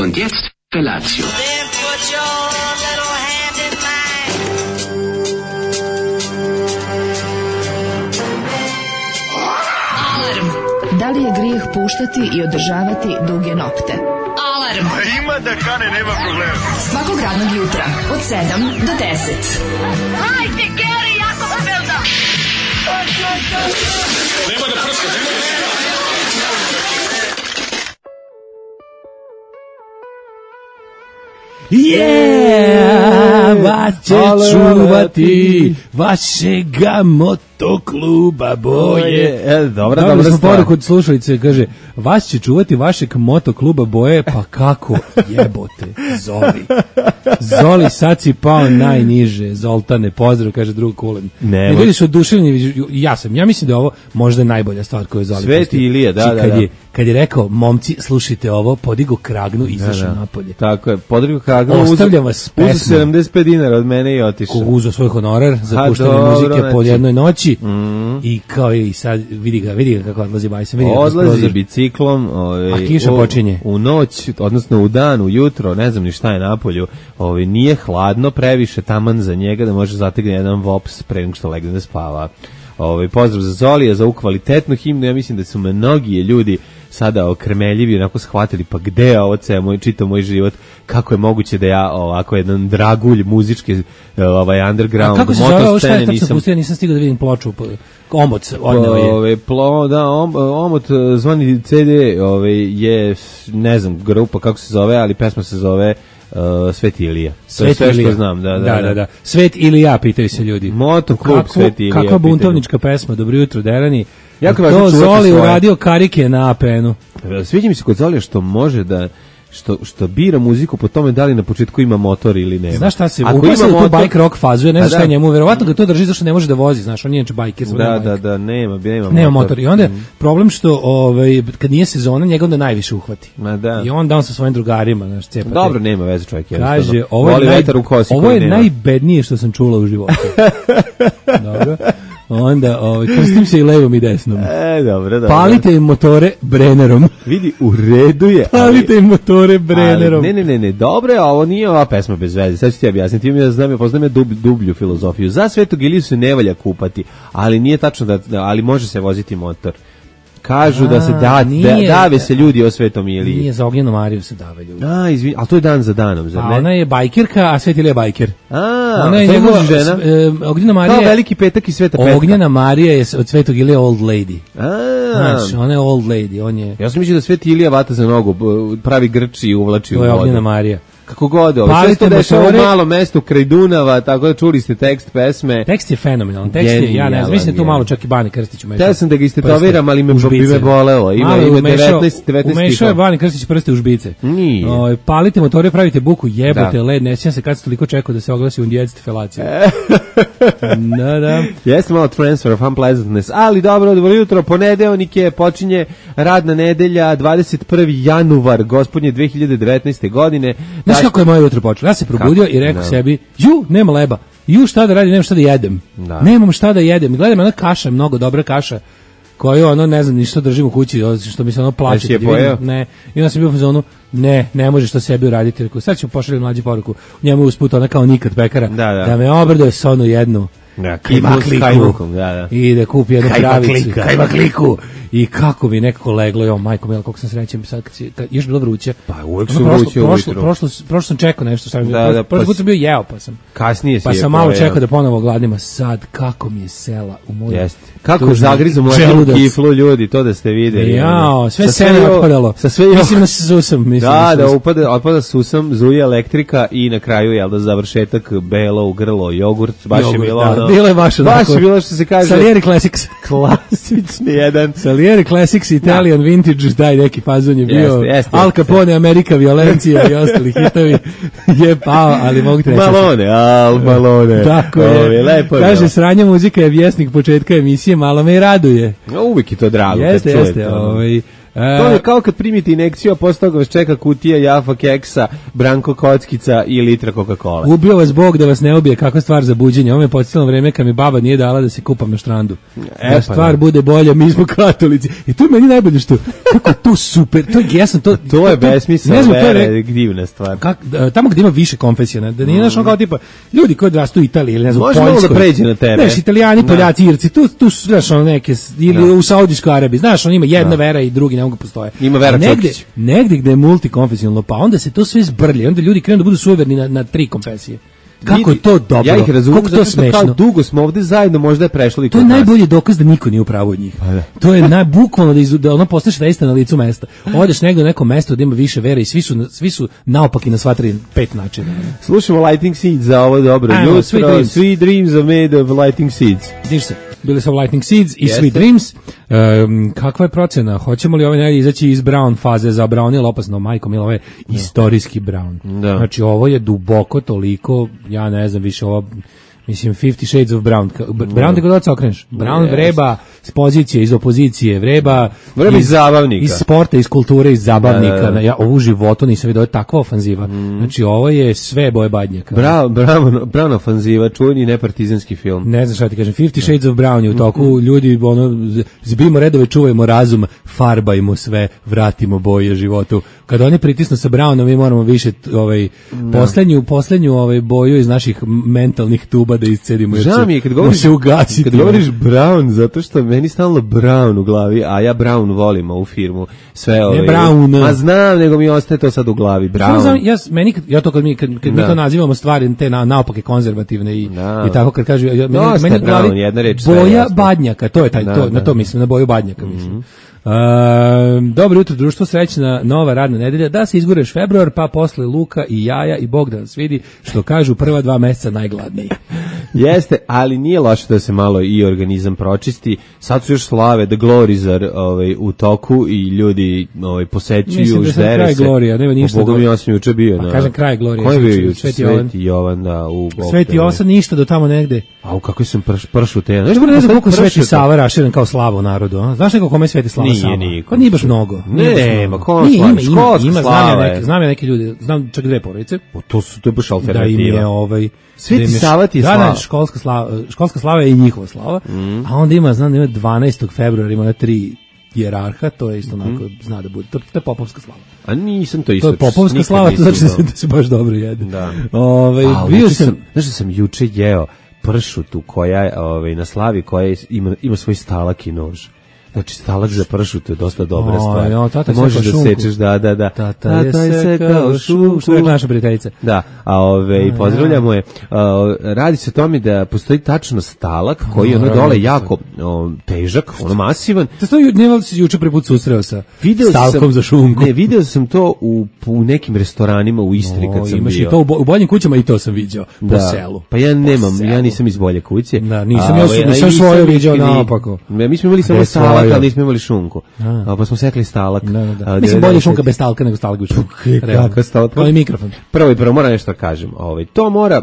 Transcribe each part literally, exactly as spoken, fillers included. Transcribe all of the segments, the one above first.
Und jetzt Felatio. Da li je grijeh puštati i održavati duge nokte? Alarm! A ima da kane, nema problema. Svakog radnog jutra, od sedam do deset. Hajde, Geri, jako se velda! Nema da prska, nema da prska. Yeah, vas će čuvati vašega motokluba boje. E, dobra, Dobili dobra smo stvar. poruku od slušalice, kaže, vas će čuvati vašeg motokluba boje, pa kako jebote, Zoli. Zoli, sad si pao najniže, Zoltane, pozdrav, kaže drug Kulen. Ne, I ljudi su oduševljeni, ja sam, ja mislim da je ovo možda najbolja stvar koju je Zoli Sveti pustio. Ilija, da, Znači, da, kad da. Je, kad je rekao, momci, slušajte ovo, podigo kragnu i izašao Da, da. napolje. Tako je, podrigo Kagano Ostavljam vas s uzu pesmom. sedamdeset pet dinara od mene i otišao. Ko uzeo svoj honorar za Ha, puštanje dobro, muzike znači. po jednoj noći Mm. i kao i sad vidi ga, vidi ga kako odlazi bajsa, vidi ga kroz Odlazi prozor. biciklom, ovaj, A kiša u, počinje. u noć, odnosno u dan, u jutro, ne znam ni šta je napolju, ovaj, nije hladno previše taman za njega da može zategne jedan vops pre nego što legne da spava. Ovaj, pozdrav za Zolija, za ovu kvalitetnu himnu, ja mislim da su mnogi ljudi sada okrmeljivi, onako shvatili, pa gde je ovo ceo moj, čitav moj život, kako je moguće da ja ovako jedan dragulj muzičke, ovaj, underground, A kako se zove ovo, šta je motoscene tačno nisam... pustio, nisam stigao da vidim ploču, po- omot odneo je. Ove, plo, da, om, omot e, zvani C D ove, je, ne znam, grupa kako se zove, ali pesma se zove uh, Sveti Ilija. To je Svet sve Ilija. što znam, da, da, da, da, da. Svet ili ja, pitaju se ljudi. Motoklub Kako- Sveti Ilija. Kakva pitaju. buntovnička pesma, dobro jutro, Derani. Jako To važno čuvati Zoli svoje. uradio karike na A P N-u. Sviđa mi se kod Zolija što može da što što bira muziku po tome da li na početku ima motor ili nema. Znaš šta se, Ako upasao ima u tu motor- bike rock fazu, ja ne A znam šta da. je njemu, verovatno ga to drži zašto ne može da vozi, znaš, on je inače bajker, samo Da, nema da, bajk. da, nema, nema, Nema motor. I onda je problem što ovaj, kad nije sezona, njega onda najviše uhvati. Ma da. I onda on sa svojim drugarima, znaš, cepa. te- Dobro, nema veze čovjek. Kaže, jednostavno. ovo je, Voli naj, vetar u kosi ovo koji je nema. najbednije što sam čula u životu. Dobro. Onda, ovaj, krstim se i levom i desnom. E, dobro, dobro. Palite im motore Brennerom. Vidi, u redu je. ali- Palite im motore Brennerom. Ali, ne, ne, ne, ne, dobro je, ovo nije ova pesma bez veze. Sad ću ti objasniti, imam ja znam, ja poznam ja dub, dublju filozofiju. Za Svetog Iliju se ne valja kupati, ali nije tačno da, da ali može se voziti motor. Kažu da se A, da, da nije- dave se ljudi o Svetom Iliji. Nije za Ognjenu Mariju se dave ljudi. A, izvini, ali to je dan za danom, zar A ne? ona je bajkerka, a Svet Ilija je bajker. A, Ona je to njegova, muž i žena. e, Ognjena Marija Kao je- Veliki petak i Sveta petka. Ognjena Marija je od Svetog Ilije old lady. A, Znači, ona je old lady, on je, ja sam mislio da Sveti Ilija vata za nogu, b- pravi grči i uvlači u to je Ognjena vodu. Marija. Kako god, ovo. Sve Palite se dešava u motore. malom mestu kraj Dunava, tako da čuli ste tekst pesme. Tekst je fenomenalan, tekst je, ja ne Genijalan znam, mislim da tu je. malo čak i Bani Krstić umešao. Htio sam da ga istetoviram, ali me, u bi žbice. me bolelo. Ima, Malo je ima umešao- devetnaest, devetnaest Umešao je stihova. Bani Krstić prste u žbice. Nije. O, palite motore, pravite buku, jebote Da. led, ne sjećam se kad se toliko čekao da se oglasi undjecite felaciju. Da, da. Jeste malo transfer of unpleasantness, ali dobro, dobro jutro, ponedeljnik je, počinje radna nedelja, dvadeset prvi januar, gospodnje dve hiljade devetnaeste godine. Znaš Daš- kako je moje jutro počelo? Ja se probudio Kako? i rekao Da. sebi, ju, nema leba. Ju, šta da radim, nemam šta da jedem. Da. Nemam šta da jedem. I gledam, ona kaša, mnogo dobra kaša, koju ono, ne znam, ništa držim u kući, što mi se ono plaće. Jesi je kad vidim, pojeo? Ne. I onda sam bio u fazonu, ne, ne možeš to sebi uraditi. Rekao, sad ću pošaljem mlađu poruku. Njemu usput ona kao nikad pekara. Da, da. me obraduje s onu jednu. Da, Kajmakliku. s kajmakom, da, da. I da kupi jednu Kajmaklika. kravicu. Kajmakliku. I kako bi nekako leglo, jo, majko mila, koliko sam srećen, sad kad, si, kad još bilo vruće. Pa uvek Ono su prošlo- vruće prošlo, ujutru. prošlo, prošlo sam čekao nešto, šta mi Da, da, da, prošli pa put s- sam bio jeo, pa sam. Kasnije si Pa je sam malo pojeo. čekao da ponovo gladnima, sad kako mi je sela u moju. Jeste. Kako tužnu zagrizu mlađu želudac. kiflu ljudi, to da ste videli. Jao, sve Sa seme jo- otpadalo. Sa sve jo- Mislim da se susam, mislim Da, se da, susam. upada, otpada susam, zuje elektrika i na kraju, jel da, završetak, belo u grlo, jogurt, baš je Jogurt, bilo da, ono... bilo je baš Baš onako. je bilo što se kaže... Salieri Classics. Klasični jedan... Salieri Classics, Italian Vintage, daj neki fazon je bio. Jeste, jeste, Al jeste. Capone, Amerika, Violencija i ostali hitovi je pao, ali mogu ti reći. Malone, al, malone. Tako Ove, je. lepo je Kaže, bilo. sranja muzika je vjesnik početka emisije, malo me i raduje. A uvijek je to drago Jeste, kad jeste. čujete. ono. Ovaj, To je kao kad primite injekciju, a posle toga vas čeka kutija Jaffa keksa, Branko kockica i litra Coca-Cola. Ubio vas Bog da vas ne ubije, kakva stvar za buđenje. Ovo me podsjetilo vreme kad mi baba nije dala da se kupam na štrandu. E, da pa stvar ne. bude bolja, mi smo katolici. I to je meni najbolje što, kako je to super, to je, ja sam to... To je besmisao, ne znam, to je vera, re- divna stvar. Kak, tamo gde ima više konfesija, ne, da nije znaš ono kao tipa, ljudi koji odrastu u Italiji ili ne znam, u Može malo Poljskoj. da pređe na tebe. Znaš, Italijani, Da. Poljaci, Irci, tu, tu su, znaš, ono neke, ili Da. u Saudijskoj Arabiji, znaš, on ima jedna vera i drugi ne mogu postoje. Ima Vera A negde, Čokić. negde gde je multikonfesionalno, pa onda se to sve zbrlje, onda ljudi krenu da budu suverni na, na tri konfesije. Kako je to dobro, Ja ih razumem, kako to zato što kao smešno. dugo smo ovde zajedno, možda je prešlo i To kod je nas. najbolji dokaz da niko nije u pravu od njih. To je naj, bukvalno da, iz, da ono postaneš reista na licu mesta. Odeš negde u neko mesto da ima više vere i svi su, svi su naopaki na sva tri, pet načina. Slušamo Lighting Seeds za ovo dobro Ajmo, jutro. Sweet Dreams. Sweet Dreams are made of Lighting Seeds. Vidiš se, bili su Lightning Seeds i Jeste. Sweet Dreams. Um, kakva je procena? Hoćemo li ovaj negdje izaći iz Brown faze? Za Brown je opasno, majko mila, ovo je istorijski Brown. Da. Znači ovo je duboko toliko, ja ne znam više, ovo mislim Fifty Shades of Brown. Ka- B- Brown te god se okreneš. Brown Yes. vreba s pozicije, iz opozicije, vreba Vreba iz zabavnika. iz sporta, iz kulture, iz zabavnika. Da, da, da. Ja ovu životu nisam vidio, ovo je takva ofanziva. Znači ovo je sve boje badnjaka. Bravo, bravo, bravo ofanziva, čuveni nepartizanski film. Ne znam šta ti kažem, Fifty Shades of Brown je u toku, ljudi, ono, z- zbijemo redove, čuvajmo razum, farbajmo sve, vratimo boje životu. Kada oni pritisnu sa Brownom, mi moramo više t- ovaj, poslednju, poslednju ovaj, boju iz naših m- mentalnih tuba da iscedimo. jer Žao će- mi je kad može govoriš, se ugasiti. kad govoriš Brown, zato što meni stalno Brown u glavi, a ja Brown volim ovu firmu. Sve ove, Brown. Ma znam, nego mi ostaje to sad u glavi. Samo znam, Brown. ja, s- meni, kad- ja to kad mi, kad, kad mi Da. to nazivamo stvari te na, naopake konzervativne i, Da. i tako kad kažu, ja, meni, Dosta meni je u glavi Brown, jedna reč, sve je boja jasno. badnjaka, to je taj, Da, to, da. na to mislim, na boju badnjaka mislim. Um, dobro jutro društvo, srećna nova radna nedelja, da se izgureš februar, pa posle luka i jaja i Bog da nas vidi, što kažu prva dva meseca najgladniji. Jeste, ali nije loše da se malo i organizam pročisti. Sad su još slave, The Glories are ovaj, u toku i ljudi ovaj, posećuju, Mislim da je sad ždere kraj se. Glorija, nema ništa Boga do- mi, ja sam juče bio. Pa na- kažem kraj Glorija, Ko je sam bio čuo, juče? Sveti Sveti Jovan. Jovan, da. U Sveti Osa ništa do tamo negde. A u kako sam prš, pršu te. Znaš, Ne znam koliko je Sveti pršuta? Sava raširen kao slava u narodu, a? Znaš neko kome je Sveti Slava Nije Sava? niko. Pa nije baš mnogo. Nije baš Ne, mnogo. ma ko Nije, slava? ima, ima, Školska ima, znam slava ja je. neke, znam ja neke ljude, znam čak dve porodice. O, to su to je baš Da im alternativa. je ovaj Sveti da im je- Sava ti je da, slava. Da, školska slava, školska slava je i njihova slava. Mm. A onda ima, znam da ima dvanaestog februara ima na tri hijerarha, to je isto onako, zna da bude. To, to je popovska slava. A nisam to To isto. je popovska nikad slava, to nisam znači da to. se, da se baš dobro jede. Da. Ovaj, A, bio juče sam, znaš da sam juče jeo pršutu koja je ovaj, na slavi koja je- ima, ima svoj stalak i nož. Znači stalak za pršutu je dosta dobra O, stvar. jo, tata je Možeš sekao da šunku. sečeš, da, da, da. Tata je sekao šunku. Što je naša prijateljica. Da, a ove, pozdravljamo je. A, radi se o tome da postoji tačno stalak koji je ono Naravno, dole da. jako o, težak, ono masivan. Te sto ne vali se juče prvi put susreo sa Video stavkom sam, za šunku. Ne, video sam to u, u nekim restoranima u Istri kad O, sam imaš bio. i to u, bo- u boljim kućama i to sam viđao po Da. selu. Pa ja nemam, Po ja selu. nisam iz bolje kuće. Da, nisam, A, ja ovaj, sam- a nisam nisam svoje ni- viđao ni- naopako. Ne, mi smo imali samo Gde stalak, svoje? ali nismo imali šunku. A. A, pa smo sekli stalak. Da, da, da. A, Mislim, bolje devedeset šunka bez stalka nego stalak bez šunka. Realno. Kakav stalak? Kao i mikrofon. Prvo i prvo moram nešto da kažem. Ovaj, to mora,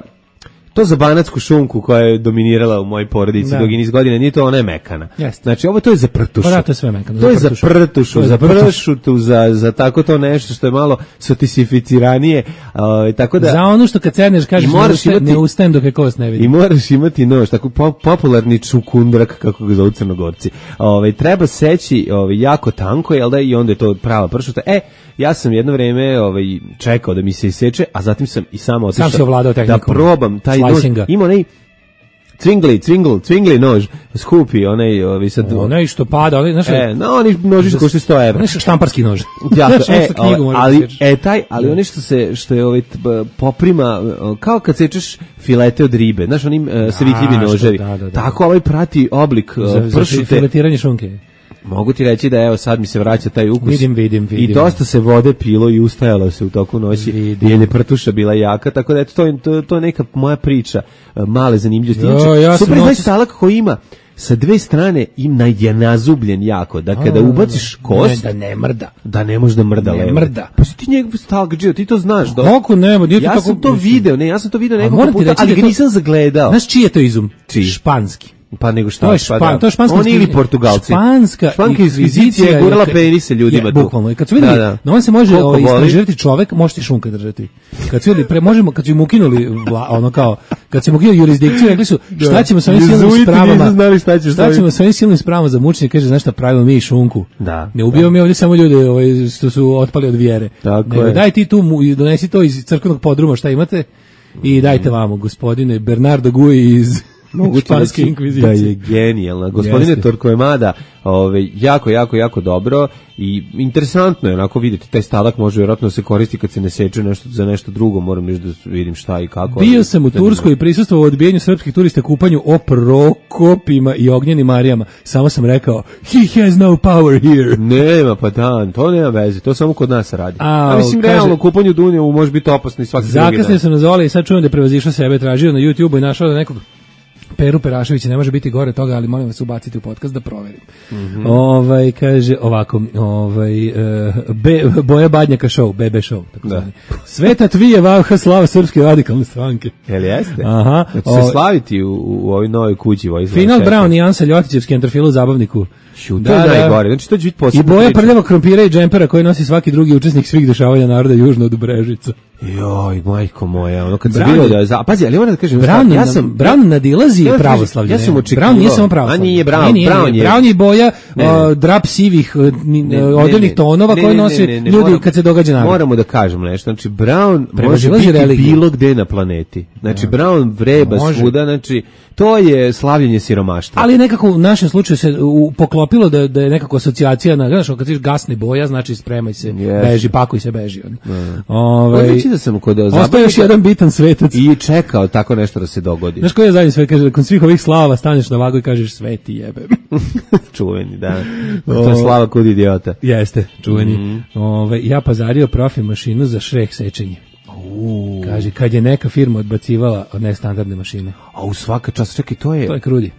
to za banatsku šunku koja je dominirala u mojoj porodici Da. dugi niz godina, nije to, ona je mekana. Jeste. Znači, ovo to je za prtušu. Pa da, to je sve mekano, To za je za prtušu. prtušu, To je za za prtušu. pršutu, za, za tako to nešto što je malo sofisticiranije. Ovaj, tako da... Za ono što kad sedneš kažeš I moraš ne, ustajem, imati- ne ustajem dok je kost ne I vidim. moraš imati nož, tako po, popularni čukundrak, kako ga zovu Crnogorci. Ove, treba seći ove, jako tanko, jel da, i onda je to prava pršuta. E, ja sam jedno vreme ovaj, čekao da mi se iseče, a zatim sam i sam otišao si ovladao da tehnikom probam taj nož. slicinga. Ima onaj cvingli, cvingli, cvingli nož, skupi, onaj, ovaj, sad... Onaj što pada, onaj, znaš, E, no, oni noži košte sto evra. onaj štamparski nož. Ja, Znaš, ono e, što knjigu ovaj, možeš da ali sečeš. e taj, ali ono što se što je ovaj t- b- poprima o, kao kad sečeš filete od ribe, znaš onim uh, savitljivi što- noževi. da, da, da. Tako ovaj prati oblik uh, Za, za pršute. filetiranje šunke. Mogu ti reći da evo sad mi se vraća taj ukus. Vidim, vidim, vidim. I dosta se vode pilo i ustajalo se u toku noći. Vidim. Jer je prtuša bila jaka, tako da eto to je to, to je neka moja priča, uh, male zanimljivosti. Jo, Inače, ja sam super je taj noćas- stalak koji ima sa dve strane ima je nazubljen jako, da kada ubaciš kost, Ne, da ne mrda. da ne može da mrda Ne levo. mrda. Pa si ti njegov stalkđio, ti to znaš. Da... Kako nema, nije to Ja tako... sam to video, ne, ja sam to video A nekoliko moram ti puta, reći ali da ga to- nisam zagledao. Znaš čiji je to izum? Čiji? Španski. Pa nego šta? To je špan, pa da. to je španska. Oni ili Portugalci. Španska, španska inkvizicija je gurala penise ljudima je, tu. Bukvalno. I kad su videli, da, da. no on se može ovaj, istraživati čovek, može ti šunka držati. Kad su videli, pre, možemo, kad su im ukinuli, vla, ono kao, kad su im ukinuli jurisdikciju, rekli su, šta ćemo sa ovim silnim spravama, šta, šta ćemo sa ovim silnim spravama za mučenje, kaže, znaš šta pravimo mi i šunku. Da. Ne ubijamo mi ovdje samo ljude ovaj, što su otpali od vjere. Tako nego je. Daj ti tu, donesi to iz crkvenog podruma, šta imate, i dajte vamo, gospodine Bernardo Gui iz španske inkvizicije. Da je genijalna. Gospodine Torquemada, ovaj, jako, jako, jako dobro i interesantno je onako vidjeti, taj stalak može vjerojatno se koristi kad se ne seče nešto za nešto drugo, moram reći da vidim šta i kako. Bio sam u Turskoj i prisustvovao odbijenju srpskih turista kupanju o Prokopima i Ognjenim Marijama. Samo sam rekao, he has no power here. Nema, pa da, to nema veze, to samo kod nas radi. A, A mislim, kaže, realno, kupanju Dunjevu može biti opasno i svaki drugi dan. Zakasnije sam nazvali i sad čujem da je prevazišao sebe, tražio na YouTubeu i našao da nekog Peru Peraševića, ne može biti gore toga, ali molim vas ubaciti u podcast da proverim. Mm-hmm. Ovaj kaže ovako, ovaj uh, be, Boja Badnjaka show, B B show, tako da. Sveta tvije vavha slava srpske radikalne stranke. Jel jeste? Aha. Znači o, se slaviti u, u ovoj novoj kući. Ovaj Final Brown i Ansa Ljotićevski entrofil u zabavniku. Šuta, da, da, najgore. Znači to će biti posebno. I Boja prljavog krompira i džempera koji nosi svaki drugi učesnik svih dešavanja naroda južno od Brežica. Joj, majko moja, ono kad se bilo da za, pazi, ali moram da kažem, Brown, ja sam Brown nadilazi ja pravoslavlje. Ja sam očekivao. Brown nije samo pravoslavlje. A nije Brown, nije, Brown je. Brown je boja uh, drap sivih uh, odeljnih tonova koje nose ljudi moram, kad se događa narod. Moramo da kažemo nešto, znači Brown može biti religiju. Bilo gde na planeti. Znači ja. Brown vreba može. Svuda, znači to je slavljenje siromaštva. Ali nekako u našem slučaju se u, poklopilo da, da je nekako asocijacija na, znaš, kad kažeš gasne boja, znači spremaj se, yes. beži, pakuj se, beži. Ovaj znači da sam kod ostaje još jedan bitan svetac i čekao tako nešto da se dogodi. Znaš koji je zadnji svet, kaže, kod svih ovih slava staneš na vagu i kažeš sveti jebem. Čuveni, da. To je slava kod idiota. Jeste, čuveni. Mm. Ove, ja pazario profi mašinu za šrek sečenje. Uh. Kaže, kad je neka firma odbacivala nestandardne mašine. A u svaka čast, čekaj, to je... To je krudi.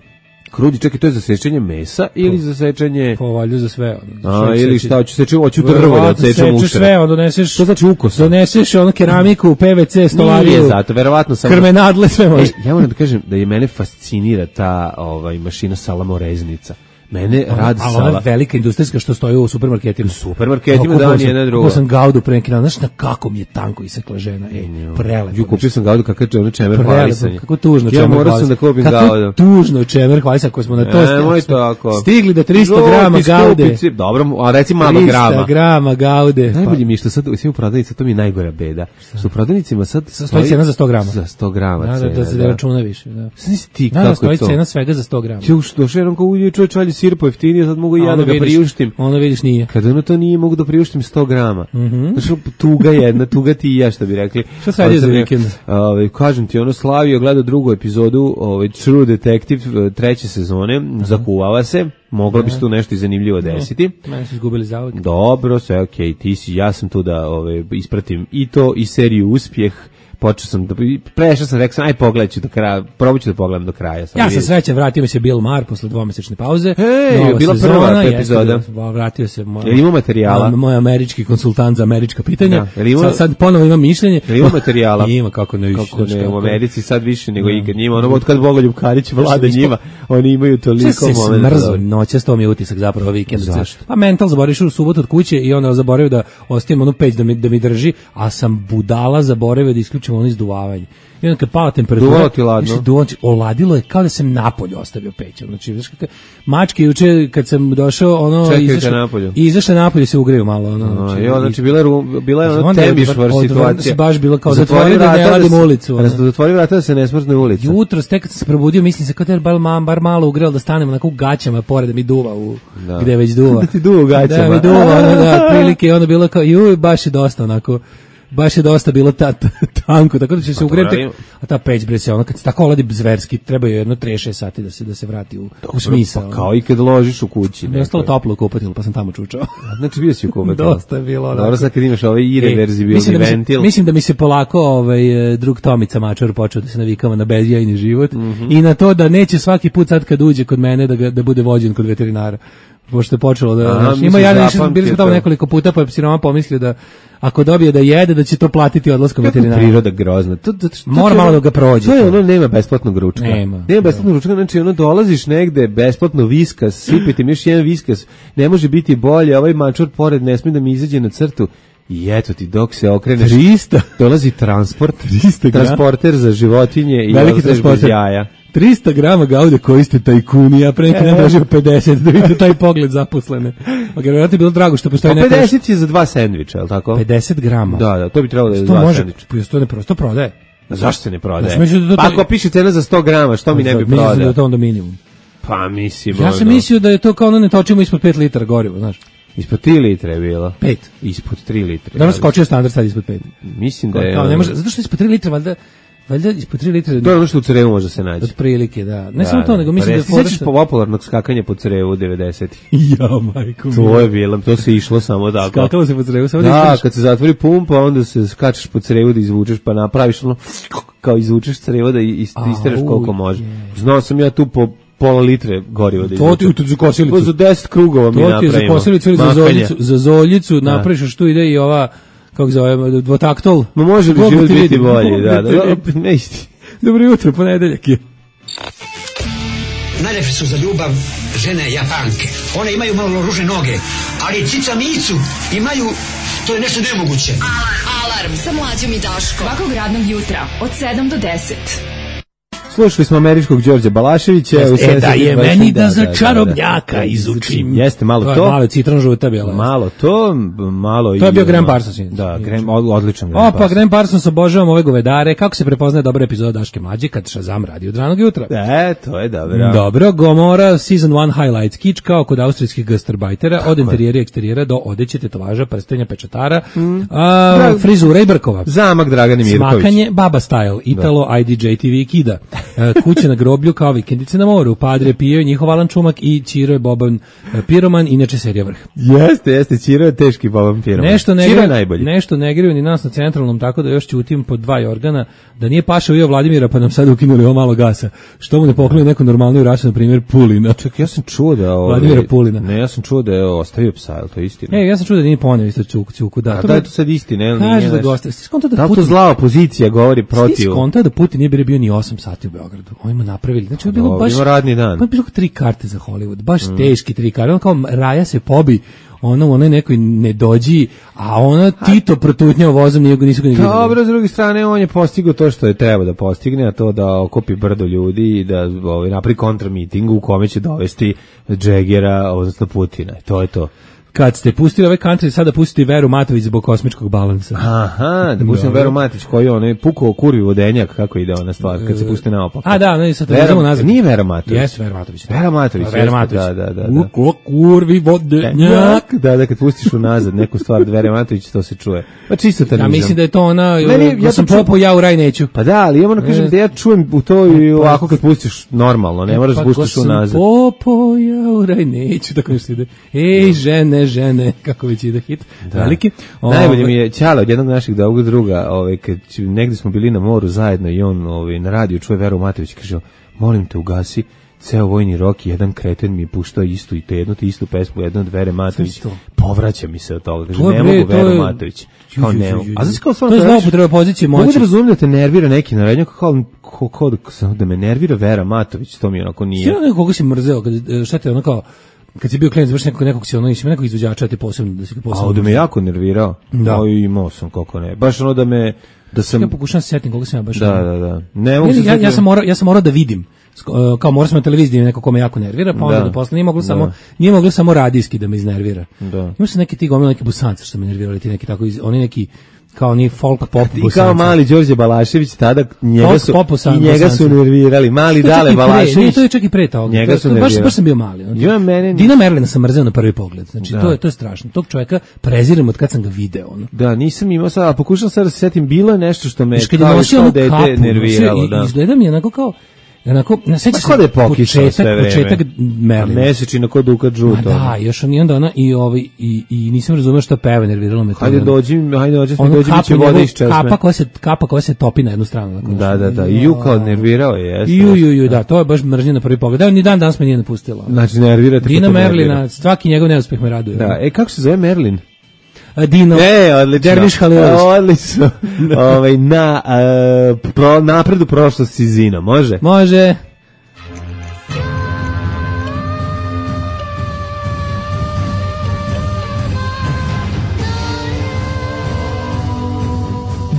Krudi, čekaj, to je za sečenje mesa ili za sečenje... Pa valjda za sve. Ono, A, ili šta, hoću seći, hoću drvo da sečem ušre. Sve, ono, doneseš... To znači ukos. Doneseš ono keramiku, P V C, stolariju. Nije zato, verovatno sam... Krmenadle, sve može. E, ja moram da kažem da je mene fascinira ta ovaj, mašina salamoreznica. Mene radi sala. A ona velika industrijska što stoji u supermarketima. U supermarketima da nije jedna druga. Kupio sam gaudu pre neki dan, znaš na kako mi je tanko isekla žena, ej, prelepo. Ju kupio sam gaudu kakav je čemer hvalisanje. Kako tužno čemer hvalisanje. Ja moram sam da kupim gaudu. Kako tužno čemer hvalisanje, ako smo na to stigli. Stigli do tristo grama gaude. Dobro, a reci malo grama. tristo grama gaude. Najbolje mi je što sad u svim prodavnicama, to mi je najgora beda. Što u prodavnicima sad stoji cena za sto grama. Za sto grama cena. Da se ne računa više, da. Znaš ti kako to? Stoji cena svega za sto grama. Ju što šerom kao uje čovjek čalje sir po jeftinije, sad mogu i ja da ga priuštim. Ono vidiš nije. Kad ono to nije, mogu da priuštim sto grama. Mm-hmm. Znači, tuga jedna, tuga ti i ja, što bi rekli. Šta se radi za vikend? Ovaj, kažem ti, ono slavio, gleda drugu epizodu, ovaj, True Detective, treće sezone, uh-huh. zakuvava se, moglo bi se tu nešto i zanimljivo desiti. Mene su izgubili zauvek. Dobro, sve okej, okay, ti si, ja sam tu da ovaj, ispratim i to, i seriju Uspjeh. Počeo sam, da, prešao sam, rekao sam, aj pogledat ću do kraja, probat ću da pogledam do kraja. Sam ja sam srećan, vratio mi se Bill Maher posle dvomesečne pauze. Hej, bila prva epizoda. Jeste, vratio se moj, jel ima materijala? Moj američki konsultant za američka pitanja. Ja, ima, sad, sad ponovo imam mišljenje. Jel ima materijala? Ima, kako ne više. Kako ne, u Americi sad više nego ikad njima. Ono, od kad Bogoljub Karić vlada njima, oni imaju toliko momenta. Smrzo, noćas, to mi je utisak zapravo vikend. Zašto? Pa mental, zaboraviš u subotu od kuće i onda zaboravio da ostavim onu peć da mi, da mi drži, a sam budala zaboravio da isključim ono izduvavanje. I onda kad pala temperatura, duvalo ti ladno. Duvalo, oladilo je kao da sam napolju ostavio peć. Znači, znaš kako, mačke juče kad sam došao, ono, izašao, izašao napolju se ugreju malo. Ono, znači, jo, znači bila, bila je ono temišvar situacija. Baš bilo kao zatvori da ne radim ulicu. Zatvori vrata da se ne smrzne ulica. Jutro, tek kad sam se probudio, mislim se kao da je bar malo ugreo da stanem onako u gaćama pored da mi duva u, da. Gde već duva. Da ti duva u gaćama. Da mi duva, ono, da, prilike i ono bilo kao, juj, baš je dosta onako. Baš je dosta bilo ta, ta, tanko, tako da će se ugreti, a ta peć bre se, ono kad se tako oladi zverski, treba je jedno trideset šest sati da se da se vrati u, u smisao. Pa kao i kad ložiš u kući. Mi je ostalo toplo u kupatilu, pa sam tamo čučao. Znači bio si u kupatilu. Dosta je bilo. Dobro, sad kad imaš ovaj irreverzibilni ventil. Da mislim da mi se polako ovaj, drug Tomica Mačar počeo da se navikava na bezjajni život mm-hmm. i na to da neće svaki put sad kad uđe kod mene da, ga, da bude vođen kod veterinara. pošto je počelo da... Aha, znaš, mislim, ima ja nešto, zapamtio bili smo tamo to. nekoliko puta, pa je psiroma pomislio da ako dobije da jede, da će to platiti odlaskom Kako veterinara. priroda grozna. To, to, to, Mora to- malo da ga prođe. To je ono, nema besplatnog ručka. Nema. Nema besplatnog ručka, znači ono dolaziš negde, besplatno viskas, sipiti mi još jedan viskas, ne može biti bolje, ovaj mačor pored ne smije da mi izađe na crtu. I eto ti, dok se okreneš, trista dolazi transport, trista grama. transporter za životinje i Veliki odlaziš bez transporter. jaja. trista grama gaude koji ste tajkuni, ja pre neki dan tražio pedeset, da vidite taj pogled zaposlene. Ok, vjerojatno je bilo drago što postoji Pa neka... pedeset je za dva sendviča, je li tako? pedeset grama. Da, da, to bi trebalo da je za To dva može, sendviča. pa to ne prosto prodaje. Zašto se ne prodaje? Ja sam mislio da to- Pa ako piše cena za sto grama, što mi ne bi Mislim da je prodao? to onda minimum. Pa mislim, Ja sam ono, mislio da je to kao ono ne točimo ispod pet litara goriva, znaš. ispod tri litre je bilo. pet. Ispod tri litre. Danas skočio standard sad ispod pet. Mislim da je... Kao, ne može, zato što ispod tri litre, valjda, valjda ispod tri litre... To je ono što u Crevu može se naći. Od prilike, da. Ne samo to, nego mislim da je... Pa sećaš popularnog skakanja po Crevu devedesetih? Ja, majko mi. To je bilo, to se išlo samo tako. Skakalo se po crevu, samo da Da, ispadneš. kad se zatvori pumpa, onda se skačeš po crevu da izvučeš, pa napraviš ono, kao izvučeš crevo da ist- istereš Au, koliko može. je. Znao sam ja tu po pola litre goriva da To ti izvučem. u za kosilicu. To za deset krugova mi To ti je napravimo. za kosilicu ili za Mahanja. zoljicu. Za zoljicu napraviš još tu ide i ova, kako se zove, dvotaktol. Ma može bi Mogu život ti biti vidim, bolji, mogu da, ti da, vidim. da, ne isti. Dobro jutro, ponedeljak je. Najlepše su za ljubav žene Japanke. One imaju malo ružne noge, ali cica micu imaju, to je nešto nemoguće. Alarm sa mlađom i Daškom. Svakog radnog jutra od sedam do deset. Slušali smo američkog Đorđa Balaševića. Jeste, u e, da sedamdeset je dvadeset, meni da za da, čarobnjaka da. izučim. Jeste, malo To to. je malo citron žuta bila. Malo to, malo i... To je bio ono- Graham Parsons, inače. Da, Graham, od- odličan Graham O, pa Parsons. Graham Parsons, obožavam ove govedare. Kako se prepoznaje dobra epizoda Daške mlađe kad Shazam radi od ranog jutra? E, to je dobro. Dobro, Gomora, Season one Highlights, kič kao kod austrijskih gastarbajtera, od interijera i eksterijera do odeće, tetovaža, prstenja, pečatara, a, Drag- frizura i brkova. Zamak Dragane Mirković. Smakanje, baba style, Italo, I D J T V kida, e, kuće na groblju kao vikendice na moru, Padre Pio i njihov Alan Čumak i Ćiro je Boban e, Piroman, inače serija Vrh. Jeste, jeste, Ćiro je teški Boban Piroman. Nešto ne Ćiro je greju, najbolji. nešto ne greju ni nas na centralnom, tako da još ćutim pod dva organa, da nije pašao i Vladimira pa nam sad ukinuli ovo malo gasa. Što mu ne pokloni neku normalniju rasu, na primjer Pulina. Čak, ja sam čuo da... Ovaj, Vladimira Pulina. Ne, ja sam čuo da je ostavio psa, je li to istina? E, ja sam čuo da nije poneo isto Ćuku, Ćuku, da. A to da bi- je to sad istina, je li Kaže nije da nešto? goste. Sti skonto da Da li to Putin... zla opozicija govori Sti protiv... skonto da Putin nije bio, bio ni osam sati u Beogradu. Ovima napravili. Znači, ovo je bilo Dobro, baš... ima radni dan. Pa je bilo tri karte za Hollywood. Baš teški tri karte. Ono kao Raja se pobi, ono u onoj nekoj ne dođi, a ono Tito protutnjao vozom, nije, nisu ga ni vidjeli. Dobro, s druge strane, on je postigao to što je treba da postigne, a to da okupi brdo ljudi i da ovaj, napravi kontramiting u kome će dovesti Džegera, odnosno Putina. To je to. Kad ste pustili ove country, sada pustite Veru Matović zbog kosmičkog balansa. Aha, da pustim Dobro. Veru Matić koji je on pukao kurvi vodenjak, kako ide ona stvar, kad se pusti naopako. A da, ne, sad te Vera- uzemo nazad. Nije Vera Matović. Jeste Vera Matović. Vera Matović, Vera jeste, Matović. da, da, da, da. U kurvi vodenjak. Da, da, kad pustiš unazad neku stvar Vere Matović, to se čuje. Pa čisto Ja tanizam. mislim da je to ona, Meni- ja, ja sam to ču- popao, ja u raj neću. Pa da, ali ja moram kažem E. da ja čujem u to i ovako kad pustiš normalno, ne moraš da pustiš unazad. Popo, ja u raj neću, tako nešto ide. Ej, žene, žene, kako već ide hit. Veliki. Najbolje Ove, mi je Ćale od jednog naših drugog druga, ovaj, kad ću- negdje smo bili na moru zajedno i on ovaj, na radiju čuje Veru Matović, kaže, molim te ugasi ceo vojni rok, jedan kreten mi je puštao istu i te jednu te istu pesmu, jednu od Vere Matović, Sve to. povraća mi se od toga, kaže, To je, ne bre, mogu to Veru je- Matović, kao Ju, ju, ne ju, mogu. ju, A znaš kao to stvarno je kažeš, zloupotreba pozicije mogu moći. da razumijem da te nervira neki narednjak, kao, kao, kao da, samo da me nervira Vera Matović, to mi onako nije. Sino nekog koga si mrzeo, kad, e, šta te ono kao, kad si bio klijent, baš nekog, nekog si ono, ima nekog izvođača, te posebno, da si ga A posebno. ovdje me jako nervirao, Da. da. Imao sam, kako ne, baš ono da me, da sam, Ja pokušam se setim koga sam ja baš. da, ono- da, da, ne mogu Ne, se ja, ja setiti- sam morao ja sam morao da vidim. Sk- uh, Kao morao sam na televiziji neko ko me jako nervira, pa onda Da. da posle nije moglo Da. samo nije moglo samo radijski da me iznervira. Da. Ima se neki ti gomila neki busanci što me nervirali, ti neki tako iz, oni neki kao ni folk pop I busanci. kao mali Đorđe Balašević tada njega Folk su pop Bosan- i njega su Bosanci. nervirali mali To je čak Dale i pre, nije, Balašević. to je čak i pre toga. Njega To- su to- baš, nervirali. baš sam bio mali. Znači, Ja, mene- Dina Merlina sam mrzeo na prvi pogled. Znači, Da. to je to je strašno. Tog čovjeka prezirem od kad sam ga video. Ono. Da, nisam imao sad, a pokušam sad da se setim, bilo je nešto što me Znaš, kad je kao nosio kao onu dete kapu, nerviralo, nosio i- da. izgleda mi je onako kao Onako, na seća se Kako da je pokisao početak, sve vreme? početak Merlina. Mesečina kod Duka Džuto. Ma da, još on i onda ona i ovaj i i nisam razumeo šta peva, nerviralo me to. Hajde dođi, hajde dođi, Ono dođi biće kapu voda njegov- iz česme. Kapa koja se kapa koja se topi na jednu stranu. Dakle, Da, da, da. I ju kao nervirao je, jeste. Ju, ju, ju, da, to je baš mržnja na prvi pogled. Da, ni dan danas me nije napustila. Znači, nervirate. Dina pa to Merlina, nervira. svaki njegov neuspeh me raduje. Da, e, kako se zove Merlin? A Dino, E, odlično. Derviš Halilović. Odlično. Ovaj, na uh, pro, napredu prošlosti Zina, može? Može.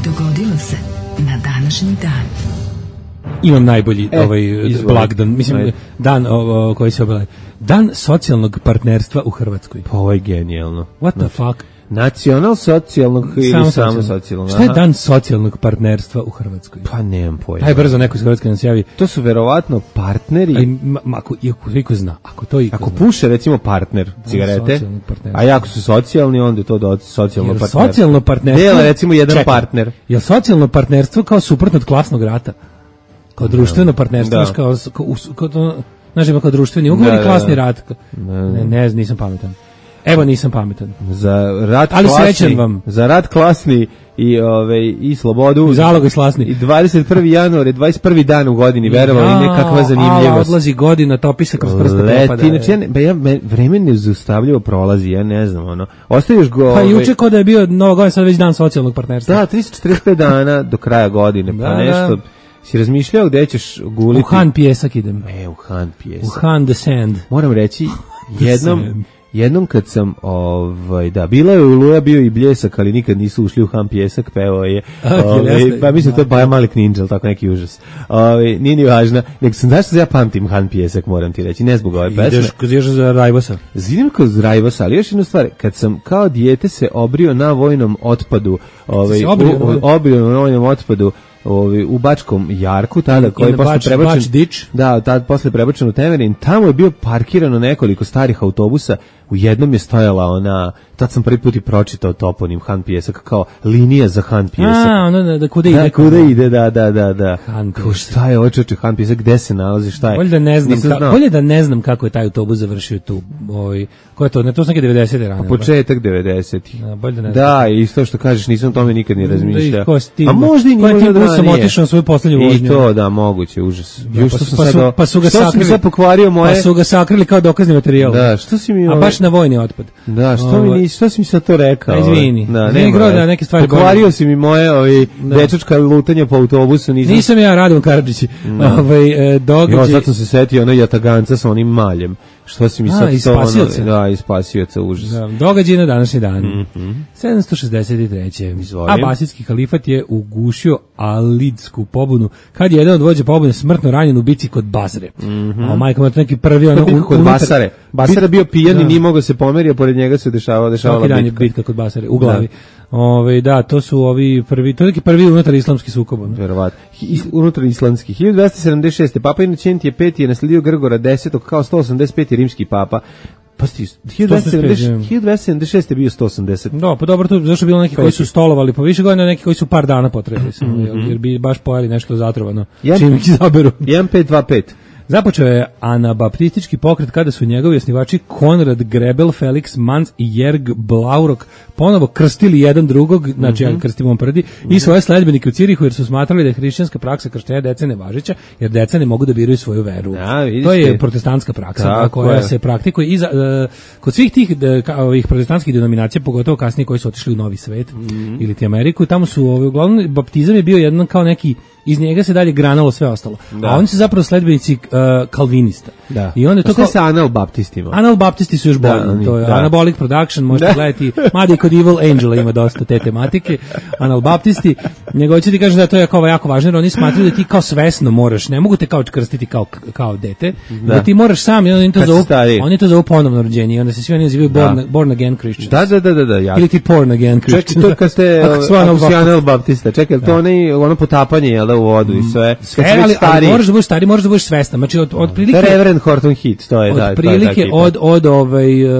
Dogodilo se na današnji dan. Imam najbolji E, ovaj izvoli. blagdan, mislim Ajde. dan o, o, koji se obeležava. Dan socijalnog partnerstva u Hrvatskoj. Pa ovo je genijalno. What the fuck? Nacional socijalnog ili samo, samo socijalnog? Šta je Aha. dan socijalnog partnerstva u Hrvatskoj? Pa nemam pojma. Aj brzo neko iz Hrvatske nam se javi. To su verovatno partneri. Aj, ma, ma, ako, ako iko zna, ako to iko Ako zna. puše recimo partner cigarete, socijalnog partnerstva. a jako su socijalni, onda je to do socijalno Jel partnerstvo. socijalno partnerstvo... Dela recimo jedan Čekaj, partner. Je socijalno partnerstvo kao suprotno od klasnog rata? Kao društveno partnerstvo, Da. znaš, kao, kao, kao, kao, to, znaš, ima kao društveni ugovor Da, i da, klasni da. rat. Ne, ne, nisam pametan. Evo, nisam pametan. Za rat Ali klasni, srećan vam. Za rat klasni i ovaj i slobodu. I zalog i slasni. I dvadeset prvi januar je dvadeset prvi dan u godini, verovali ili ne, kakva Ala, zanimljivost. odlazi godina, topi se kroz prste propada. Leti, znači ja, ne, ba ja me, vreme nezaustavljivo prolazi, ja ne znam, ono. Ostaviš go... Pa ovaj, juče ko da je bio Nova godina, sad već dan socijalnog partnerstva. Da, tristo četrdeset pet dana do kraja godine, pa Da, nešto... da. Si razmišljao gde ćeš guliti? U Han pjesak idem. E, u Han U pjesak. Han the sand. Moram reći, jednom, Sand. jednom kad sam, ovaj, da, bila je Oluja, bio i Bljesak, ali nikad nisu ušli u Han pjesak, pevao je, A, ovaj, jeste. pa mislim da to je Baja Malik Ninja, ali tako neki užas. Ovaj, nije ni važno, nego sam, znaš što ja pamtim Han pjesak, moram ti reći, ne zbog ove pesme. Ideš, ideš za Rajbosa. Zidim kod Rajvosa, ali još jednu stvar, kad sam kao dijete se obrio na vojnom otpadu, ovaj, se obrio u- na- obrio na vojnom otpadu, ovaj, u Bačkom Jarku, tada koji je na posle Bač- prebačen, Bač Ditch. da, tad posle prebačen u Temerin, tamo je bio parkirano nekoliko starih autobusa, u jednom je stojala ona, tad sam prvi put i pročitao toponim Han pjesak, kao linija za Han pjesak. A, ono da, da kuda ide. Da, kao- kuda ide, da, da, da, da. Han Kao, pjesak. šta je očeče Han pjesak, gde se nalazi, šta je? Bolje da ne znam, Nisam ka, znao. bolje da ne znam kako je taj autobus završio tu. Ovaj, ko je to? Ne, to su neke devedesete rane. Početak devedesetih. Da, bolje da ne Da, i isto što kažeš, nisam o tome nikad ni razmišljao. Da, ko si ti- A možda i ko je nije tim možda busom ranije. otišao na svoju poslednju vožnju? I to, da, moguće, užas. Ju, pa što su- sam pa sad, su- o- pa su ga što sam sakrili. sad pokvario moje... Pa su ga sakrili kao dokazni materijal. Da, što si mi... A ovaj- baš na vojni otpad. Da, što mi Ovaj, nisi, što si mi sad to rekao? A, izvini. Da, Nije nema gro da veze. neke stvari Pokvario govorim. si mi moje ovi dečačka lutanja po autobusu, nisam... Nisam ja Radovan Karadžić. Ovaj, e, događaj... Jo, sad sam se setio ono jataganca sa onim maljem. Što si mi A, sad iz to ono... Spasioca. Da, iz Spasioca, užas. Da, događaj na današnji dan. sedamsto šezdeset treće. Izvoli. Abasijski halifat je ugušio Alidsku pobunu kad je jedan od vođa pobune smrtno ranjen u bici kod Basre. A majka mu je to neki prvi ono... Bitka kod unutar- Basare. Basara bit- bio pijan i da. nije mogao se pomeriti, pored njega se dešavalo, dešavala Svaki dan je bitka. bitka kod Basare, u glavi. Ove, da, to su ovi prvi, to je neki prvi unutar islamski sukob. ono. Verovatno. Is- Unutar islandski. hiljadu dvesta sedamdeset šeste. Papa Inocentije peti je nasledio Grgora desetog kao sto osamdeset peti rimski papa. Pa sti, hiljadu dvesta sedamdeset šeste je bio sto osamdeset. Da, pa dobro, to zašto je bilo neki koji su stolovali po više godina, neki koji su par dana potrebili, samo, jer, jer bi baš pojeli nešto zatrovano, Ja- čim ih izaberu. jedan pet dva pet. Započeo je anabaptistički pokret kada su njegovi osnivači Konrad Grebel, Felix Manz i Jerg Blaurok ponovo krstili jedan drugog, znači ja krstimo on prdi, i svoje sledbenike u Cirihu jer su smatrali da je hrišćanska praksa krštenja dece nevažeća, jer deca ne mogu da biraju svoju veru. Da, vidiš to je ti. protestantska praksa da, Tako koja je. se praktikuje i za, e, kod svih tih de, ka, ovih protestantskih denominacija, pogotovo kasnije koji su otišli u Novi svet ili ti Ameriku, tamo su ovi, uglavnom baptizam je bio jedan kao neki, iz njega se dalje granalo sve ostalo. Da. A oni su zapravo sledbenici uh, kalvinista. Da. I onda je A to šta je kao, sa anal-baptistima? Analbaptisti su još bolji, Da, oni- to je da. Anabolic Production, možete Da. gledati, mada i kod Evil Angela ima dosta te tematike, Analbaptisti, nego hoću ti kažem da to je kao jako važno, jer oni smatraju da ti kao svesno moraš, ne mogu te kao krstiti kao, kao dete, da. ti moraš sam, i onda oni to Kad si zovu, stariji. oni to zovu ponovno rođenje, i onda se svi oni nazivaju born, Da. born again Christians. Da, da, da, da, da, ja. Ili ti porn again Christians. Čekaj, to kad ste, Ako su ako si analbaptisti. anal-baptista, čekaj, to onaj, ono potapanje, jel da, u vodu i sve? Kad Sve, si već ali, ali stariji. moraš da budeš stari, moraš da budeš svestan. Znači, od, od To prilike... je Reverend Horton Heat, to je, da, to je ta Od prilike ekipa. od, od ovaj, uh,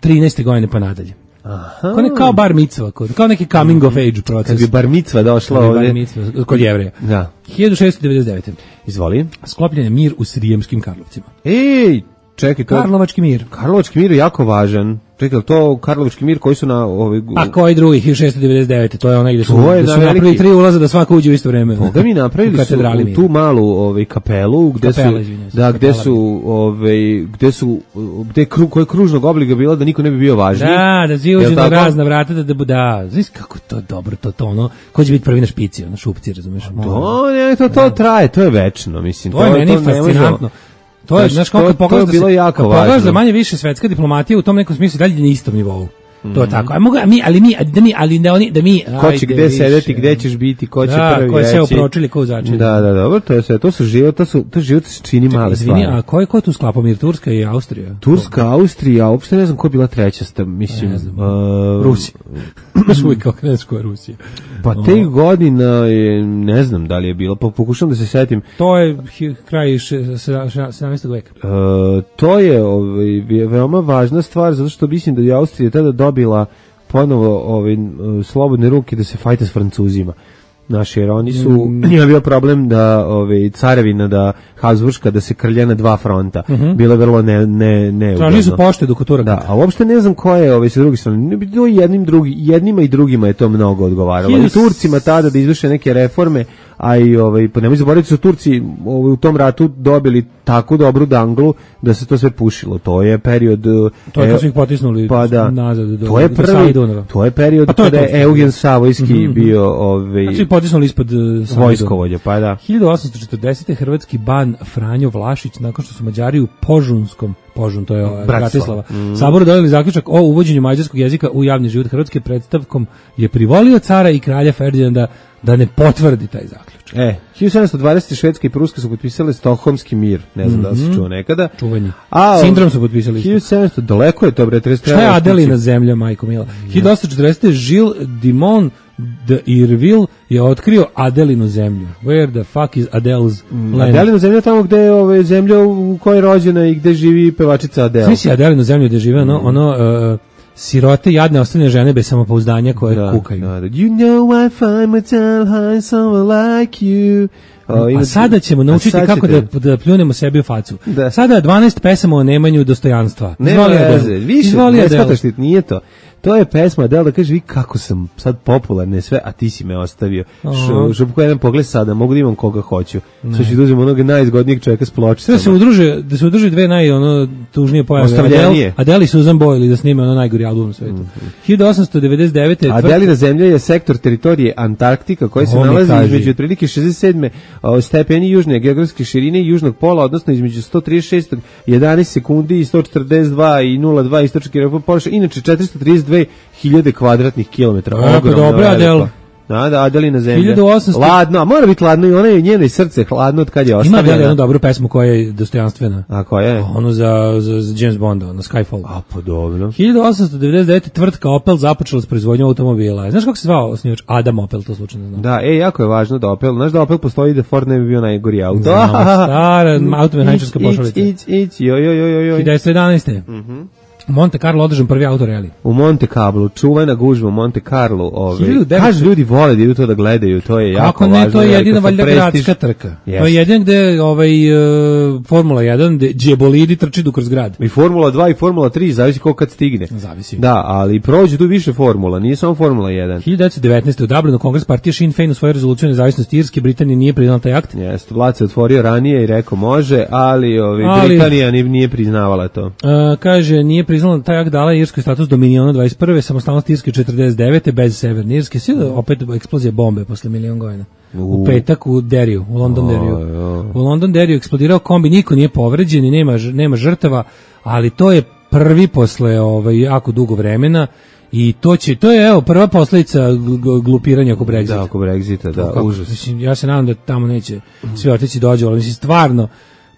trinaeste godine pa nadalje. Aha. Kao, ne, kao bar micva, kao neki coming of age proces. Kad bi bar micva došla Kad bi ovdje. bar micva, kod Jevreja. Da. hiljadu šessto devedeset devete. Izvoli. Sklopljen je mir u Srijemskim Karlovcima. Ej, čekaj, to... Karlovački mir. Karlovački mir je jako važan. Čekaj, to Karlovački mir koji su na... Ovaj... A koji drugi, hiljadu šessto devedeset devete. To je onaj gde su, To je gde su na napravili veliki- tri ulaza da svako uđe u isto vreme. Boga mi napravili U su katedrali u mira. tu malu ovaj kapelu gde Kapela, su izvinjavam se, da gde kapela su ovaj gde su gde kru, koji kružnog obliga bila da niko ne bi bio važniji. Da, da svi Jel uđu na tako? razna vrata da da bu- da. Znaš kako to dobro to to ono. Ko će biti prvi na špici, na šupci, razumeš? To ne, to to traje, to je večno, mislim. To je meni ne može- fascinantno. To je, Znaš, znaš, kao to- kad to je pogledaš da bilo se- jako kad pogledaš važno. da manje više svetska diplomatija u tom nekom smislu dalje na istom nivou. To je tako. A mogu a mi, ali mi, da mi, ali da oni, da mi. Ko će ajde gde više. sedeti, gde ćeš biti, ko će Da, prvi ko je sve reći. upročili, ko u začelju. Da, da, dobro, to je sve, to su život, to su to život se čini male Izvini, stvari. a ko je ko je tu sklapao mir? Turska i Austrija? Turska, Austrija, uopšte ne znam ko je bila treća, sta, mislim. Ne znam. uh, Rusija. Baš uvijek kao ne znaš ko je Rusija. Pa te godina je, ne znam da li je bilo, pa pokušam da se setim. To je hi- kraj še- se- še- sedamnaestog veka. E, to je ovaj, ve- veoma važna stvar, zato što mislim da je Austrija tada dobila ponovo ovaj, e, slobodne ruke da se fajta s Francuzima. Znaš, jer oni su, Mm. njima bio problem da ovaj, carevina, da Habsburška, da se krlja na dva fronta. Bilo je vrlo ne, ne, ne Tražili su poštedu kod Turaka. Da, a uopšte ne znam ko je ovaj, sa druge strane. Ne bi to jednim, drugi, jednima i drugima je to mnogo odgovaralo. I Hiljadu- Turcima tada da izvrše neke reforme, a i ovaj, pa nemoj zaboraviti su Turci ovaj, u tom ratu dobili tako dobru danglu da se to sve pušilo. To je period... To je e, kad su ih potisnuli pa da, nazad do- to je do Save prvi, Dunava. to je period Pa to je kada to. je Eugen Savojski bio ovaj, Znači ih potisnuli ispod uh, Save vojskovođa, pa da. hiljadu osamsto četrdesete. hrvatski ban Franjo Vlašić nakon što su Mađari u Požunskom, Požun, to je ovaj, Bratislava. Bratislava, saboru doneli zaključak o uvođenju mađarskog jezika u javni život Hrvatske. Predstavkom je privolio cara i kralja Ferdinanda da ne potvrdi taj zaključak. E, hiljadu sedamsto dvadesete. Švedska i Pruska su potpisale Stokholmski mir, ne znam da li se čuo nekada. Čuveni. A, Sindrom su potpisali. hiljadu sedamsto, daleko je to, bre, trideset Šta je Adelina zemlja, majko mila? hiljadu osamsto četrdesete. Gilles Dimon de Irville je otkrio Adelinu zemlju. Where the fuck is Adele's land? Adelina zemlja tamo gde je ove, zemlja u kojoj je rođena i gde živi pevačica Adele. Svi si Adelinu zemlju gde žive ono, ono uh, sirote, jadne, ostavljene žene bez samopouzdanja koje Da, kukaju. da, da. You know I find my tail high someone like you. O, A inače- sada ćemo a naučiti sad kako ćete- da, da pljunemo sebi u facu. Da. Sada dvanaest pesama o nemanju dostojanstva. Nema Izvoli, veze, Adele. više, Izvoli, ne Adele. shvataš ti, nije to. To je pesma Adele da kaže, vi kako sam sad popularne sve, a ti si me ostavio. Aha. Šupko jedan pogled sada, mogu da imam koga hoću. Sad ću da uzem onog najzgodnijeg čovjeka s Sve pločicama. da se udruže, da se udruže dve naj ono tužnije pojave. Ostavljenije. Adele, Adele i Susan Boyle da snime ono najgori album na svetu. hiljadu osamsto devedeset devete. Adelina zemlja je sektor teritorije Antarktika koji se Ovo mi nalazi kaži. između otprilike šezdeset sedam o, stepeni južne geografske širine i južnog pola, odnosno između sto trideset šest jedanaest sekundi i sto četrdeset dva i nula dva istočnog površine, inače četiristo trideset dve hiljade kvadratnih kilometara. E, pa Ogromno dobro, veliko. Adele. Da, da, Adelina zemlja. hiljadu osamsto Ladno, a mora biti ladno i ona je njeno i srce hladno od kad je Ima Adele jednu ostavljena. dobru pesmu koja je dostojanstvena. A koja je? Ono za, za, za James Bonda, ono Skyfall. A, pa dobro. hiljadu osamsto devedeset devete. tvrtka Opel započela s proizvodnjom automobila. Znaš kako se zvao osnivač? Adam Opel, to slučajno znam. Da, e, jako je važno da Opel, znaš da Opel postoji da Ford ne bi bio najgori auto. Znam, stara automehaničarska Ić, pošalica. Ić, ić, joj, joj, joj, joj. hiljadu devetsto jedanaeste. U Monte Carlo održan prvi autoreli. U Monte Carlo, čuvena gužva u Monte Carlo, ove. hiljadu devetsto Kažu ljudi vole da idu to da gledaju, to je jako Kako važno. ne, to je velika jedina valjda prestiž. gradska trka. To Jeste. je jedin gde ovaj, uh, Formula jedan, gde džebolidi trči du kroz grad. I Formula dva i Formula tri, zavisi koliko kad stigne. Zavisi. Da, ali prođe tu više formula, nije samo Formula jedan. hiljadu devetsto devetnaeste. u Dublinu Kongres partije Sinn Féin u svojoj rezoluciji o nezavisnosti Irske, Britanija nije priznala taj akt. Jeste, Vlad se otvorio ranije i rekao može, ali, ovi, Ali- Britanija nije, nije priznavala to. Uh, kaže, nije priznala taj akt, dala je Irskoj status dominiona dvadeset prve. samostalnost Irske četrdeset devete bez Severne Irske. Sve da opet eksplozija bombe posle milion godina. U U. petak u Deriju, u London Deriju. jo. U London Deriju eksplodirao kombi, niko nije povređen i nema, ž- nema žrtava, ali to je prvi posle ovaj, jako dugo vremena i to će, to je evo prva posledica g- g- glupiranja oko Brexita. Da, oko Brexita, da, Kako, užas. Mislim, ja se nadam da tamo neće svi otići dođu, ali mislim stvarno,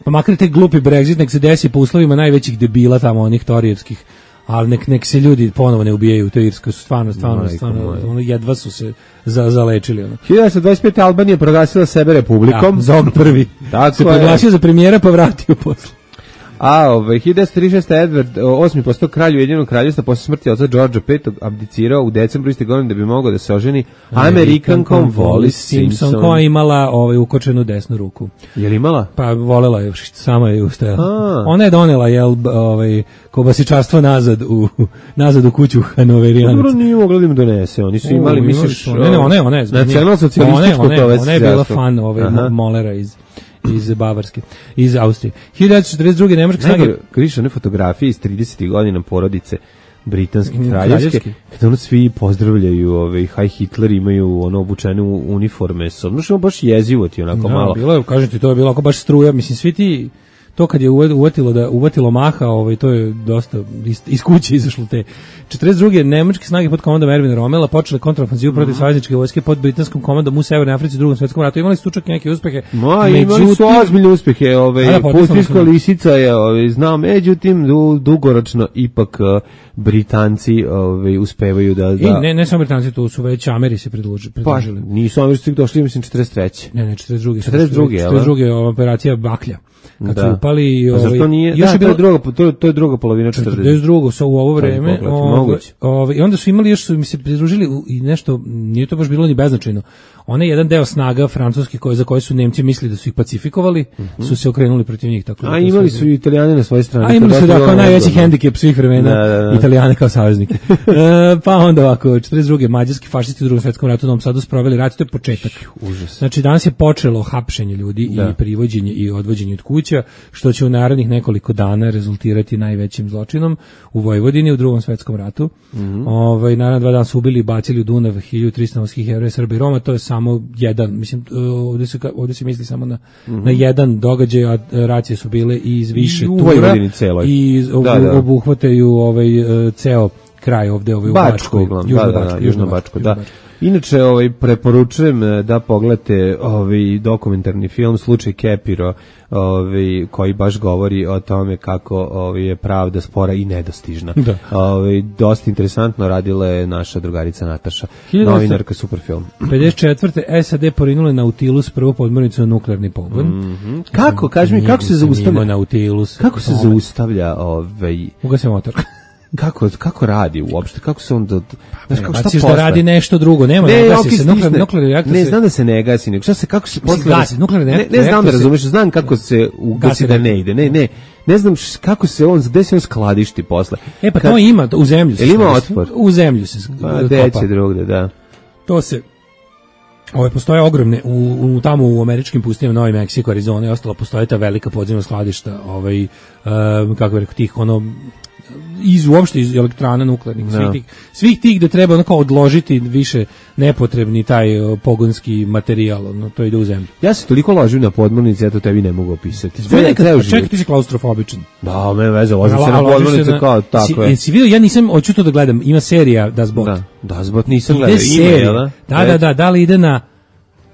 pa makar te glupi Brexit nek se desi po uslovima najvećih debila tamo onih torijevskih, ali nek, nek se ljudi ponovo ne ubijaju u toj Irskoj, su stvarno, stvarno, Majko stvarno, moja. ono, jedva su se za, zalečili. Ono. hiljadu devetsto dvadeset pete. Albanija proglasila sebe republikom. Da, Zog prvi Tako se je. proglasio za premijera pa vratio posle. A ovaj hiljadu devetsto trideset šeste. Edward osmi postao kralj Ujedinjenog kraljevstva posle smrti oca Georgea petog abdicirao u decembru iste godine da bi mogao da se oženi Amerikankom Wallis Simpson, koja je imala ovaj ukočenu desnu ruku. Je li imala? Pa volela je, sama je ustajala. Ona je donela jel ovaj kobasičarstvo nazad u nazad u kuću Hanoverijanaca. Dobro, nije mogla da im donese. Oni su imali, misliš, ne, ne, one, one, nacionalno-socijalističko to već. Ona je bila fan ovaj Molera iz iz Bavarske, iz Austrije. hiljadu devetsto četrdeset druge. nemačke snage kriša one fotografije iz tridesetih godina porodice britanske kraljevske, kada ono svi pozdravljaju, ovaj Heil Hitler, imaju ono obučene uniforme, ono baš jezivo ti onako malo. Bilo je, kažem ti, to je bilo ako baš struja, mislim svi ti to kad je uvatilo da uvatilo maha, ovaj to je dosta iz, iz kuće izašlo te. četrdeset druge. nemačke snage pod komandom Erwina Rommela počele kontraofanzivu protiv savezničke vojske pod britanskom komandom u Severnoj Africi u Drugom svetskom ratu. Imali su čak neke uspehe. Ma, imali su ozbiljne uspehe, ovaj Pustijska lisica je, ovaj znam, međutim du, dugoročno ipak uh, Britanci ovaj uspevaju da da I ne ne samo Britanci, tu su već Ameri se pridružili. Pa, nisu Američani došli, mislim četrdeset treće. Ne, ne, četrdeset druge. četrdeset druge, četrdeset druge operacija Baklja. Kad da. su upali, ovaj, pa nije, još da, je bilo, to, je druga, to, to je druga polovina četrdeset drugog sa u ovo vreme, ovaj, ovaj, i onda su imali, još su mi se pridružili i nešto, nije to baš bilo ni beznačajno. Onaj jedan deo snaga francuskih koje za koje su Nemci mislili da su ih pacifikovali, uh-huh. su se okrenuli protiv njih. Tako a da imali su i Italijani na svojoj strani. A imali su da kao najveći hendikep svih vremena, da, da, da. Italijane kao saveznike. e, pa onda ovako, četrdeset druge. mađarski fašisti u Drugom svetskom ratu u Novom Sadu sproveli rat, to je početak. Užas. Znači danas je počelo hapšenje ljudi da. i privođenje i odvođenje od kuća, što će u narednih nekoliko dana rezultirati najvećim zločinom u Vojvodini u Drugom svetskom ratu. Mm-hmm. Ovaj naravno dva dana su ubili i bacili u Dunav hiljadu trista novskih Jevreja, Srba i Roma, to je samo jedan, mislim ovdje se ovdje se misli samo na mm-hmm. na jedan događaj, a racije su bile i iz više I tura i ob, da, da. obuhvataju ovaj ceo kraj ovdje ovaj u Bačkoj, Bačkoj, da, da, da, Južno Bačko, da. Inače, ovaj preporučujem da pogledate ovaj dokumentarni film Slučaj Kepiro, ovaj koji baš govori o tome kako ovaj je pravda spora i nedostižna. Da. Ovaj dosta interesantno radila je naša drugarica Nataša, novinarka, super film. pedeset četvrte. S A D porinule Nautilus, prvu podmornicu na nuklearni pogon. Mm-hmm. Kako, kaži mi, kako se zaustavlja Nautilus? Kako se zaustavlja ovaj ugasi motor? Kako kako radi uopšte, kako se on da znaš kako šta posle da radi nešto drugo, nema ne, gasi se nuklearni nuklearni reaktor. Ne znam da se ne gasi, nego šta se kako se posle gasi nuklearni reaktor. Ne, ne znam da razumeš, znam kako se ugasi da ne ide. Ne, ne. Ne znam kako se on, gde se on skladišti posle. E pa to ima u zemlju se. Ima otvor. U zemlju se. Pa deće drugde, da. To se Ove postoje ogromne u, u tamo u američkim pustinjama, Novi Meksiko, Arizona i ostalo, postoje ta velika podzemna skladišta, ovaj um, kako bih rekao, tih ono iz uopšte iz elektrana nuklearnih, no. svih tih svih tih gde treba onako odložiti više nepotrebni taj uh, pogonski materijal, no to ide u zemlju. Ja se toliko ložim na podmornice, ja to tebi ne mogu opisati. Čekaj, ti si klaustrofobičan. Da, me veze, ložim se na podmornice na, kao tako je. Jesi vidio, ja nisam, hoću to da gledam, ima serija Das Boot. Da, Das Boot nisam gledao, ima je, da? Da, da, da, da li ide na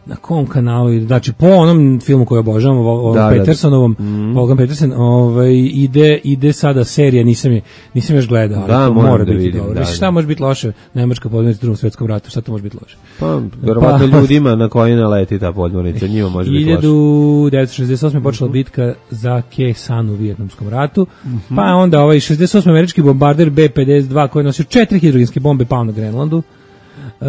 na kom kanalu, znači po onom filmu koji obožavam, o da, Petersonovom, da, mm. Logan Peterson, ovaj ide ide sada serija, nisam je nisam još gledao, ali da, to mora da biti vidim, dobro. Da, šta može biti loše? Nemačka podmornica u Drugom svetskom ratu, šta to može biti loše? Pa verovatno pa, ljudima na koji naleti ta podmornica, njima može biti loše. hiljadu devetsto šezdeset osme počela bitka za Khe Sanu u Vijetnamskom ratu. Mm-hmm. Pa onda ovaj šezdeset osmi američki bombarder B pedeset dva koji je nosio četiri hidrogenske bombe pao na Grenlandu. Uh,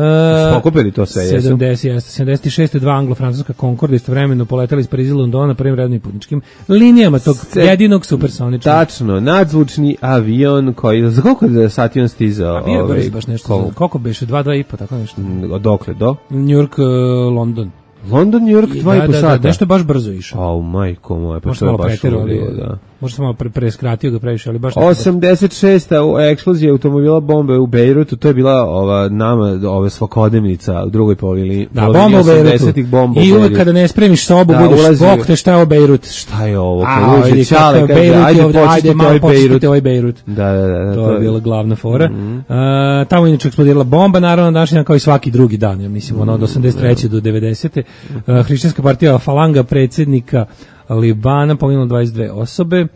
Pokupili to sve, jesu? sedamdeset, sedamdeset šest. dva anglo-francuska Concorde istovremeno poletali iz Pariza i Londona prvim rednim putničkim linijama tog Se, jedinog supersoničnog. Tačno, nadzvučni avion koji, za koliko sati on stizao? A bio je ovaj, brzo baš nešto, koliko, koliko beše, dva, dva i po, tako nešto. Dokle, do? New York, uh, London. London, New York, dva i po sata. Da, nešto baš brzo išao. Au, majko moja, pa možda to je baš ulio, da. Možda sam malo pre, preskratio ga previše, ali baš... osamdeset šesta. eksplozija automobila bombe u Bejrutu, to je bila ova nama, ova svakodnevnica u drugoj polovini. Da, bomba u Bejrutu. I uvek kada ne spremiš sobu, da, budeš bok te šta je o Bejrut. Šta je ovo? A, vidi kako je Bejrut, ajde, ovdje, ajde malo počistite ovaj Bejrut. Da, da, da. To je bila glavna fora. Mm-hmm. Uh, tamo inače eksplodirala bomba, naravno, današnji kao i svaki drugi dan, ja mislim, ono od osamdeset treće do devedesete. Uh, Hrišćanska partija Falanga, predsjednika Libana, poginulo dvadeset dve osobe.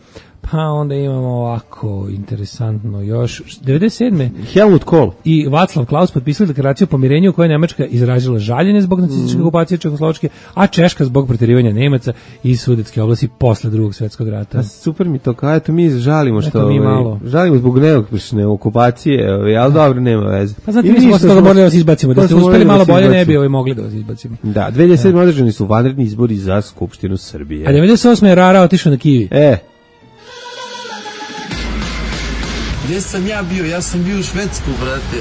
Pa Pa onda imamo ovako, interesantno još, devedeset sedme Helmut Kohl i Václav Klaus potpisali deklaraciju o pomirenju u kojoj je Nemačka izražila žaljenje zbog nacističke mm. okupacije Čehoslovačke, a Češka zbog proterivanja Nemaca iz Sudetske oblasti posle Drugog svjetskog rata. A super mi to, kao eto mi žalimo što mi malo. Žalimo zbog neuspješne okupacije, ali dobro, nema veze. Pa znate, mi smo posle toga morali da vas izbacimo, da ste uspeli malo bolje ne bi ovaj mogli da vas izbacimo. Da, dve hiljade sedme održani su vanredni izbori za Skupštinu Srbije. A devedeset osme je Rara otišao na Kivi. E. Gdje sam ja bio? Ja sam bio u Švedsku, brate.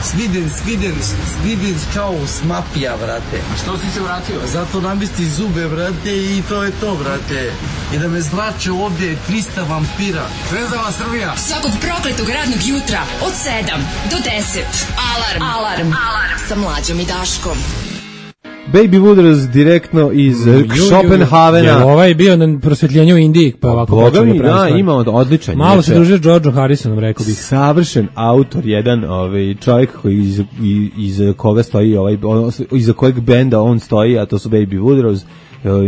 Sviden, sviden, sviden kao smapija, brate. A što si se vratio? Zato namesti zube, brate, i to je to, brate. I da me zrače ovdje trista vampira. Zvezdava Srbija. Svakog prokletog radnog jutra od sedam do deset. Alarm. Alarm. Alarm. Sa Mlađom i Daškom. Baby Wooders direktno iz Schopenhavena. Je ovaj bio na prosvetljenju u Indiji, pa ovako Boga mi, da, ima odličan. Malo se družio Georgeom Harrisonom, rekao bih. Savršen autor, jedan ovaj čovjek koji iz, iz koga stoji ovaj iza kojeg benda on stoji, a to su Baby Wooders,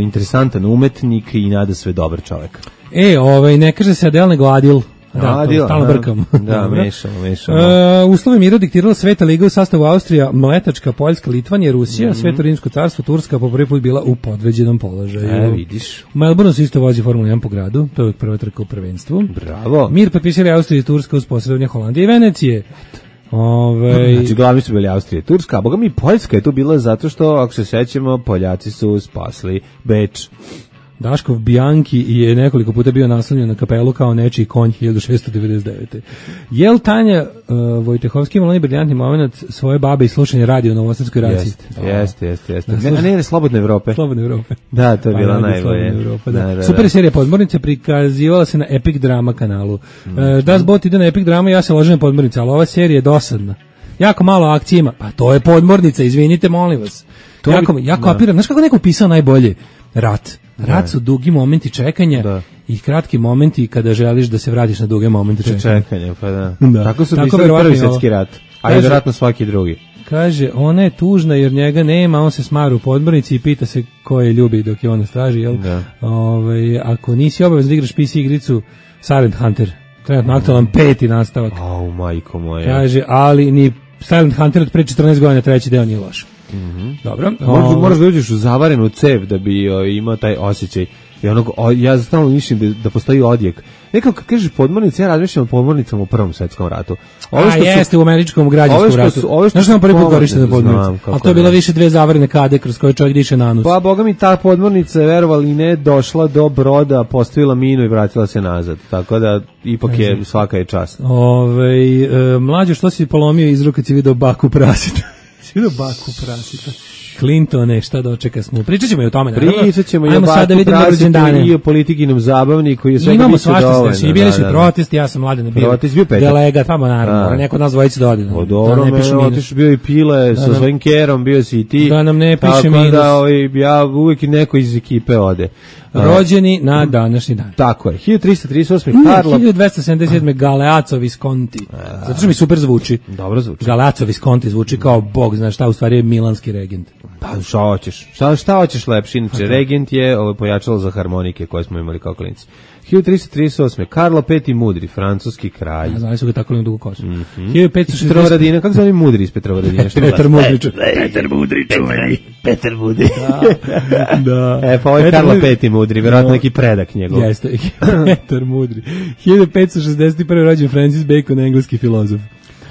interesantan umetnik i nada sve dobar čovjek. E, ovaj ne kaže se Adele nego Adil. Da, Adil, stalno brkam. Da, mešamo, mešamo. Uh, uslove mira diktirala Sveta liga u sastavu Austrija, Mletačka, Poljska, Litvanija, Rusija, mm-hmm. Sveto rimsko carstvo, Turska po prvi put bila u podređenom položaju. E, vidiš. U Melbourneu se isto vozi Formula jedan po gradu, to je prva trka u prvenstvu. Bravo. Mir potpisali Austrija i Turska uz posredovanje Holandije i Venecije. Ove... Znači, glavni su bili Austrija i Turska, a boga mi Poljska je tu bila zato što, ako se sećamo, Poljaci su spasli Beč. Daškov Bianchi je nekoliko puta bio naslovljen na kapelu kao nečiji konj hiljadu šessto devedeset devete. Jel Tanja uh, Vojtehovski imala onaj briljantni moment svoje babe i slušanje radio na Novosadskoj raciji? Jeste, jeste, jeste. Jest. Ne, ne, ne, Slobodne Evrope. Slobodne Evrope. Da, to je bila pa, najbolje. Da. Da, da, super serija Podmornice prikazivala se na Epic Drama kanalu. Mm. Uh, Das Bot ide na Epic Drama, ja se ložem na Podmornice, ali ova serija je dosadna. Jako malo akcije ima. Pa to je Podmornica, izvinite, molim vas. To jako, bi, jako apiram. Znaš kako neko pisao najbolje? Rat. Rat su dugi momenti čekanja da. I kratki momenti kada želiš da se vratiš na duge momente čekanja. Čekanje, pa da. da. Tako su pisali prvi svjetski rat, a je vjerojatno svaki drugi. Kaže, ona je tužna jer njega nema, on se smara u Podmornici i pita se ko je ljubi dok je on na straži, jel? Da. Ove, ako nisi obavezno da igraš P C igricu, Silent Hunter, trenutno aktualan peti nastavak. Au, majko moja. Kaže, ali ni Silent Hunter od pre četrnaest godina treći deo nije loš. Mm-hmm. Dobro. Moraš, moraš da uđeš u zavarenu cev da bi o, imao taj osjećaj. I onog, o, ja stalno mislim da, da postoji odjek. Nekako kad kažeš podmornice, ja razmišljam o podmornicama u Prvom svjetskom ratu. Ove što A su, jeste u američkom građanskom ratu. Znaš što nam prvi put korištene podmornice? Ali to je bila više dve zavarene kade kroz koje čovjek diše na nos. Pa boga mi ta podmornica je verovali ne došla do broda, postavila minu i vratila se nazad. Tako da ipak je svaka je čast. Ove, e, mlađe, što si polomio iz ruke kad si vidio baku prasita? Si vidio baku prasita? Clintone, šta dočeka smo. Pričat ćemo i o tome. Pričat ćemo i o baku prasitu i o politikinom zabavniku. I o imamo svašta se. I bili su protesti, ja sam mladen bio. Protest bio petak. Delegat, tamo naravno. Mora neko od nas dvojice da ode. O dobro, otiš bio i Pile sa svojim kerom, bio si i ti. Da nam ne piše minus. Tako da ja uvijek neko iz ekipe ode. Rođeni na današnji dan. Tako je. hiljadu trista trideset osme Mm, Karlo. hiljadu dvesta sedamdeset sedme Galeazzo Visconti. Zato što mi super zvuči. Dobro zvuči. Galeazzo Visconti zvuči kao bog, znaš šta, u stvari je milanski regent. Pa šta hoćeš? Šta, šta hoćeš lepši? Inače, regent je ovo pojačalo za harmonike koje smo imali kao klinci. hiljadu trista trideset osme Karlo peti Mudri, francuski kralj. Ja, znali su ga tako li dugu kosu. Mm -hmm. hiljadu petsto šezdeset Petrovaradina, kako zove Mudri iz Petrovaradina? Petar Mudri. Petar Mudri, čuveni. Petar Mudri. Da. da. E, pa ovo je Karlo peti Mudri, verovatno neki predak njegov. Jeste, Petar Mudri. hiljadu petsto šezdeset prve rođen Francis Bacon, engleski filozof.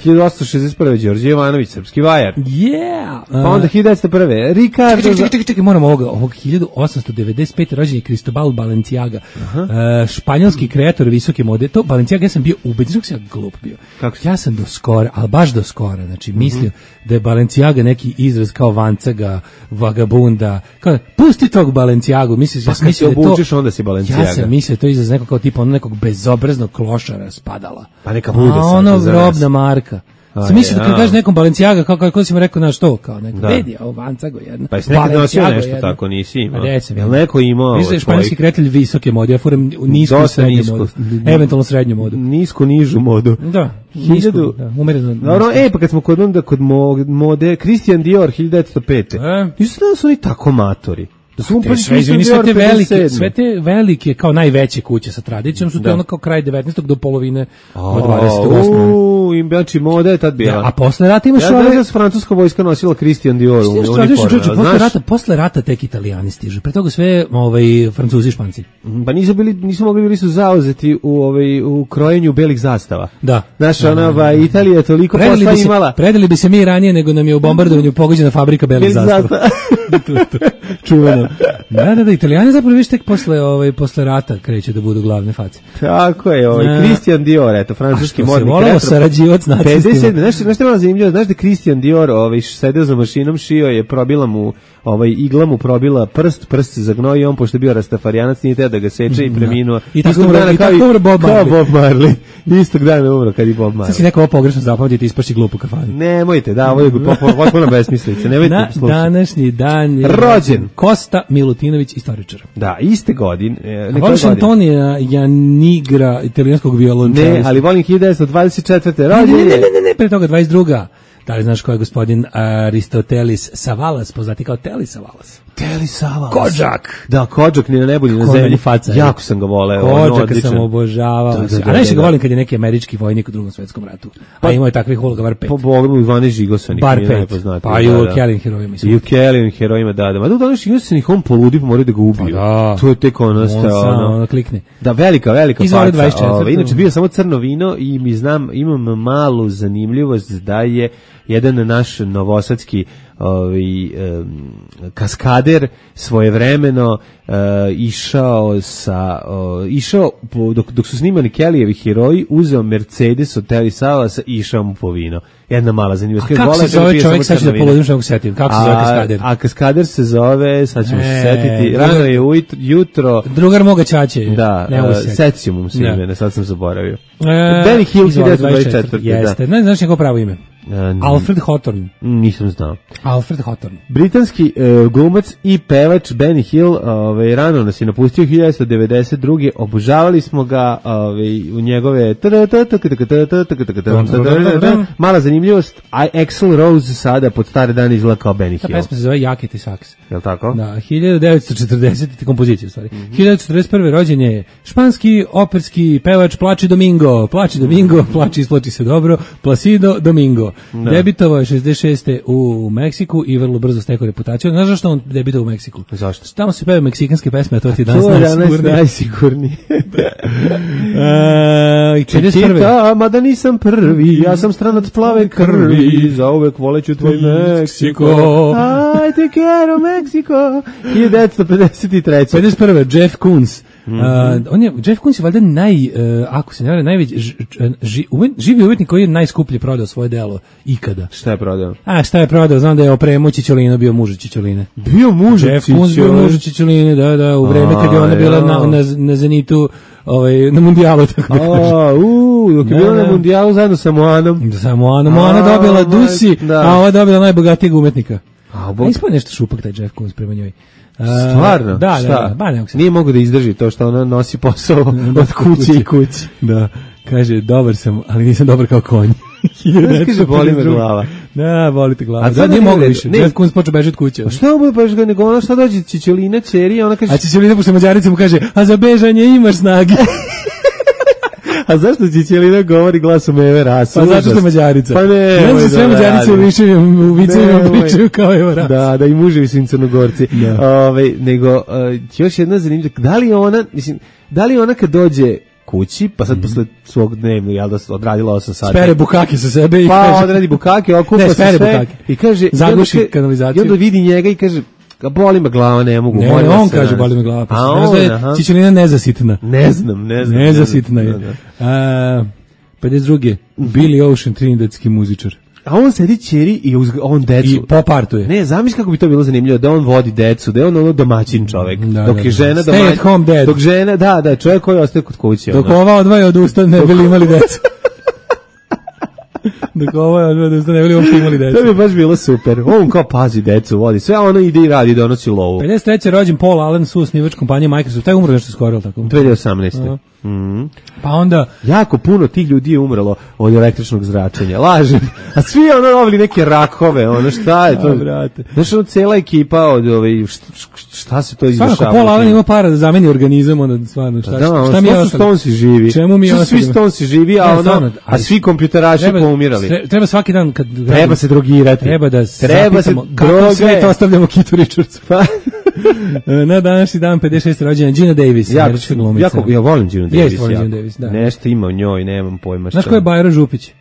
hiljadu osamsto šezdeset prve Đorđe Jovanović, srpski vajar. Yeah. Pa onda hiljadu devetsto prve Ricardo. Čekaj, čekaj, čekaj, čekaj, moramo ovoga. Ovog hiljadu osamsto devedeset pete rođen je Cristobal Balenciaga, uh, španjolski kreator visoke mode. To Balenciaga, ja sam bio ubeđen, kako sam ja glup bio. Kako? Ja sam do skora, ali baš do skora, znači mislio uh-huh. da je Balenciaga neki izraz kao vancaga, vagabunda, kao pusti tog Balenciagu, misliš, pa ja sam mislio da obučeš, onda si Balenciaga. Ja sam mislio to izraz nekog kao tipa ono nekog bezobraznog klošara spadala. Pa neka bude sad. A ono robna marka. Sam mislio da kad kažeš nekom Balenciaga, kao kako si mu rekao na što, kao neko, vedi, ovo Vancago jedna. Pa jesi nekad nosio nešto jedna. Tako, nisi imao. Jel neko imao? Mislim da je španjolski kretelj visoke mode, ja furam nisku i srednju modu. Eventualno srednju modu. Nisku, nižu modu. Da, nisku, da, umereno. Dobro, e, pa kad smo kod onda, kod mode, Christian Dior, hiljadu devetsto pete. E? Nisu da su oni tako matori. Da su Te sve, izvini, sve te velike, sve te velike kao najveće kuće sa tradicijom su to ono kao kraj devetnaestog do polovine od dvadesetog U, im znači moda je tad bila. Ja, a posle rata imaš ja ove... da se francuska vojska nosila Christian Dior u uniforme. Posle rata, posle rata tek Italijani stižu. Pre toga sve ovaj, Francuzi i Španci. Pa nisu bili, nisu mogli, bili su zauzeti u, ovaj, u krojenju belih zastava. Da. Znaš, ona, ba, Italija je toliko predali posla se, imala. Predali bi se mi ranije nego nam je u bombardovanju pogođena fabrika belih zastava. Čuveno. Da, da, da, Italijani zapravo viš tek posle, ovaj, posle rata kreće da budu glavne face. Tako je, ovaj, A, Christian Dior, eto, francuski modni kreator. A što se volao sarađivac nacistima. pedeset sedme Znaš, znaš što je malo zanimljivo, znaš da Christian Dior ovaj, sedeo za mašinom, šio je, probila mu, ovaj, igla mu probila prst, prst se zagnao i on, pošto je bio rastafarijanac, nije teo da ga seče i preminuo. I tako umro, i tako umro Bob Marley. Kao Bob Marley. Istog dana umro kad je Bob Marley. Sad si neko ovo pogrešno zapamtiti, ispaši glupu kafanu. Nemojte, da, ovo je potpuno besmislica, nemojte Na slušati. današnji dan je rođen Kosta Milutinović, istoričar. Da, iste godine. E, voliš Antonija Janigra, italijanskog violončelista? Ne, ali volim hiljadu devetsto dvadeset četvrte rođen ne, ne, ne, ne, ne, pre toga dvadeset druga Da li znaš ko je gospodin Aristotelis Savalas, poznati kao Teli Savalas? Teli Savalas. Kodžak. Da, Kodžak ni na nebu ni na Ko zemlji. Faca, jako sam ga voleo. Kodžaka sam obožavao. Da, da, da, a najviše da, ga da. volim kad je neki američki vojnik u drugom svetskom ratu. Pa, a imao je takvih uloga bar pet. Po Bogu i Ivane Žigosanik. Bar pet. Pa i u Kelin herojima. I u Kelin herojima, da, da. Ma da u današnjih Žigosanik on poludi pa moraju da ga ubiju. Pa da. To je tek ono stao. On ono klikne. Da, velika, velika Izvoli faca. dvadeset četvrte Ove, inače, bio samo crno vino i mi znam, imam malu zanimljivost da je jedan naš novosadski ovaj um, kaskader svojevremeno uh, išao sa uh, išao po, dok, dok su snimani Kellyjevi heroji, uzeo Mercedes od Teli Savalasa i išao mu po vino. Jedna mala zanimljivost. A kako se zove čovjek, sad ću da polodim što mogu setim, kako se zove kaskader? A kaskader se zove, sad ćemo e, se setiti, rano je ujutro, jutro. Drugar moga ćaće. Da, uh, setit ćemo mu se imena, sad sam zaboravio. E, Benny Hill, hiljadu devetsto dvadeset četvrte Jeste, da. ne znaš njegovo pravo ime? Uh, Alfred Hawthorne. Nisam znao. Alfred Hawthorne. Britanski uh, glumac i pevač Benny Hill, ovaj rano nas je napustio hiljadu devetsto devedeset druge Obožavali smo ga, ovaj u njegove mala zanimljivost, Axl Rose sada pod stare dane izgleda kao Benny Hill. Ta pesma se zove Jacket i Saks. Jel' tako? Da, hiljadu devetsto četrdesete kompozicija u stvari. hiljadu devetsto četrdeset prve rođen je španski operski pevač Plači Domingo. Plači Domingo, plači isplači se dobro. Placido Domingo. Da. Debitovao je šezdeset šeste u Meksiku i vrlo brzo stekao reputaciju. Znaš zašto on debitovao u Meksiku? Zašto? Tamo se pevaju meksikanske pesme, a to ti danas najsigurnije. najsigurnije. uh, Čekita, mada nisam prvi, ja sam stranac plave krvi, za uvek voleću tvoj Meksiko. I te quiero Meksiko. hiljadu devetsto pedeset treće pedeset prve Jeff Koons. Mm -hmm. uh, on je, Jeff Koons je valjda naj, uh, ako se ne vare, najveći ž, ž, umet, živi umetnik koji je najskuplje prodao svoje delo ikada. Šta je prodao? A šta je prodao? Znam da je opremu Čičolino bio muž Čičoline. Bio muž Jeff Koons bio muž Čičoline, da, da, u vreme kad je ona bila na, na, na Zenitu, ovaj, na mundijalu, tako da kažem. A, u, dok je bila na mundijalu zajedno sa Moanom. Sa Moanom, Moana dobila Dusi, da. a ova je dobila najbogatijeg umetnika. A, a ispod nešto šupak taj Jeff Koons prema njoj. Stvarno? Da, šta? da, da, ba, ne, nije mogu da izdrži to što ona nosi posao od kuće i kući. Da, kaže, dobar sam, ali nisam dobar kao konj. Znaš, kaže, boli me glava. Da, boli te glava. A da, nije mogu više, Jeff Koons počeo bežati kuće. A šta bude pa nego ona šta dođe Čičolina, čeri, ona kaže... A Čičolina pošto Mađarica mu kaže, a za bežanje imaš snage. A zašto Čičolina govori glasom Eve Rasa? Pa zato što Mađarica. Pa ne, ne znam, sve Mađarice u vicevima pričaju kao Eva Rasa. Da, da, i muževi su im Crnogorci. Ove, nego, uh, još jedna zanimljiva, da li ona, mislim, da li ona kad dođe kući, pa sad mm -hmm. posle svog dnevnog, jel da odradila osam sati. Spere bukake sa sebe i pa, kaže... Pa odradi bukake, okupa ne, se sve bukake. I kaže... Zaguši kanalizaciju. I onda vidi njega i kaže... Boli me glava, ne mogu. Ne, on kaže boli me glava. Pa a on, je Čičolina nezasitna. Ne znam, ne znam. Nezasitna je. A, pedeset druge Billy Ocean, trinidadski muzičar. A on sedi ćeri i on decu. I popartuje. Ne, zamisli kako bi to bilo zanimljivo, da on vodi decu, da je on ono domaćin čovek. Da, dok da, je žena da. domaćin. Stay at home dad. Dok žena, da, da, čovjek koji ostaje kod kuće. Dok ova odvaja od usta, ne bili imali decu. Dok ova odvaja od usta, ne bili uopšte imali decu. To bi baš bilo super. On kao pazi decu, vodi. Sve ono ide i radi, donosi lovu. pedeset treće rođen Paul Allen, suosnivač kompanije Microsoft. Taj umro nešto skoro, tako? dve hiljade osamnaeste Mm. Pa onda jako puno tih ljudi je umrlo od električnog zračenja. Lažem. A svi ono dobili neke rakove, ono šta je to? Brate. Znaš, ono cela ekipa od ove šta, šta se to izdešava? Svakako pola Alan ima para da zameni organizam, onda stvarno šta, da, šta, šta mi je su Stonesi živi? Čemu mi je svi Stonesi živi, a, ne, ono, stvarno, a svi kompjuteraši treba, poumirali. Treba svaki dan kad treba se drogirati. Treba da treba zapitamo se kako droge. sve to ostavljamo Kitu Richardsu. Na današnji dan pedeset šeste rođena Gina Davis, jako, glumica. jako, ja volim Gina Davis. Jeste, volim Gina Davis, da. Nešto ima u njoj, nemam pojma šta. Znaš ko je Bajro Župić?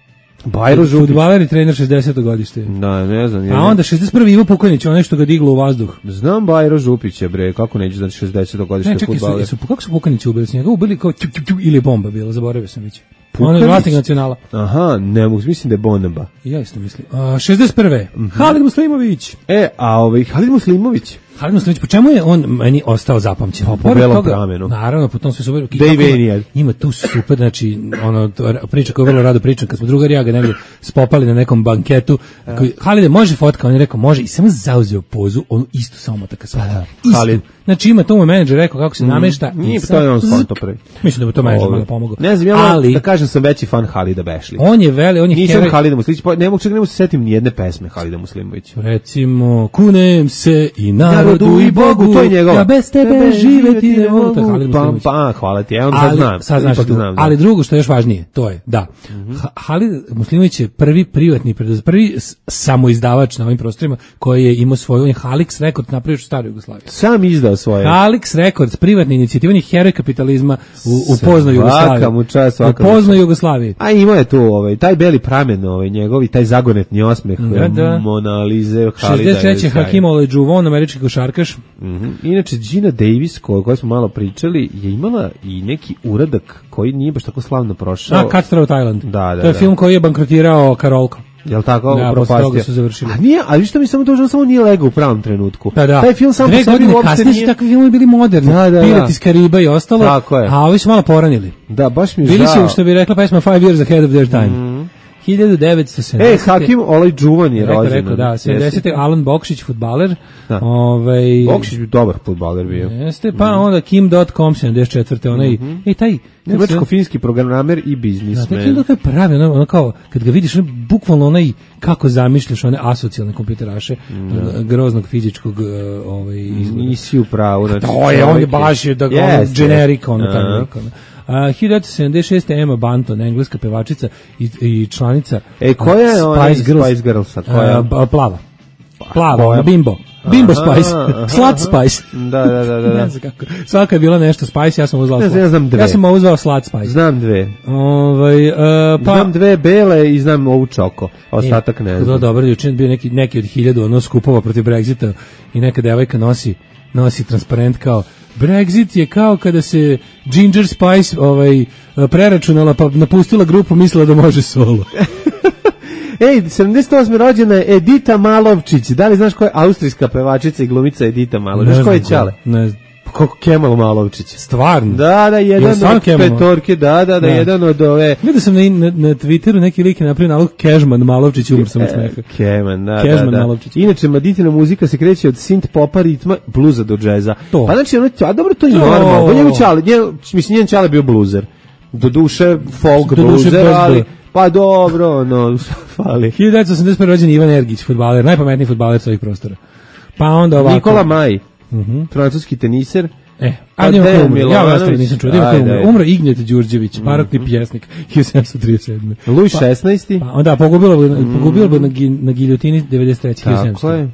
Bajro Župić. Fudbaler i trener šezdeseto godište. Da, ne znam. A onda šezdeset prvi Ivo Pukanić, onaj što ga diglo u vazduh. Znam Bajro Župića, bre, kako neću znati šezdeseto godište fudbaler. Ne, čekaj, kako su Pukanića ubili? Su njega ubili kao čuk, čuk, čuk, ili bomba bila, zaboravio sam već. On je vlasnik Nacionala. Aha, ne mogu, mislim da je bomba. Ja isto mislim. A, šezdeset prve Mm-hmm. Halid Muslimović. E, a ovaj Halid Muslimović? Halid Muslimović, po čemu je on meni ostao zapamćen? Pa, po belom pramenu. Naravno, po tom sve super. Dave Ima tu super, znači, ono, priča koju vrlo rado pričam, kad smo drugari ja ga negdje spopali na nekom banketu. Koji, Halide, može fotka? On je rekao, može, i samo zauzeo pozu, onu istu samo motaka sada. Halid. Znači, ima to mu menadžer rekao kako se mm, namešta. Nije, to je on skonto pre. Mislim da bi to menadžer malo pomogao. Ne znam, ja ali, da kažem sam veći fan Halida Bešli. On je veli, on je Nisam heroj... Halida Muslimovića, ne mogu čak ne mogu se setim ni jedne pesme Halida Muslimovića. Recimo, kunem se i narodu i Bogu, to je njegova. Ja bez tebe, tebe živeti ne mogu. Halid Muslimović. Pa, pa, hvala ti, ja on sad znam. Sad znaš tu, znam, ali drugo što je još važnije, to je, da, mm-hmm. Halid Muslimović je prvi privatni, prvi samoizdavač na ovim prostorima koji je imao svoju, on je Halix Record napravio u staroj Jugoslaviji. Sam izdao svoje. Halix Records, privatni inicijativni heroj kapitalizma u, u poznoj Jugoslaviji. Svaka mu čast, svaka u poznoj Jugoslaviji. A ima je tu ovaj, taj beli pramen, ovaj, njegovi, taj zagonetni osmeh, da, da. Mona Lise, Halida. šezdeset treće Hakim Olajuwon, američki košarkaš. Mm-hmm. Inače, Gina Davis, o kojoj smo malo pričali, je imala i neki uradak koji nije baš tako slavno prošao. A, Cutthroat Island. Da, da, to je da. film koji je bankrotirao Karolko. Jel tako? Da, propastio. toga su završili. A nije, ali što mi samo to, on samo nije legao u pravom trenutku. Da, da. Taj film samo Dve po sebi uopšte kasnije nije. su takvi filmovi bili moderni. Da, da, Pirat da. iz Kariba i ostalo. Tako je. A ovi su malo poranili. Da, baš mi je bili žao. su, što bi rekla pesma Five Years Ahead of Their Time. Mm. hiljadu devetsto sedamdesete. E, Hakim Olajuwon je rođen. Rekao, da, sedamdesete. Alan Bokšić, fudbaler. Da. Ovaj Bokšić bi dobar fudbaler bio. Jeste, pa mm. onda Kim dot com sedamdeset četvrte onaj, mm-hmm. i taj nemačko-finski programer i biznismen. Da, Kim dot com je pravi, ono, ono kao, kad ga vidiš, ono, bukvalno onaj, kako zamišljaš one asocijalne kompjuteraše, mm. groznog fizičkog ovaj, izgleda. Nisi u pravu. Znači, to je, on je baš, da, yes, ono, generik, ono, yes. taj lik, ono. Uh, hiljadu devetsto sedamdeset šeste. Emma Bunton, engleska pevačica i, i članica e, koja je uh, Spice Girls? Spice Girlsa? Koja? Uh, plava. Plava, ona, bimbo. Bimbo aha, Spice. Aha. Slut Spice. Da, da, da, da. Ne znam kako. Svaka je bila nešto Spice, ja sam uzvao ne znam, ja znam dve. Ja sam uzvao Slut Spice. Znam dve. Ovaj uh, pa znam dve bele i znam ovu čoko. Ostatak ne znam. To dobro, juče bio neki neki od hiljadu ono skupova protiv Brexita i neka devojka nosi nosi transparent kao Brexit je kao kada se Ginger Spice ovaj preračunala pa napustila grupu, mislila da može solo. Ej, sedamdeset osme rođena je Edita Malovčić. Da li znaš ko je austrijska pevačica i glumica Edita Malovčić? Znaš ko je Ćale? Ne Kako Kemal Malovčić. Stvarno? Da, da, jedan od petorke, da, da, da, ne. jedan od ove... Vidio sam na, na, na Twitteru neki lik je napravio nalog Kežman Malovčić, umr sam od smeha. Kežman, da, Kežman, da, da. Malovčić. Inače, Maditina muzika se kreće od synth popa, ritma, bluza do džeza. To. Pa znači, ono, a dobro, to je normalno. Njegov Ćale, mislim, njen Ćale bio bluzer. Do duše, folk do bluzer, duše ali... Pa dobro, no, fali. hiljadu devetsto osamdeset prve. rođen Ivan Ergić, fudbaler, najpametniji fudbaler sa ovih prostora. Pa onda ovako. Nikola Maj, uh-huh. francuski teniser. E, a njima ko umro, ja vas nisam čuo, njima ko umro, umro Ignjet Đurđević, barokni pjesnik, hiljadu sedamsto trideset sedme. Luj šesnaesti. Pa onda, pogubilo bi pogubilo bi na, na giljotini devedeset treće. Tako je.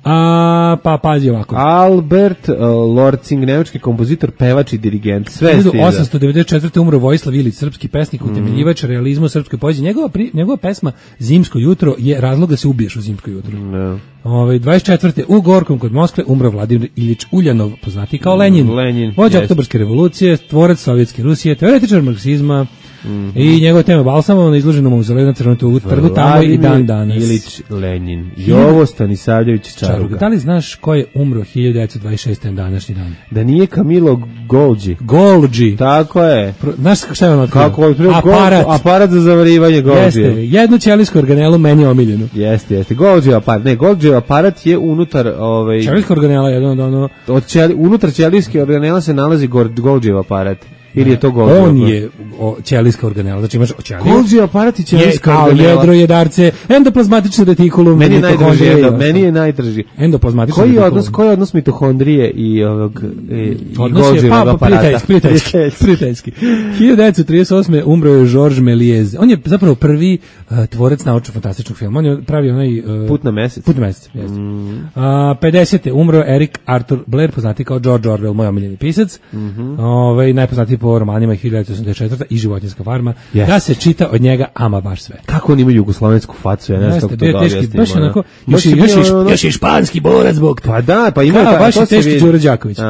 A, pa pazi ovako. Albert uh, Lorcing, nemački kompozitor, pevač i dirigent. Sve hiljadu osamsto devedeset četvrte. umro Vojislav Ilić, srpski pesnik, mm. utemeljivač realizma u srpskoj poeziji. Njegova, pri, njegova pesma Zimsko jutro je razlog da se ubiješ u zimsko jutro. No. Ove, dvadeset četvrte. u Gorkom kod Moskve umro Vladimir Ilić Uljanov, poznati kao Lenin. Lenin vođa yes. oktobarske revolucije, tvorac sovjetske Rusije, teoretičar marksizma. Mm-hmm. I njegova tema Balsamova na izloženom mauzoleju na Crvenom trgu tamo i dan danas. Ilić Lenin. Jovo Stanisavljević Čaruga. Da li znaš ko je umro hiljadu devetsto dvadeset šeste. na današnji dan? Da nije Camilo Golgi. Golgi. Tako je. Pro, znaš šta je ono? Kako je? Aparat. Aparat za zavarivanje Golgi. Jeste. Jednu ćelijsku organelu meni je omiljenu. Jeste, jeste. Golgi aparat. Ne, Golgi aparat je unutar ovaj ćelijska organela je ono ono od ćeli, unutar ćelijske organela se nalazi Golgi aparat. ili je to Golgi? On je o, ćelijska organela, znači imaš ćeliju. Golgi aparat i ćelijska organela. Jedro, jedarce, endoplazmatični retikulum, meni je najdraži, endo, meni je najdraži. Endoplazmatični koji retikulum. odnos, koji je odnos mitohondrije i ovog i, odnos i je, pa, aparata? prijateljski, prijateljski, prijateljski. hiljadu devetsto trideset osme umro je Georges Méliès. On je zapravo prvi uh, tvorac naučno-fantastičnog filma. On je pravio onaj... Uh, Put na mesec. Put na mesec, jeste. Mm. Uh, pedesete umro je Eric Arthur Blair, poznati kao George Orwell, moj omiljeni pisac. Mm -hmm. Ove, najpoznatiji po romanima hiljadu devetsto osamdeset četvrte i Životinjska farma. Yes. Da se čita od njega ama baš sve. Kako on ima jugoslovensku facu, ja ne znam kako to da objasnim. Baš onako, još, još, još, još je španski borac zbog. Pa da, pa ima ta, baš je teški Đuro Đaković. Uh,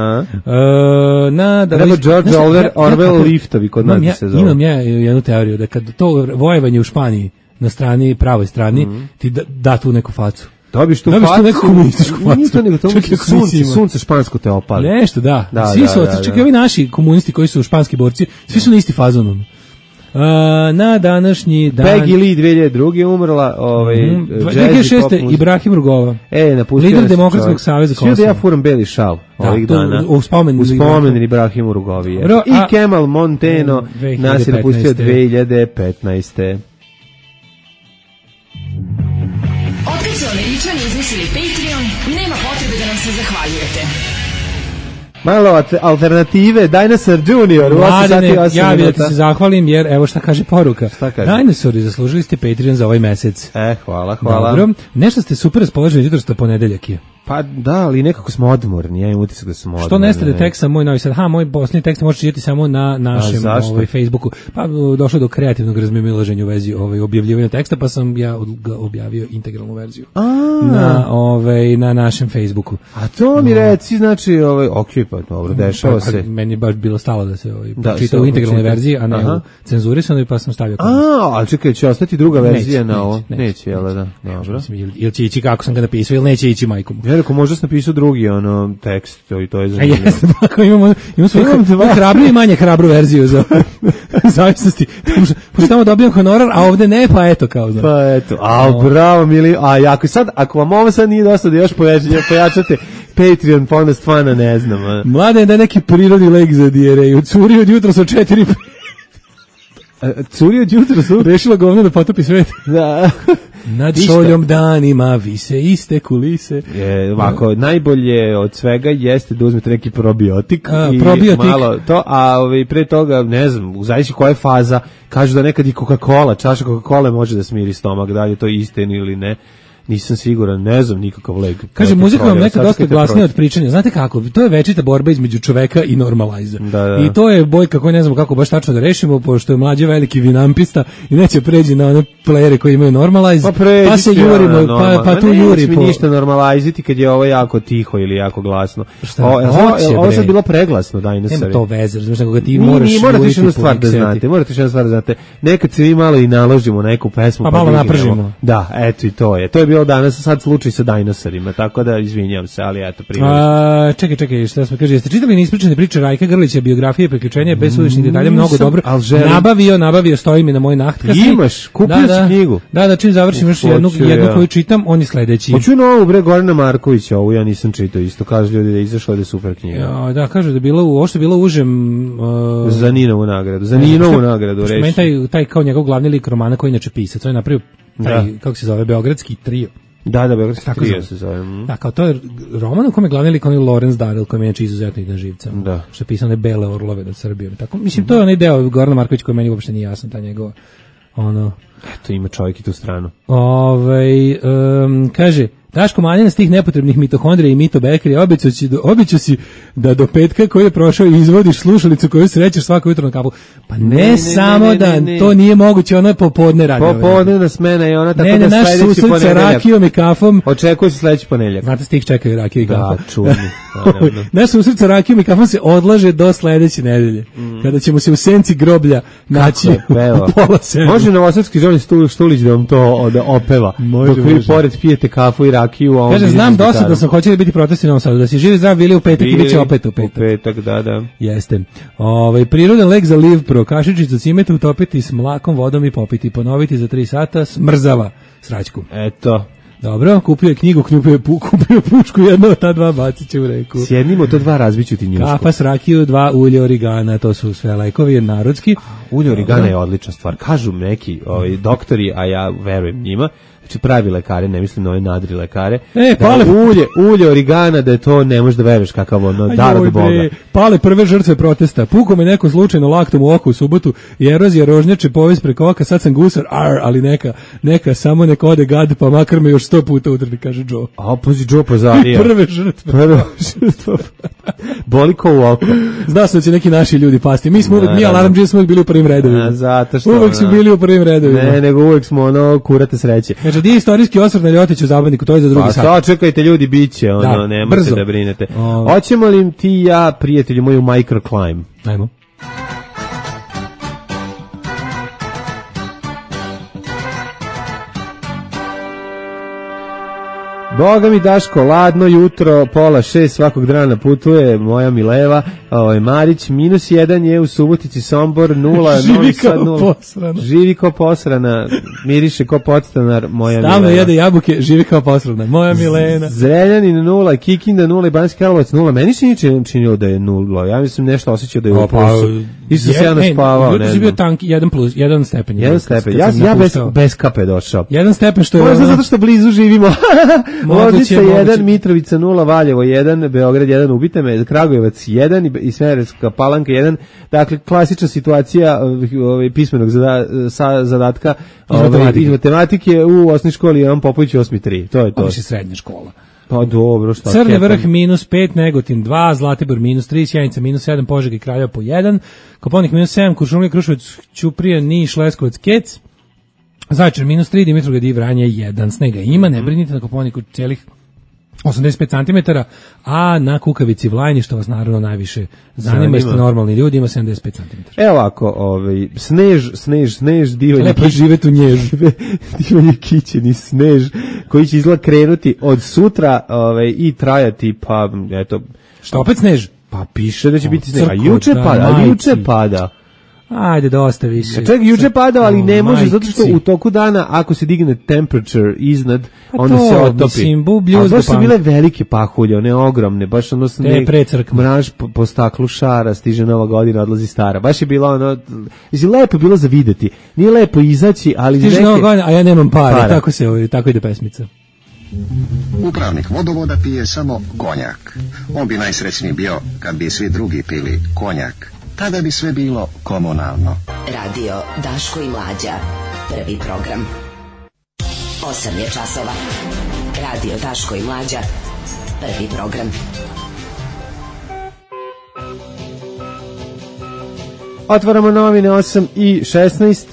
na, da, treba George Orwell, Orwell liftovi kod nas ja, se zove. Imam ja jednu teoriju da kad to vojevanje u Španiji na strani, pravoj strani, mm. ti da, da tu neku facu. Dobiš tu Dobiš facu. Dobiš tu neku komunističku facu. Nije to nego to sunce, sunce špansko te opali. Nešto, da. da svi da, su, da, da, čak i ovi naši komunisti koji su španski borci, svi su na isti fazon. Uh, na današnji dan... Peggy Lee dve hiljade druge umrla, ovaj, mm, dve hiljade šeste Ibrahim Rugova. E, napustio lider Demokratskog saveza Kosova. Svi da ja furam beli šal da, ovih dana. U spomen, u spomen Ibrahimu Rugovi. Ro, I a, Kemal Monteno nas je napustio dve hiljade petnaeste. Otkad su Američani izmislili Patreon, nema potrebe da nam se zahvaljujete. Malo alternative, Dinosaur Junior. Mladene, ja bih da ti se zahvalim, jer evo šta kaže poruka. Šta kaže? Dinosauri, zaslužili ste Patreon za ovaj mesec. E, hvala, hvala. Dobro, nešto ste super raspoloženi, jutro što ponedeljak je. Pa da, ali nekako smo odmorni, ja imam utisak da smo odmorni. Što nestade tekst sa moj novi sad? Ha, moj posljednji tekst možete čitati samo na našem ovaj, Facebooku. Pa došlo do kreativnog razmimoilaženja u vezi ovaj, objavljivanja teksta, pa sam ja objavio integralnu verziju na, ovaj, na našem Facebooku. A to mi reci, znači, ovaj, ok, pa dobro, dešava se. Meni je baš bilo stalo da se ovaj, da, čita u integralnoj verziji, a ne aha. u cenzurisanoj, pa sam stavio. A, ali čekaj, će ostati druga verzija neće, na ovo? Neće, neće, jel da? Dobro. Ili, ili će ići kako sam ga napisao, ili neće ići majkom. Ja rekao, možda sam napisao drugi ono, tekst, to, i to je zanimljivo. A jesno, tako imamo, imamo svoju hrabru i manje hrabru verziju za zavisnosti. Pošto tamo dobijam honorar, a ovde ne, pa eto kao znam. Pa eto, a bravo, mili, a ako sad, ako vam ovo sad nije dosta da još pojačate Patreon, pa onda stvarno ne znam. A. Mladen da je neki prirodni lek za dijereju, curi od jutra sa četiri curi od jutra su rešila govno da potopi svet. Da. Nad šoljom danima vise iste kulise. Je, ovako, najbolje od svega jeste da uzmete neki probiotik. A, i probiotik. Malo to, a ovaj, pre toga, ne znam, zavisi koja je faza, kažu da nekad i Coca-Cola, čaša Coca-Cola može da smiri stomak, da li je to istina ili ne. Nisam siguran, ne znam nikakav lek. Kaže, muzika vam neka dosta glasnija od pričanja. Znate kako, to je večita borba između čoveka i normaliza. Da, da. I to je bojka koju ne znamo kako baš tačno da rešimo, pošto je mlađe veliki vinampista i neće pređi na one playere koji imaju normalize, pa, pređi, pa se jurimo, ja, pa, pa tu ne, juri. Ne, ništa normaliziti kad je ovo jako tiho ili jako glasno. Šta? O, ovo, ovo sad bilo preglasno, Dinosauri. Nema to veze, znaš, nego ga ti ni, moraš ni, morate još jednu stvar da seti. znate, morate još jednu stvar da znate. Nekad se mi malo i naložimo na neku pesmu. Pa, pa malo napržimo. Da, eto i to je. To je bilo danas, sad slučaj sa dinosaurima, tako da izvinjavam se, ali eto primjer. A, čekaj, čekaj, šta smo kaže, jeste čitali neispričane priče Rajka Grlića, biografije, priključenja, bez suvišnih detalja, mnogo dobro. Nabavio, nabavio, stoji mi na moj nahtkasi. Imaš, kupio da, si da, knjigu. Da, da, čim završim još jednu, jednu koju čitam, on je sledeći. Hoću novu, bre, Gorana Markovića, ovu ja nisam čitao isto, kažu ljudi da je izašla da je super knjiga. Ja, da, kažu da je bilo, ovo što je bilo užem... Uh, za Ninovu nagradu, za Ninovu nagradu, reći. Meni taj, taj kao njegov glavni lik romana koji inače pisac, on je napravio taj, da. kako se zove, Beogradski trio. Da, da, Beogradski trio se zove. Mm. Da, kao to je roman u kome je glavni lik onaj Lorenz Darel, koji je inače izuzetno idan živca. Da. Što je pisao one Bele orlove nad Srbijom. Tako, mislim, to je onaj deo Gorana Marković koji meni uopšte nije jasan, ta njegova, ono... Eto, ima čovjek i tu stranu. Ovaj, um, kaže... Daško manjena s tih nepotrebnih mitohondrija i mitobekrija, običao si, običao si da do petka koji je prošao izvodiš slušalicu koju srećeš svako jutro na kapu. Pa ne, ne, ne samo ne, ne, da ne, ne. To nije moguće, ona je popodne radi. Popodne smena i ona tako ne, da naš sledeći ponedeljak. Ne, ne, naš rakijom i kafom. Očekuje se sledeći ponedeljak. Znate, stih čekaju rakiju i kafu. Da, čudni. Naš susret sa rakijom i kafom se odlaže do sledeće nedelje, mm. kada ćemo se u senci groblja naći u pola sedam. Može novosadski Žolin Štulić da vam to da opeva, može, dok vi pored pijete kafu i rakiju, a kaže, znam dosta da sam hoćeli biti protesti u Novom Sadu, da si živi zdrav bili u petak i bit će opet u petak. U petak, da, da. Jeste. Ovaj prirodan lek za liv pro, kašičicu cimeta utopiti s mlakom, vodom i popiti, ponoviti za tri sata, smrzava sraćku. Eto. Dobro, kupio je knjigu, kupio je, pu, kupio pušku, jedno od ta dva bacit će u reku. Sjednimo to dva, razbiću ti njušku. Kafa s rakiju, dva ulje origana, to su sve lekovi narodski. Ulje origana je odlična stvar. Kažu neki ovaj, doktori, a ja verujem njima, znači pravi lekare, ne mislim na ove nadri lekare, e, da pale, ulje, ulje origana, da je to, ne možeš da veruješ kakav ono, dar od Boga. Pale prve žrtve protesta, puko me neko slučajno laktom u oko u subotu i erozija rožnjače povez preko oka, sad sam gusar, ar, ali neka, neka, samo neka ode gad, pa makar me još sto puta utrli, kaže Joe. A, pozi Joe pozarija. Prve žrtve. Prve žrtve. Boli ko u oko. Zna se da će neki naši ljudi pasti. Mi smo uvek, mi Alarm Džije smo uvek bili u prvim redovima. A, zato što, uvek su bili u prvim redovima. Ne, nego uvek smo ono, kurate sreće. Znači, di je istorijski osvrt na Ljotiću zabavniku, to je za drugi pa, sat. Pa čekajte ljudi, bit će, ono, da, nemojte brzo. da brinete. O... Hoćemo li ti i ja, prijatelju moju, microclimb? Ajmo. Boga mi Daško, ladno jutro, pola šest svakog dana putuje moja Mileva, ovaj Marić, minus jedan je u Subotici, Sombor, nula, živi kao posrana. Živi kao posrana, miriše kao podstanar, moja Stalno Mileva. jede jabuke, živi kao posrana, moja Milena. Zrenjanin nula, Kikinda nula i Banjski Karlovac nula, meni se niče činilo da je nula, ja mislim nešto osjećao da je u plusu. Isto se ja naspavao, ne znam. Bio tank, jedan plus, jedan stepen. Jedan stepen, ja, ja bez, bez kape došao. Jedan stepen što je... Možda zato što blizu živimo. Loznica jedan, Mitrovica nula, Valjevo jedan, Beograd jedan, ubite me, Kragujevac jedan i Smederevska Palanka jedan. Dakle, klasična situacija ovaj, pismenog zada, sa, zadatka iz matematike. matematike u osnovnoj školi Jovan Popović osmi tri. To je to. Ovo je srednja škola. Pa dobro, šta? Crni vrh minus pet, Negotin dva, Zlatibor minus tri, Sjenica minus sedam, Požega i Kraljevo po jedan, Koponik minus sedam, Kuršumlija, Kruševac, Ćuprija, Niš, Leskovac, Kec, Zaječar minus tri, Dimitrovgrad i Vranje jedan. Snega ima, ne brinite, na Koponiku celih osamdeset pet centimetara, a na Kukavici Vlajni, što vas naravno najviše zanima, jeste normalni ljudi, ima sedamdeset pet centimetara. Evo ovako, ovaj, snež, snež, snež, divanje. Lepo živeti u nježu. Divanje kićeni snež, koji će izgleda krenuti od sutra ovaj, i trajati, pa, eto... Što opet snež? Pa piše da će o, biti snež, a juče pada, a juče pada. Ajde, dosta više. Čak juče pada, ali ne može, zato što u toku dana, ako se digne temperature iznad, onda se otopi. Mislim, a baš su bile velike pahulje, one ogromne, baš ono sneg, mraž po, po staklu šara, stiže nova godina, odlazi stara. Baš je bilo ono, mislim, lepo je bilo za videti. Nije lepo izaći, ali... Stiže neke... nova godina, a ja nemam para, para. Tako, se, tako ide pesmica. Upravnik vodovoda pije samo konjak. On bi najsrećniji bio kad bi svi drugi pili konjak. Tada bi sve bilo komunalno. Radio Daško i Mlađa. Prvi program. Osam je časova. Radio Daško i Mlađa. Prvi program. Otvaramo novine osam i šesnaest.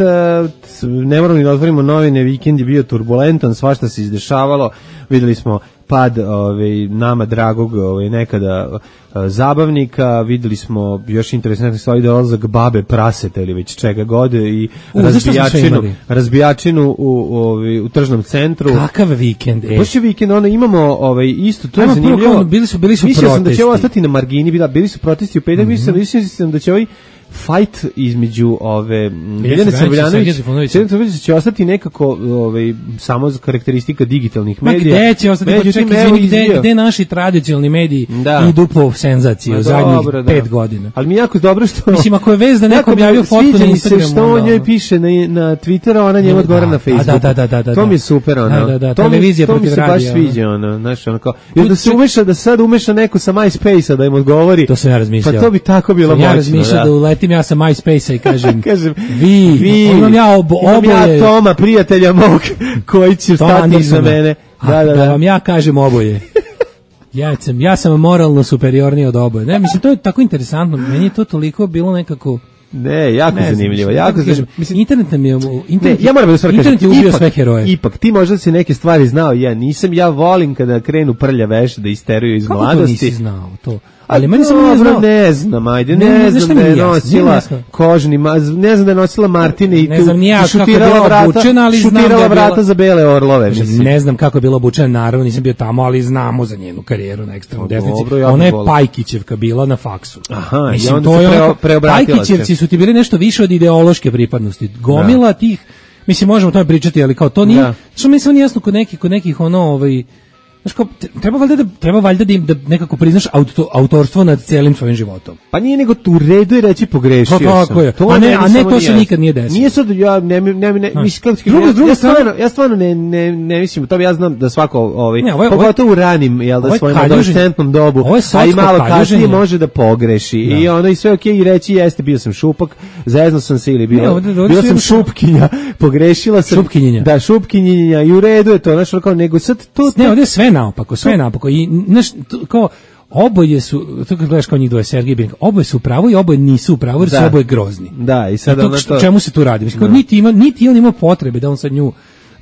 Ne moramo ni da otvorimo novine, vikend je bio turbulentan, svašta se izdešavalo. Videli smo pad ovaj, nama dragog ovaj, nekada uh, zabavnika, videli smo još interesantne stvari, dolazak babe praseta ili već čega god i U, razbijačinu, razbijačinu u, ovaj, u tržnom centru. Kakav vikend, e. Baš je vikend, ono imamo ovaj, isto, to je Ajmo zanimljivo. Prvo, bili su, bili su mislio protesti. sam da će ovo ostati na margini, bila, bili su protesti u petak, mm-hmm. mislio sam da će ovaj fight između ove Biljane Srbljanović će ostati nekako ovaj samo za karakteristika digitalnih medija. Ma gde će ostati? Pa čekaj, izvini, gde, gde naši tradicionalni mediji da. idu po senzaciji u zadnjih dobro, pet da. godina. Ali mi jako dobro što... Mislim, ako je vez da neko objavio fotku na Instagramu... Se što on njoj piše na, na Twitteru, ona njemu odgovara na Facebooku. Da, da, da, da, to mi je super, ono. Da, da, da, to televizija mi, to mi se baš sviđa, ono. Znaš, ono kao... I da se umeša, da sad umeša neko sa MySpace-a da im odgovori. To sam ja razmišljao. Pa to bi tako bilo moćno, ja razmišljao da uletim ja sa MySpace-a i kažem, kažem vi, vi imam ja obo, oboje... Imam ja Toma, prijatelja mog, koji će stati za mene. Da, da, da. Da vam ja kažem oboje. Ja sam, ja sam moralno superiorniji od oboje. Ne, mislim, to je tako interesantno. Meni je to toliko bilo nekako... Ne, jako ne zanimljivo. Jako zanimljivo. Mislim, internet nam je... Internet, ne, ja moram da stvar kažem. Internet je ubio sve heroje. Ipak, ti možda si neke stvari znao, ja nisam. Ja volim kada krenu prlja veš da isteruju iz kako mladosti. Kako to nisi znao to? Ali meni se ne znao. Ne znam, ajde, ne, ne znam da je nosila kožni, ne znam da je nosila Martine i ne znam ni ja kako je bila obučena, ali znam da je vrata bila... za bele orlove. Mislim. Ne znam kako je bila obučena, naravno nisam bio tamo, ali znamo za njenu karijeru na ekstremnoj desnici. Ona je Pajkićevka bila na faksu. Aha, mislim, i onda se preobratila. Pajkićevci su ti bili nešto više od ideološke pripadnosti. Gomila tih mislim možemo o tome pričati, ali kao to nije, da. što mi se nije jasno kod nekih, kod nekih ono, ovaj, znaš kao, treba valjda da, treba valjda da, im, da nekako priznaš auto, autorstvo nad celim svojim životom. Pa nije nego tu redu i reći pogrešio to, sam. Je. To a ne, a ne to se nije. nikad nije desilo. Nije sad, ja ne, ne, ne, mislim, kako ti drugo, ja, drugo ja, stvarno, ja stvarno ne, ne, ne mislim, to ja znam da svako, ovaj, ne, ovo je, pogotovo u ranim, jel da svojim adolescentnom dobu, a i malo kasnije može da pogreši. Da. I ono i sve okej okay, i reći jeste, bio sam šupak, zajedno sam se ili bio, ne, ovdje, ovdje bio sam šupkinja, pogrešila sam. Šupkinjenja. Da, šupkinjenja i u redu je to, znaš, kao nego sad to. Ne, ovdje je sve naopako, sve naopako. I znaš, kao oboje su, to kad gledaš kao njih dvoje, Sergej Birenko, oboje su u pravu i oboje nisu u pravu, jer su oboje grozni. Da, i sad I to, to... čemu se tu radi? Mislim, kao, niti, ima, niti on ima potrebe da on sad nju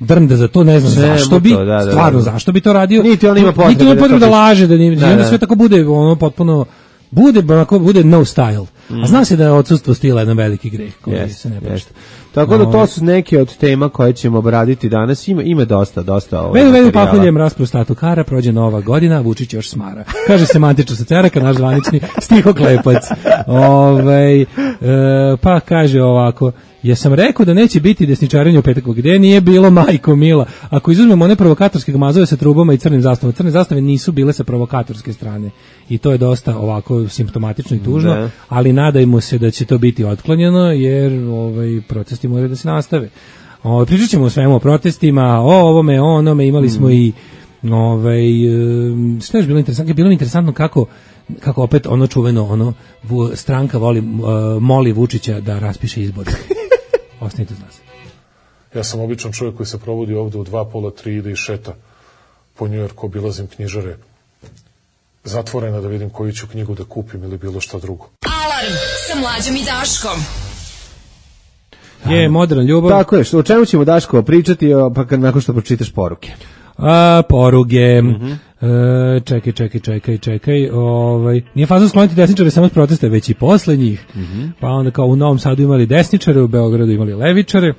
drnda za to, ne znam ne, zašto bi, to, da, da, stvarno da, da. zašto bi to radio. Niti on ima potrebe, niti on ima potrebe da, da laže, da, ni, da, da, da. sve tako bude ono potpuno, bude, onako, bude no style. Mm. A zna se da je odsustvo stila jedan veliki greh koji yes, se ne prašta. Tako da to su neke od tema koje ćemo obraditi danas. Ima ima dosta, dosta ovaj. Vedu, vedu pahuljem rasprostatu kara, prođe nova godina, Vučić još smara. Kaže semantično sa ceraka, naš zvanični stihoklepac. Ovaj e, pa kaže ovako: "Ja sam rekao da neće biti desničarenja u petak, gde nije bilo majko mila. Ako izuzmemo one provokatorske gmazove sa trubama i crnim zastavama, crne zastave nisu bile sa provokatorske strane. I to je dosta ovako simptomatično i tužno, ne. Ali nadajmo se da će to biti otklonjeno, jer ovaj protesti moraju da se nastave. Ovaj pričat ćemo o svemu, o protestima, o ovome, o onome, imali smo mm. i ovaj šta je bilo interesantno, je bilo interesantno kako kako opet ono čuveno ono stranka voli uh, moli Vučića da raspiše izbore. Ostanite uz nas. Ja sam običan čovjek koji se provodi ovde u dva, pola, tri, ide i šeta po Njujorku, obilazim knjižare zatvorena da vidim koju ću knjigu da kupim ili bilo šta drugo. Alarm sa Mlađom i Daškom. Je, modern ljubav. Tako je, što, o čemu ćemo Daško pričati pa kad, nakon što pročitaš poruke? A, poruge. Mm-hmm. E, čekaj, čekaj, čekaj, čekaj. Ovaj, nije fazno skloniti desničare samo s protesta, već i posle njih. Mm-hmm. Pa onda kao u Novom Sadu imali desničare, u Beogradu imali levičare.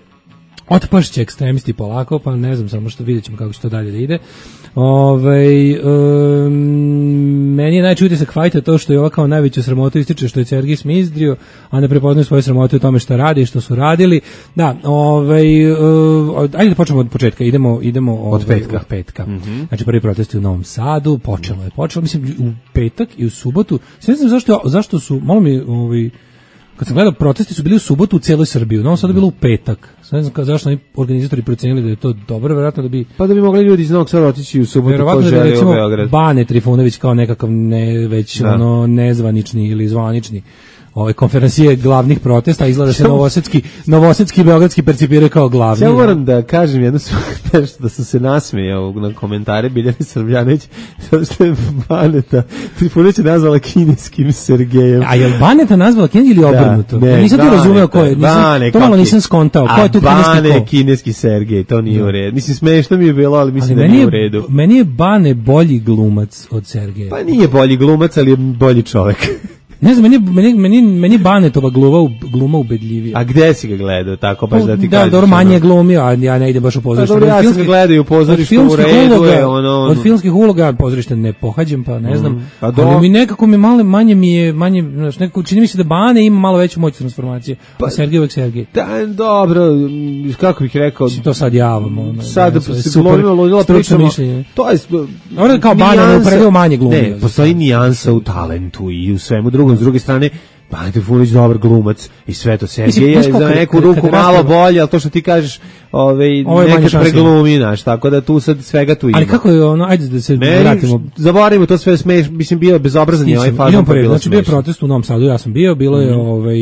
Otpašće ekstremisti polako, pa ne znam, samo što vidjet ćemo kako će to dalje da ide. Ove, um, meni je najčudnije sa kvajta to što je ova kao najveću sramotu ističe što je Sergij smizdrio, a ne prepoznaju svoje sramote u tome što radi i što su radili. Da, ovaj, uh, ajde da počnemo od početka, idemo, idemo ovaj, od petka. Od petka. Mm-hmm. Znači prvi protesti u Novom Sadu, počelo je, počelo, mislim, u petak i u subotu. Ne znam zašto, zašto su, malo mi, ovaj, kad sam gledao, protesti su bili u subotu u cijeloj Srbiji, u Novom Sadu je bilo u petak. Ne znam zašto oni organizatori procenili da je to dobro, verovatno da bi... Pa da bi mogli ljudi iz Novog Sada otići u subotu ko žele u Beograd. Recimo Bane Trifunović kao nekakav ne, već da. ono nezvanični ili zvanični ove konferencije glavnih protesta, izgleda se novosadski, novosadski i beogradski percipiraju kao glavni. Ja moram da kažem jednu stvar, da sam se nasmejao na komentare Biljane Srbljanović, zato što je Baneta Trifunović nazvala kineskim Sergejem. A je li Baneta nazvala kineski ili obrnuto? Da, ne, nisam ti razumeo ko je, nisam, Bane, to malo nisam skontao. Ko je tu kineski ko? A Bane je kineski Sergej, to nije da. u redu. Mislim, smešno mi je bilo, ali mislim ali da nije u redu. Meni je Bane bolji glumac od Sergeja. Pa nije bolji glumac, ali je bolji čovek. Ne znam, meni, meni, meni, meni Banetova gluma, gluma ubedljivija. A gde si ga gledao, tako baš da ti da, kažeš? Da, dobro, manje glumio, a ja ne idem baš u pozorište. Pa dobro, ja sam ga gledao i u pozorištu u redu uloga, je ono, ono. Od filmskih uloga pozorište ne pohađam, pa ne znam. Mm, a ali mi nekako mi malo, manje mi je, manje, znaš, nekako, čini mi se da Bane ima malo veću moć transformacije, pa, a Sergej uvek Sergej. Da, dobro, kako bih rekao. Si to sad javamo. Ono, sad da, se glumilo, ludilo pričamo. To je... Ovo kao Bane, ne uporedio manje glumio. Ne, postoji nijansa u talentu i u svemu drugom. S druge strane, Bane Trifunović dobar glumac i sve to. Sergej je za neku ruku malo bolje, ali to što ti kažeš, ovaj nekad preglumi, znaš, tako da tu sad svega tu ima. Ali kako je ono, ajde da se Meni, vratimo. Zaboravimo to sve, smeš, mislim bio bezobrazan je ovaj fazon. Pa znači bio protest u Novom Sadu, ja sam bio, bilo je mm. ovaj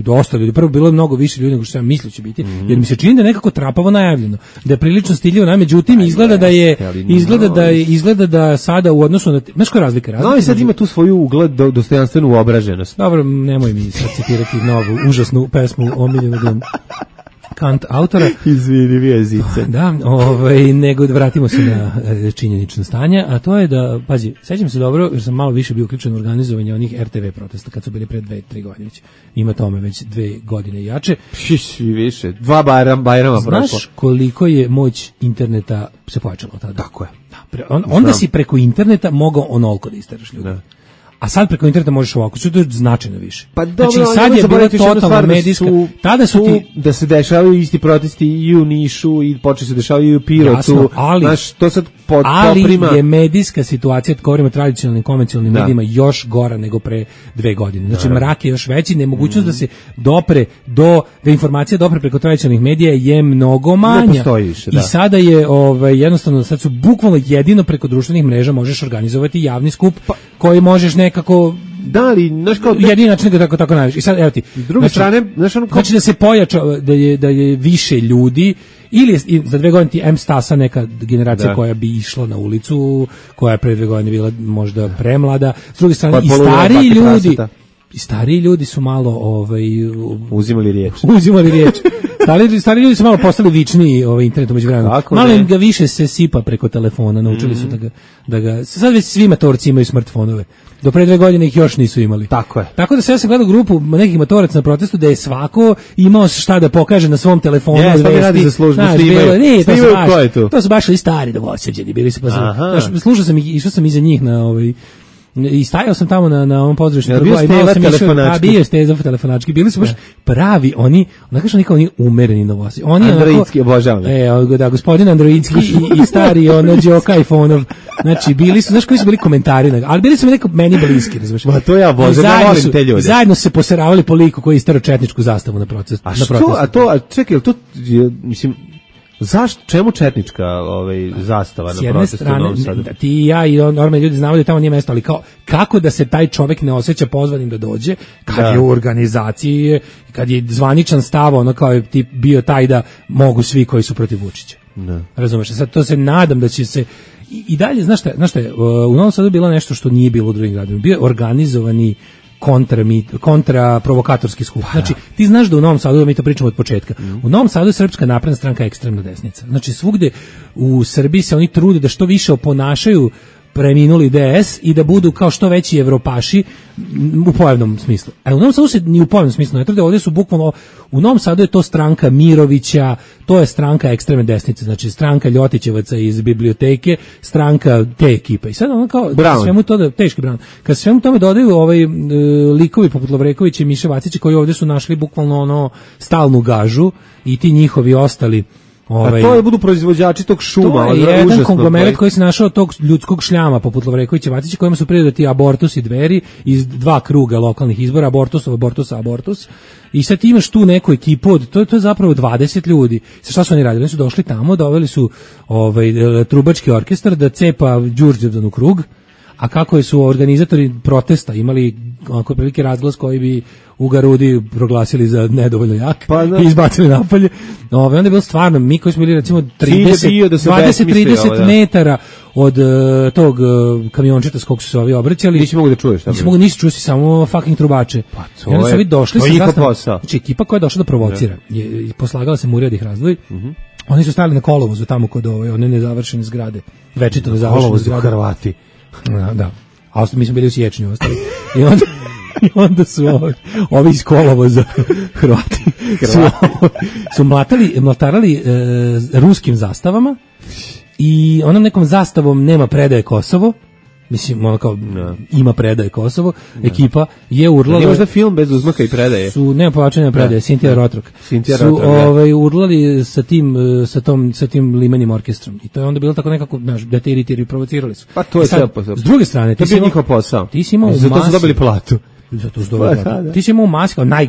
dosta ljudi, prvo bilo je mnogo više ljudi nego što sam mislio će biti, mm. jer mi se čini da je nekako trapavo najavljeno, da je prilično stiljivo, na međutim izgleda da je izgleda da je izgleda da sada u odnosu na, znaš koja razlika je? No i sad ima tu svoju ugled, dostojanstvenu obraženost. Dobro, nemoj mi sad citirati novu užasnu pesmu omiljenog Kant autora. Izvini, vi jezice. Da, ovaj, nego vratimo se na činjenično stanje, a to je da, pazi, sećam se dobro, jer sam malo više bio uključen u organizovanje onih R T V protesta, kad su bili pre dve, tri godine već. Ima tome već dve godine i jače. Šiši više, dva bajram, bajrama prošlo. Znaš koliko je moć interneta se pojačala od tada? Tako je. Da, pre, on, onda si preko interneta mogao onoliko da isteraš ljudi. Da. A sad preko interneta možeš ovako, što je značajno više. Pa dobro, znači, sad je bila totalna medijska, su, tada su ti... Da se dešavaju isti protesti i u Nišu i počeli se dešavaju i u Pirotu. Jasno, ali, znaš, to sad pod, ali poprima... je medijska situacija, kad govorimo o tradicionalnim, konvencionalnim da. medijima, još gora nego pre dve godine. Znači, da, mrak je još veći, nemogućnost mm. da se dopre do, da informacija dopre preko tradicionalnih medija je mnogo manja. Ne postoji više, da. I sada je, ovaj, jednostavno, sad su bukvalno jedino preko društvenih mreža možeš organizovati javni skup pa, koji možeš nekako da li, znaš kao... jedini način da tako, tako najviše. I sad, evo ti. S druge znači, strane, znaš ono kao... Znači da se pojača, da je, da je više ljudi, ili je, za dve godine ti M stasa neka generacija da. koja bi išla na ulicu, koja je pre dve godine bila možda premlada. S druge strane, i stariji ljudi... I stariji ljudi su malo ovaj uzimali riječ. Uzimali riječ. Stari, stari ljudi su malo postali vični ovaj internetu međuvremenu. Malo im ga više se sipa preko telefona, naučili mm. su da ga, da ga sad već svi matorci imaju smartfonove. Do pre dve godine ih još nisu imali. Tako je. Tako da se ja sam gledao grupu nekih matoraca na protestu da je svako imao šta da pokaže na svom telefonu. Ja, šta radi za službu, snimaju. Ne, snimaju ko je tu? To su baš i stari dovođeni, bili su pa sam. Slušao sam ih, išao sam iza njih na ovaj i stajao sam tamo na na ovom pozorištu, bio Steva telefonački. Bio Steva telefonački. Bili su baš pravi, oni, onako što nikao oni umereni novosi. Oni Androidski obožavam. E, da, gospodin Androidski i, i stari ono Đoka iPhone-ov. Znači, bili su, znaš koji su bili komentari, ali bili su mi neko meni bliski, razumiješ. Ma to ja obožavam, ja volim te ljude. Zajedno su se poseravali po liku koji je istero četničku zastavu na proces. A što, a to, a čekaj, to, mislim, zašto, čemu četnička ovaj, zastava na protestu u Novom Sadu? Da ti i ja i normalni ljudi znamo da tamo nije mesto, ali kao, kako da se taj čovjek ne osjeća pozvanim da dođe, kad da. je u organizaciji, kad je zvaničan stav, ono kao je tip bio taj da mogu svi koji su protiv Vučića. Da. Razumeš, sad to se nadam da će se, i, i dalje, znaš šta, znaš šta je, u Novom Sadu je bilo nešto što nije bilo u drugim gradovima, bio je organizovani kontra, kontra provokatorski skup. Znači, ti znaš da u Novom Sadu, da mi to pričamo od početka, mm. u Novom Sadu je Srpska napredna stranka ekstremna desnica. Znači, svugde u Srbiji se oni trude da što više oponašaju preminuli D S i da budu kao što veći evropaši u pojavnom smislu. A u Novom Sadu se ni u pojavnom smislu ne trude, ovdje su bukvalno, u Novom Sadu je to stranka Mirovića, to je stranka ekstremne desnice, znači stranka Ljotićevaca iz biblioteke, stranka te ekipe. I sad ono kao, kad svemu to da, teški Brown, kad svemu tome dodaju ovaj e, likovi poput Lovrekovića i Miše Vacića koji ovdje su našli bukvalno ono stalnu gažu i ti njihovi ostali Ovaj, a to je budu proizvođači tog šuma. To je jedan užasno, konglomerat koji se našao tog ljudskog šljama poput Lovrekovića Vacića kojima su pridodati Abortus i Dveri iz dva kruga lokalnih izbora, Abortusov, Abortus, Abortus. I sad ti imaš tu neku ekipu od, to, to je zapravo dvadeset ljudi. Sa šta su oni radili? Oni su došli tamo, doveli su ovaj, trubački orkestar da cepa Đurđevdan u krug, a kako su organizatori protesta imali onako prilike razglas koji bi u Garudi proglasili za nedovoljno jak pa, i izbacili napolje. Ove, onda je bilo stvarno, mi koji smo bili recimo trideset, dvadeset trideset metara od uh, tog uh, kamiončeta s kog su se ovi obraćali. Nisi mogu da čuješ. Nisi mogu ništa čuti, samo fucking trubače. Pa to I onda su ovi došli sa zastavom. Znači ekipa koja je došla da provocira. Je, poslagala se Murija da ih razdvoji. Uh -huh. Oni su stali na kolovozu tamo kod ove, one nezavršene zgrade. Večito nezavršene zgrade. Hrvati. Da, da. A mi smo bili u Siječnju ostali. I onda i onda su ovi, ovi iz kolovoza Hrvati su, su mlatali, mlatarali e, ruskim zastavama i onom nekom zastavom nema predaje Kosovo. Mislim, ono kao, no. ima predaje Kosovo, no. ekipa je urlala... Nije možda film bez uzmaka i predaje? Su, nema povlačenja predaje, Sintija Rotrok. Sintija su Rotrok, ovaj, urlali sa tim, sa, tom, sa tim limenim orkestrom. I to je onda bilo tako nekako, znaš, da te iritiraju, provocirali su. Pa to je sve posao. S druge strane, to je bio njihov posao. Ti si imao u Zato su dobili platu. Zato su dobili platu. Ti si imao u masi kao, naj,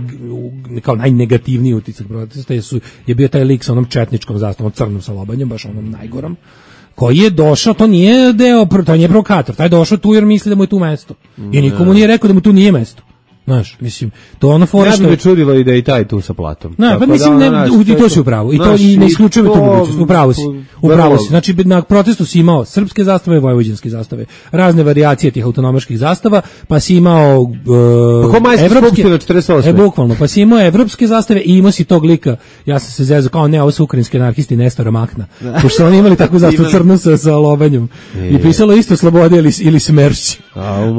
kao najnegativniji utisak protesta, su, je bio taj lik sa onom četničkom zastavom, crnom sa lobanjem, baš onom najgorom, koji je došao, to nije deo, to nije provokator, taj je došao tu jer misli da mu je tu mesto. I nikomu nije rekao da mu tu nije mesto. Znaš, mislim, to ono fora što... Ja bi me čudilo i da je i taj tu sa platom. Ne, pa mislim, ne, da, i to si upravo. I to i ne isključujemo tu mogućnost. Upravo si. Upravo si. Znači, na protestu si imao srpske zastave, vojvođanske zastave, razne varijacije tih autonomaških zastava, pa si imao uh, pa evropske... četrdeset osme. E, bukvalno, pa si imao evropske zastave i imao si tog lika, ja sam se zezao, kao ne, ovo su ukrajinski anarhisti Nestora Makna. Pošto su oni imali takvu zastavu crnu sa, sa lobanjem. I pisalo isto Slobode ili, ili Smršć.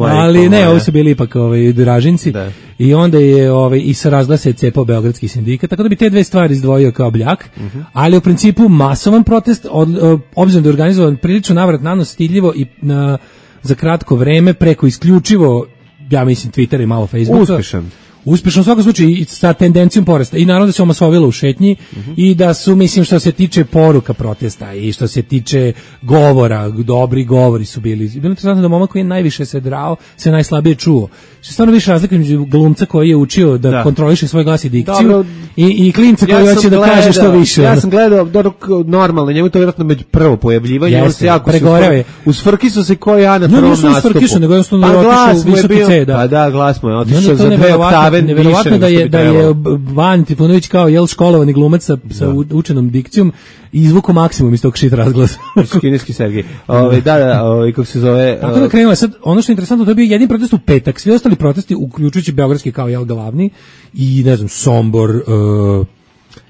Ali ne, ovo su bili ipak ovaj, Dražinci. Da. I onda je ovaj i sa razglasa je cepao beogradski sindikat, tako da bi te dve stvari izdvojio kao bljak, uh -huh. ali u principu masovan protest, od, obzirom da je organizovan prilično navrat nanos, stidljivo i na, za kratko vreme preko isključivo ja mislim Twitter i malo Facebooka. Uspešan. Uspešno u svakom slučaju i sa tendencijom porasta. I naravno da se omasovilo u šetnji uh-huh. i da su, mislim, što se tiče poruka protesta i što se tiče govora, dobri govori su bili. Bilo je interesantno da momak koji je najviše se drao, se najslabije čuo. Što je stvarno više razlika između glumca koji je učio da, da. kontroliše svoj glas i dikciju. Dobro, i, i klinca koji ja hoće da kaže što više. Ja sam gledao dobro, normalno, njemu to vjerojatno među prvo pojavljivanje. Jeste, se jako pregoreo je. Usfrki su se koji ja na prvom nastupu. No, usfrkišu, nego jednostavno je otišao u visoki C. Da. Pa da, glas mu je otišao za dve oktave. Neverovatno da je da je Van Trifunović kao jel školovani glumac sa, sa učenom dikcijom i izvuku maksimum iz tog shit razglasa. Kineski Sergej. Ovaj da, da, ovaj kako se zove. Tako da krenula sad ono što je interesantno, to je bio jedini protest u petak, svi ostali protesti uključujući beogradski kao jel glavni i ne znam Sombor, uh,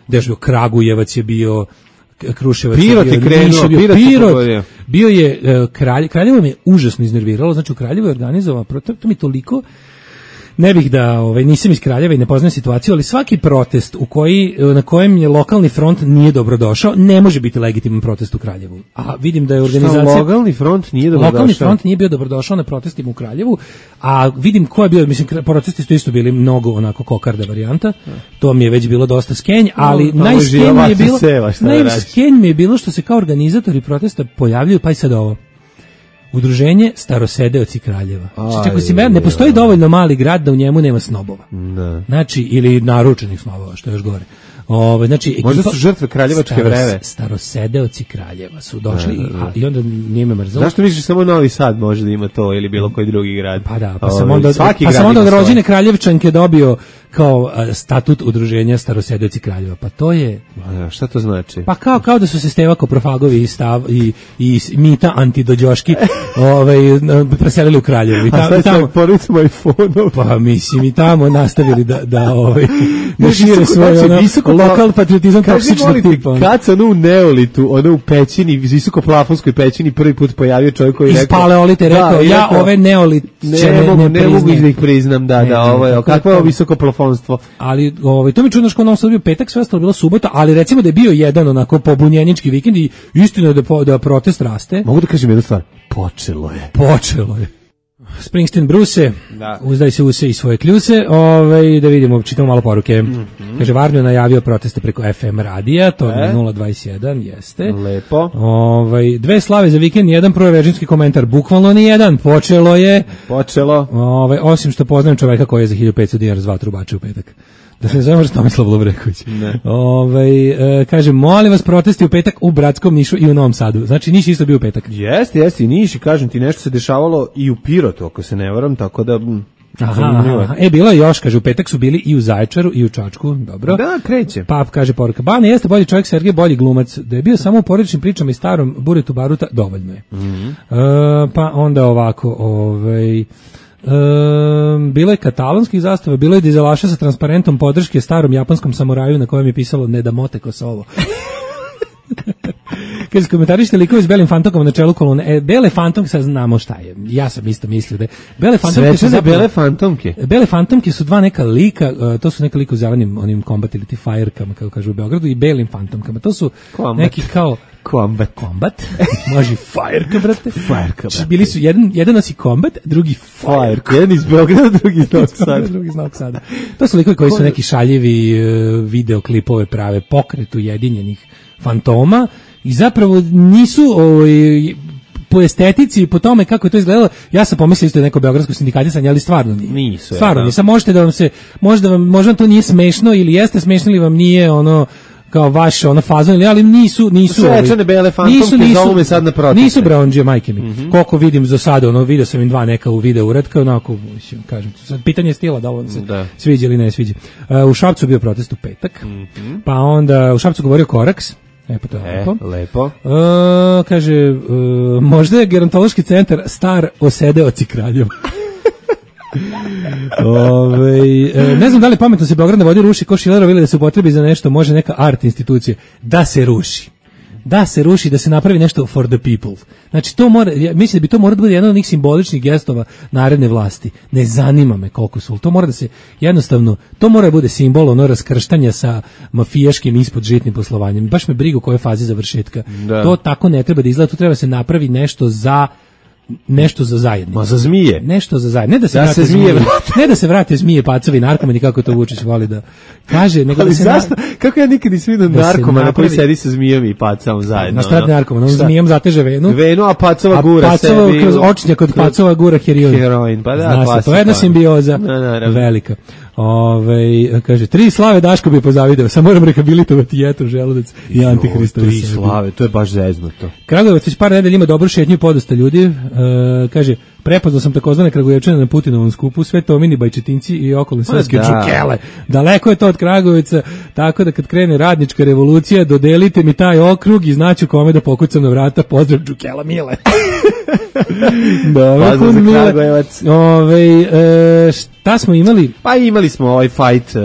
gde je bio Kragujevac je bio Kruševac Pirot je krenuo, Pirot, Pirot bio je uh, Kralj, Kraljevo me užasno iznerviralo, znači u Kraljevu je organizovao protest, to mi toliko ne bih da, ovaj, nisam iz Kraljeva i ne poznajem situaciju, ali svaki protest u koji, na kojem je lokalni front nije dobrodošao, ne može biti legitiman protest u Kraljevu. A vidim da je organizacija... Šta, lokalni front nije dobrodošao? Lokalni front nije bio dobrodošao na protestima u Kraljevu, a vidim ko je bio, mislim, protesti su isto bili mnogo onako kokarda varijanta, to mi je već bilo dosta skenj, ali no, najskenj mi je bilo, najskenj mi je bilo što se kao organizatori protesta pojavljaju, pa i sad ovo. Udruženje Starosedeoci Kraljeva. Znači, ako si mer, ne postoji dovoljno mali grad da u njemu nema snobova. Ne. Znači, ili naručenih snobova, što je još gore. Ove, znači, ekipa, možda su žrtve kraljevačke staros, vreve. Starosedeoci Kraljeva su došli ne, ne, ne. I, a, i onda nije me mrzalo. Zašto misliš samo Novi Sad može da ima to ili bilo koji drugi grad? Pa da, pa sam onda, pa sam onda od rođene Kraljevčanke dobio kao a, statut udruženja Starosedeoci Kraljeva. Pa to je... A, šta to znači? Pa kao, kao da su se Steva Koprofagovi i, stav, i, i Mita Antidođoški ovaj, preselili u Kraljevu. I ta, a šta je tamo, poricama iPhone-ov? Pa mislim i tamo nastavili da, da, ovaj, da šire svoje ono, lokal patriotizam toksičnog tipa. Kad se ono u Neolitu, ono u pećini, visokoplafonskoj pećini prvi put pojavio čovjek koji je rekao... Iz Paleolite rekao, da, ja rekao, ove Neolite ne, ne, mogu, ne, ne mogu da ih priznam, da, ne, da, ovo je, kakvo je ovo visokoplafonstvo? Ali ovaj, to mi čudno što ono sad bio petak, sve ostalo bilo subota, ali recimo da je bio jedan onako pobunjenički vikend i istina je da, da protest raste. Mogu da kažem jednu stvar? Počelo je. Počelo je. Springsteen Bruce, da. Uzdaj se use i svoje kljuse, ovaj, da vidimo, čitamo malo poruke. Mm-hmm. Kaže, Varnio najavio proteste preko F M radija, to je nula dvadeset jedan, jeste. Lepo. Ovaj, dve slave za vikend, jedan prorežimski komentar, bukvalno ni jedan, počelo je. Počelo. Ovaj, osim što poznajem čoveka koji je za hiljadu petsto dinara zvao trubače u petak. Da se ne zove možda Tomislav Lovreković. Ovaj, e, kaže, molim vas protesti u petak u Bratskom, Nišu i u Novom Sadu. Znači, Niš isto bio u petak. Jeste, jeste i Niš i kažem ti, nešto se dešavalo i u Pirotu, ako se ne varam, tako da... Aha, aha, e, bilo je još, kaže, u petak su bili i u Zaječaru i u Čačku, dobro. Da, kreće. Pap kaže poruka, Bane jeste bolji čovjek, Sergej bolji glumac, da je bio samo u porodičnim pričama i starom Buretu Baruta, dovoljno je. Mm-hmm. E, pa onda ovako, ovaj... Um, bilo je katalonskih zastava, bilo je dizelaša sa transparentom podrške starom japanskom samuraju na kojem je pisalo ne da mote Kosovo. Kaže, komentarište likovi s belim fantomkom na čelu kolone. E, bele fantomke, sad znamo šta je. Ja sam isto mislio da je. Bele fantomke su zapravo, bele fantomke. Bele fantomke su dva neka lika, uh, to su neka lika u zelenim onim combat ili ti firekama, kako kažu u Beogradu, i belim fantomkama. To su combat. Neki kao Combat. Combat. Može Fireka, brate. Fireka, brate. Bili su, jedan, jedan nosi Combat, drugi Fireka. Jedan iz Beograda, drugi iz Novog Sada. drugi iz Novog Sada. To su likovi koji su neki šaljivi uh, videoklipove prave, pokret ujedinjenih fantoma i zapravo nisu ovaj, po estetici i po tome kako je to izgledalo, ja sam pomislio isto da je neko beogradsko sindikatisanje, ali stvarno nije. Nisu, stvarno ja, nije. Sad možete da vam se, možda vam, možda vam to nije smešno ili jeste smešno ili vam nije ono kao vaš ono fazon, ali nisu nisu svečane bele fantomke zovu me sad na proteste. Nisu braundžije, majke mi. Mm-hmm. Koliko vidim za sada, ono video sam im dva neka u video uretka, onako mislim, kažem, sad pitanje stila da ovo se da. Sviđa ili ne sviđa. Uh, u Šapcu bio protest u petak. Mm-hmm. Pa onda u Šapcu govorio Koraks. E, pa to je e, lepo. lepo. Uh, kaže, uh, možda je gerontološki centar star Osedeoci Kraljeva. Ove, ne znam da li pametno se Beograd na vodi ruši ko Šilerov ili da se upotrebi za nešto, može neka art institucija da se ruši. Da se ruši, da se napravi nešto for the people. Znači to mora, ja mislim da bi to mora da bude jedan od onih simboličnih gestova naredne vlasti. Ne zanima me koliko su, to mora da se jednostavno, to mora da bude simbol ono raskrštanja sa mafijaškim ispod žitnim poslovanjem. Baš me briga u kojoj fazi završetka. Da. To tako ne treba da izgleda, to treba da se napravi nešto za nešto za zajednicu. Ma za zmije. Nešto za zajednicu. Ne da se da vrate se zmije, zmije, ne da se vrate zmije, pacovi, narkomani, kako to Vučić voli da kaže, nego ali da se zašto? Na... Kako ja nikad nisam vidio da narkomana napravi... koji sedi sa zmijom i pacom zajedno. Na šta radi narkoman? On zmijem zateže venu. Venu, a pacova gura a pacova sebi. Kroz očnja kod pacova gura heroin. Heroin, pa da, zna se, to je jedna simbioza na, velika. Ove, kaže, tri slave Daško bi pozavideo, sam moram rehabilitovati jetru, želudac i antihristove. Tri slave, to je baš zeznuto. Kragujevac već par nedelja ima dobru šetnju i podosta ljudi. E, kaže, prepoznao sam takozvane Kragujevčane na Putinovom skupu, sve to mini bajčetinci i okolne srpske čukele. Daleko je to od Kragujevca, tako da kad krene radnička revolucija, dodelite mi taj okrug i znaću kome da pokucam na vrata. Pozdrav Čukela Mile. Dobro, pozdrav za Kragujevac. Ove, e, šta smo imali? Pa imali smo ovaj fight,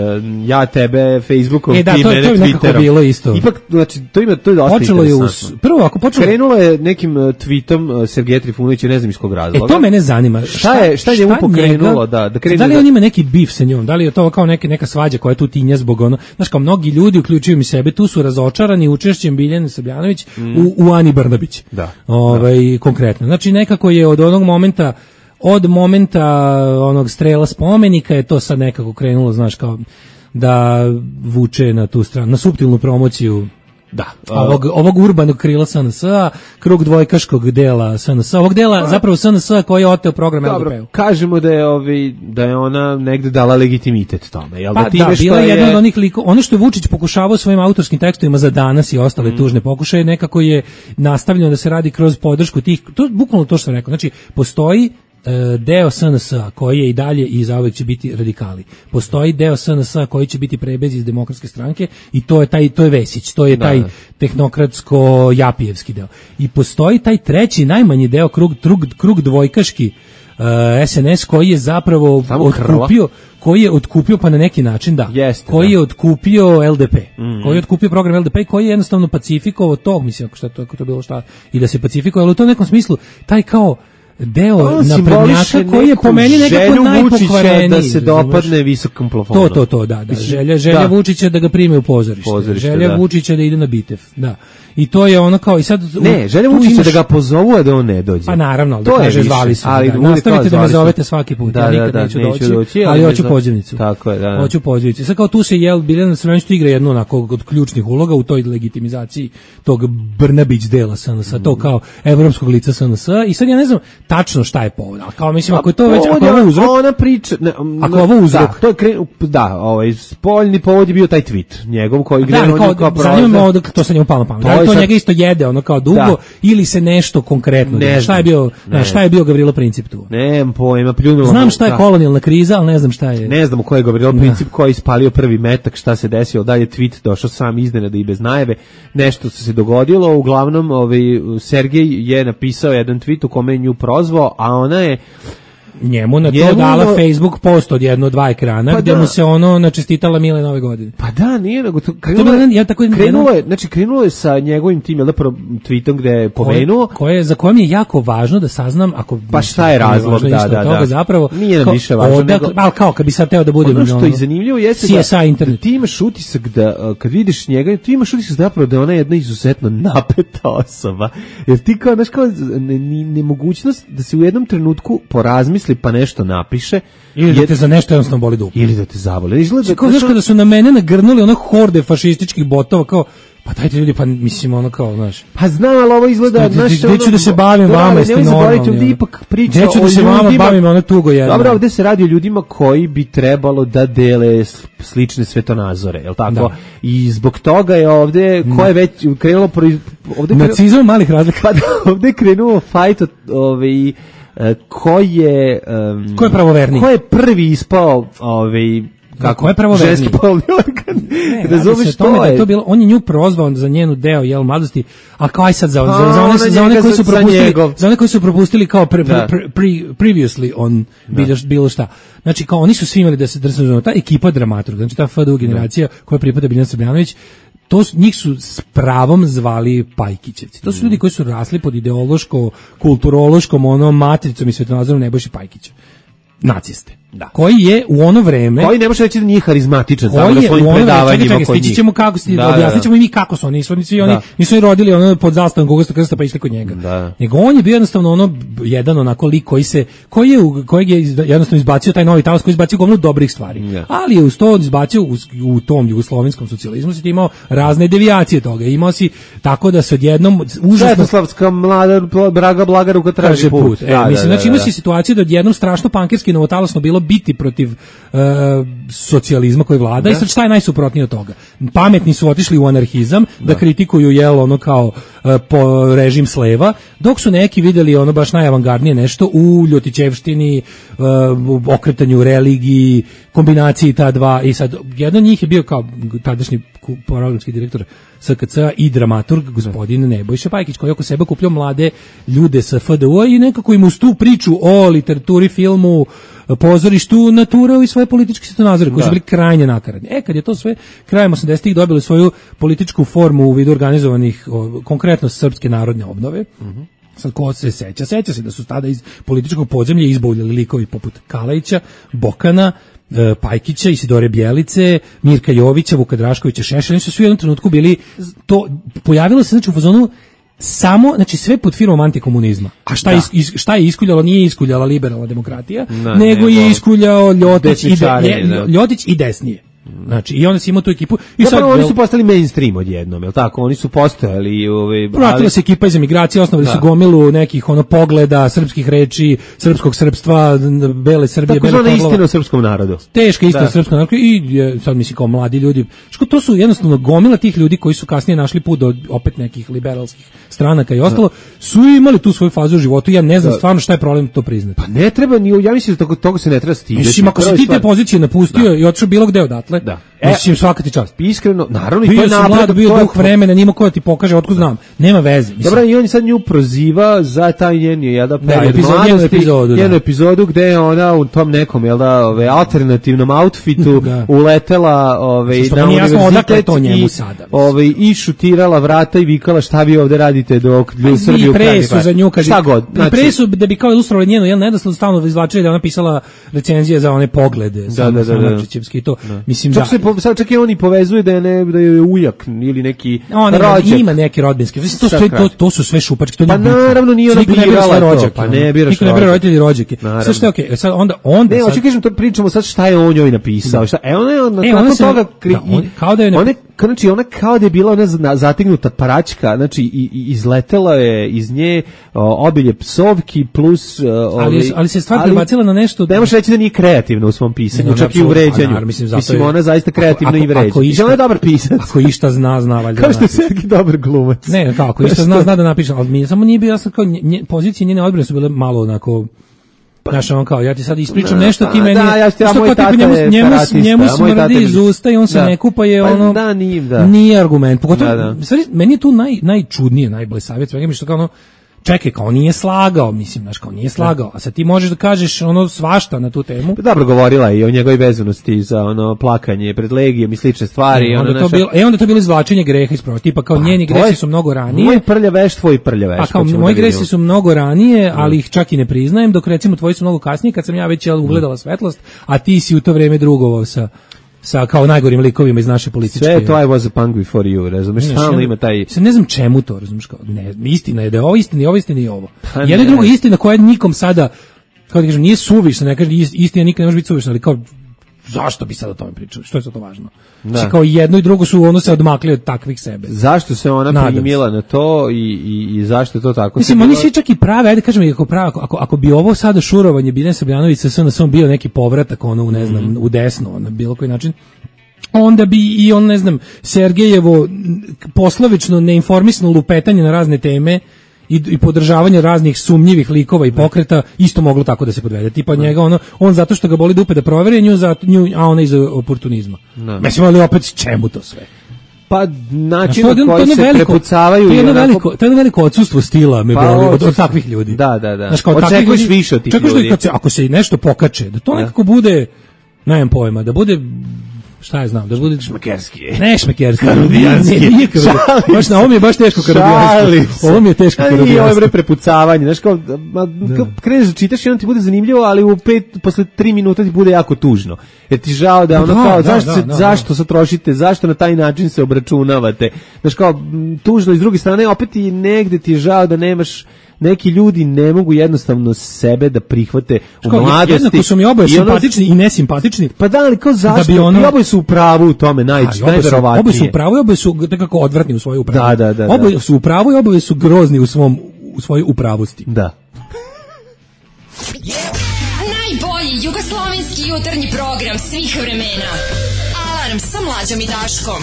ja tebe Facebookom, e, da, ti to, mene to je Twitterom. Bilo isto. Ipak, znači, to ima, to je dosta počelo interesantno. Je us, prvo, ako počelo... Krenulo je nekim uh, tweetom uh, Sergeja Trifunovića, ne znam iz kog razloga. E, to mene zanima. Šta je, šta je njemu pokrenulo? Da, da, krenu da li da... on ima neki bif sa njom? Da li je to kao neke, neka svađa koja je tu tinja zbog ono... Znaš, kao mnogi ljudi, uključuju mi sebe, tu su razočarani učešćem Biljane Srbljanović mm. u, u Ani Brnabić. Da. Ovaj, da. Konkretno. Znači, nekako je od onog momenta od momenta onog strela spomenika je to sad nekako krenulo, znaš, kao da vuče na tu stranu, na suptilnu promociju da, ovog, ovog urbanog krila S N S-a, krug dvojkaškog dela S N S-a, ovog dela zapravo S N S-a koji je oteo program L D P-u. Kažemo da je, ovi, da je ona negde dala legitimitet tome. Jel pa da, time da, što bila je jedna je... od onih liko, ono što je Vučić pokušavao svojim autorskim tekstovima za danas i ostale mm. tužne pokušaje, nekako je nastavljeno da se radi kroz podršku tih, to je bukvalno to što sam rekao, znači postoji deo S N S-a koji je i dalje i zauvek će biti radikali. Postoji deo S N S-a koji će biti prebez iz Demokratske stranke i to je taj to je Vesić, to je da, taj da. tehnokratsko japijevski deo. I postoji taj treći najmanji deo krug krug, krug dvojkaški uh, S N S koji je zapravo samo otkupio krla. koji je otkupio pa na neki način da Jeste, koji da. je otkupio L D P mm. koji je otkupio program L D P koji je jednostavno pacifikovao tog, mislim ako šta to ako to bilo šta i da se pacifikovao, ali u tom nekom smislu taj kao deo naprednjaka koji je po meni nekako najpokvareniji da se dopadne visokom plafonu. To, to, to, da, da. Želja, želja da. Vučića da ga prime u pozorište. pozorište želja da. Vučića da ide na bitev, da. I to je ono kao i sad ne, želja Vučića imaš... da ga pozovu a da on ne dođe. Pa naravno, ali to da kaže zvali su. Ali da. Nastavite da me zovete svaki put. Da, ja nikad da, da, neću, neću doći, doći, ali hoću pozivnicu. Tako je, da. da. Hoću pozivnicu. Sad kao tu se jel Biljana Srbljanović igra jednu onako od ključnih uloga u toj legitimizaciji tog Brnabić dela S N S-a, to kao evropskog lica S N S-a i sad ja ne znam tačno šta je povod. Kao mislim ako je to već ako je ovo uzrok, ona priča, ne, ako je ovo uzrok, da, to je kre, da, ovaj spoljni povod je bio taj tweet njegov koji gde da, on kao, kao zanima me to sa njemu palo na pamet. Da, to sad... njega isto jede ono kao dugo da. Ili se nešto konkretno ne šta je bio, ne, šta je bio Gavrilo Princip tu? Nemam pojma, pljunulo. Znam šta je da. kolonijalna kriza, al ne znam šta je. Ne znam ko je Gavrilo Princip koji ispalio prvi metak, šta se desilo, dalje tweet došao sam iznenada i bez najave, nešto se dogodilo, uglavnom ovaj Sergej je napisao jedan tweet u kome je nju prozvao, a ona je njemu na to dala Facebook post od jedno dva ekrana, pa gdje da. mu se ono načestitala Mile nove godine. Pa da, nije nego to krenulo, to je, ja tako krenulo je, znači krenulo je sa njegovim tim jel da tweetom gde je pomenuo, koje za kojim je jako važno da saznam ako pa šta je razlog, da, da, da. Toga zapravo nije nam više važno, odakle, nego, al kao kad bi sad teo da budem ono što je zanimljivo jeste C S I da, internet. Da ti imaš utisak da kad vidiš njega, ti imaš utisak zapravo da ona je jedna izuzetno napeta osoba. Jer ti kao znaš kao nemogućnost da se u jednom trenutku porazmisli pa nešto napiše ili da te za nešto jednostavno boli dupe ili da te zaboli. Izgleda kao znaš kada su na mene nagrnuli ono horde fašističkih botova kao pa dajte ljudi, pa mislim ono kao, znaš. Pa znam, ali ovo izgleda, znaš, gde ću da se bavim vama, jeste normalni. Ovdje ipak priča gde ću da se vama bavim, ono tugo jedno. Dobro, ovdje se radi o ljudima koji bi trebalo da dele slične svetonazore, je li tako? Da. I zbog toga je ovdje, ko je već krenulo... Ovdje nacizam malih razlika. Pa ovdje je krenuo fajt od ovaj... ko je... Um, ko je pravoverniji? Ko je prvi ispao ovaj... Kako je pravo ženski polni organ? Razumeš to je? To bilo, on je nju prozvao za njenu deo jel mladosti, a kao aj sad za, za, za, one, za one koji su propustili, za one koji su propustili kao pre, pre, pre, pre, previously on bilo, bilo šta. Znači kao oni su svi imali da se drsnu, ta ekipa dramaturga, znači ta F D U generacija koja pripada Biljana Srbljanović, to su, njih su s pravom zvali Pajkićevci. To su ljudi koji su rasli pod ideološko, kulturološkom onom matricom i svetonazorom Nebojše Pajkića. Naciste. Da. Koji je u ono vreme koji ne može reći da nije harizmatičan tamo na svojim predavanjima koji stići ćemo kako sti da, objasnit ćemo i mi kako su oni nisu oni oni nisu rodili ono pod zastavom Gogolskog krsta pa išli kod njega da. Nego on je bio jednostavno ono jedan onako lik koji se koji je kojeg je jednostavno izbacio taj novi talas koji izbacio gomilu dobrih stvari yeah. Ali je uz to izbacio u, u tom jugoslovenskom socijalizmu si imao razne devijacije toga imao si tako da se odjednom užasno Svetoslavska mlada Braga Blagaruka traži put, put. E, da, mislim da, znači imao si situaciju da odjednom strašno pankerski novotalasno bilo biti protiv uh, socijalizma koji vlada da. I sad šta je najsuprotnije od toga? Pametni su otišli u anarhizam da, da kritikuju jel ono kao uh, po režim sleva, dok su neki videli ono baš najavangardnije nešto u Ljotićevštini, uh, okretanju religiji, kombinaciji ta dva i sad jedan od njih je bio kao tadašnji programski direktor S K C-a i dramaturg gospodin Nebojša Pajkić koji oko sebe kupljao mlade ljude sa F D U-a i nekako im uz tu priču o literaturi, filmu, pozorištu naturao i svoje političke svjetonazore koji su bili krajnje nakaradni. E, kad je to sve krajem osamdesetih dobili svoju političku formu u vidu organizovanih, o, konkretno srpske narodne obnove, mm-hmm. Sad ko se seća, seća se da su tada iz političkog podzemlja izbavljali likovi poput Kalajića, Bokana, Pajkića, Isidore Bjelice, Mirka Jovića, Vuka Draškovića, Šešelja, su svi u jednom trenutku bili, to pojavilo se znači u fazonu samo, znači sve pod firmom antikomunizma. A šta, is, is, šta je iskuljalo? Nije iskuljala liberalna demokratija, no, nego ne, je iskuljao Ljotić i, de, Ljotić i desnije. Znači i onda si imao tu ekipu i sad oni su postali mainstream odjednom, je l' tako? Oni su postojali ovaj vratila se ekipa iz emigracije, osnovali da. Su gomilu nekih ono pogleda, srpskih reči, srpskog srpstva, bele Srbije, tako bele pogleda. Istina o srpskom narodu. Teška istina o srpskom narodu i sad mislim kao mladi ljudi. Što to su jednostavno gomila tih ljudi koji su kasnije našli put do opet nekih liberalskih stranaka i ostalo, da. Su imali tu svoju fazu u životu. Ja ne znam da. Stvarno šta je problem to priznati. Pa ne treba ni, ja mislim da toga, toga se ne treba stideti. Mislim ako si ti te pozicije napustio da. I otišao bilo gde odatle. Da. Mislim svaka ti čast. Iskreno, naravno bio i to je napred, bio duh vremena, nima ko ti pokaže otkud znam. Nema veze. Mislim. Dobro, i on sad nju proziva za taj njen jedan period mladosti, epizodu, jednu epizodu gde je ona u tom nekom, jel da, ove alternativnom outfitu da. Uletela, ove na univerzitet to njemu sada. Ove i šutirala vrata i vikala šta vi ovde radite dok ljudi Srbiju presu za nju kad šta god. Znači, presu da bi kao ilustrovali njenu, jel nedoslovno stalno izvlačili da ona pisala recenzije za one poglede, da, da, da, da. To. Da. Mislim da sad čak i oni povezuje da je ne da je ujak ili neki rođak. Ima neki rodbinski. To, to, to, to su sve šupačke. To pa naravno nije ona birala rođake. Pa ne biraš rođake. Ne bira roditelji rođake. Sad što je okej. Okay. Sad onda onda ne, hoću kažem to pričamo sad šta je on njoj napisao. Šta? E ona je nakon e, ona toga kri, da, on, kao da je ona znači ona kao da je bila ona zategnuta praćka, znači i, i izletela je iz nje o, obilje psovki plus o, ali ali, ali se stvar prebacila na nešto. Ne možeš reći da nije kreativna u svom pisanju, čak i u vređanju. Mislim ona zaista kreativno i vređa. I ona je dobar pisac. Ako išta zna, zna valjda. Kao što je Sergij dobar glumac. Ne, kako išta zna, zna da napiše, ali mi samo nije bio jasno kao nje, pozicije njene odbrane su bile malo onako. Znaš, on kao, ja ti sad ispričam da, nešto, ti meni, da, ja što kao tipa njemu, njemu, njemu smrdi iz usta i on se da. Ne kupa je ono, pa, da, nije, da. Nije argument. Pogotovo, da, da. Stvari, meni je tu naj, najčudnije, najblesavije, svega mi što kao ono, čekaj, kao nije slagao, mislim, znaš, kao nije slagao, a sad ti možeš da kažeš ono svašta na tu temu. Dobro govorila i o njegovoj vezanosti za ono plakanje pred Legijom i slične stvari. E, onda, ono to naša... bilo, e, onda to bilo izvlačenje greha iz proti, tipa kao pa, njeni gresi su mnogo ranije. Moj prljaveš, tvoj prljaveš. A kao moji gresi su mnogo ranije, ali ih čak i ne priznajem, dok recimo tvoji su mnogo kasnije, kad sam ja već ugledala svetlost, a ti si u to vreme drugovao sa sa kao najgorim likovima iz naše političke. Sve to I was a punk before you, razumeš, stalno ima taj... Se ne znam čemu to, razumeš, kao, ne, istina je da je ovo istina i ovo istina i ovo. Pa jedna i druga istina koja nikom sada, kao da kažem, nije suvišna, ne kažem, istina nikad ne može biti suvišna, ali kao, zašto bi sad o tome pričali, što je sad to važno? Znači, kao jedno i drugo su ono se odmakli od takvih sebe. Zašto se ona primila na to i, i, i zašto je to tako? Mislim, oni svi čak i prave, ajde kažem, ako, prave, ako, ako bi ovo sada šurovanje Biljane Srbljanović sa S N S-om bio neki povratak ono, u, ne znam, mm-hmm. u desno, na bilo koji način, onda bi i on, ne znam, Sergejevo poslovično neinformisano lupetanje na razne teme i, i podržavanje raznih sumnjivih likova i pokreta isto moglo tako da se podvede. Tipa njega ono, on zato što ga boli dupe da proveri nju, za, nju a ona iz oportunizma. No. Mislim, ali opet čemu to sve? Pa način na koji se veliko, prepucavaju to je jedno veliko, to je jedno veliko odsustvo stila me pa, boli od, od takvih ljudi. Da, da, da. Znaš, očekuješ više od tih ljudi. Da kad se, ako se nešto pokače, da to nekako bude, nemam pojma, da bude Šta je znam, da bude šmekerski. Ne šmekerski, karudijanski. Baš na ovo mi je baš teško karudijanski. Ovo mi je teško karudijanski. I ovo je bre prepucavanje, znaš kao kreneš da čitaš i onda ti bude zanimljivo, ali u pet posle tri minuta ti bude jako tužno. Jer ti žao da ono kao zašto se zašto se trošite, zašto na taj način se obračunavate. Znaš kao tužno i s druge strane opet i negde ti je žao da nemaš neki ljudi ne mogu jednostavno sebe da prihvate u Ško, mladosti. Jednako su mi oboje simpatični i nesimpatični. Pa da, ali kao zašto? Da ono... I oboje su u pravu u tome, naj, najverovatnije. Oboje su u pravu i oboje su nekako odvratni u svojoj upravi. Da, da, da. Oboje su u pravu i oboje su grozni u, svom, u svojoj upravosti. Da. Yeah. Najbolji jugoslovenski jutarnji program svih vremena. Alarm sa Mlađom i Daškom.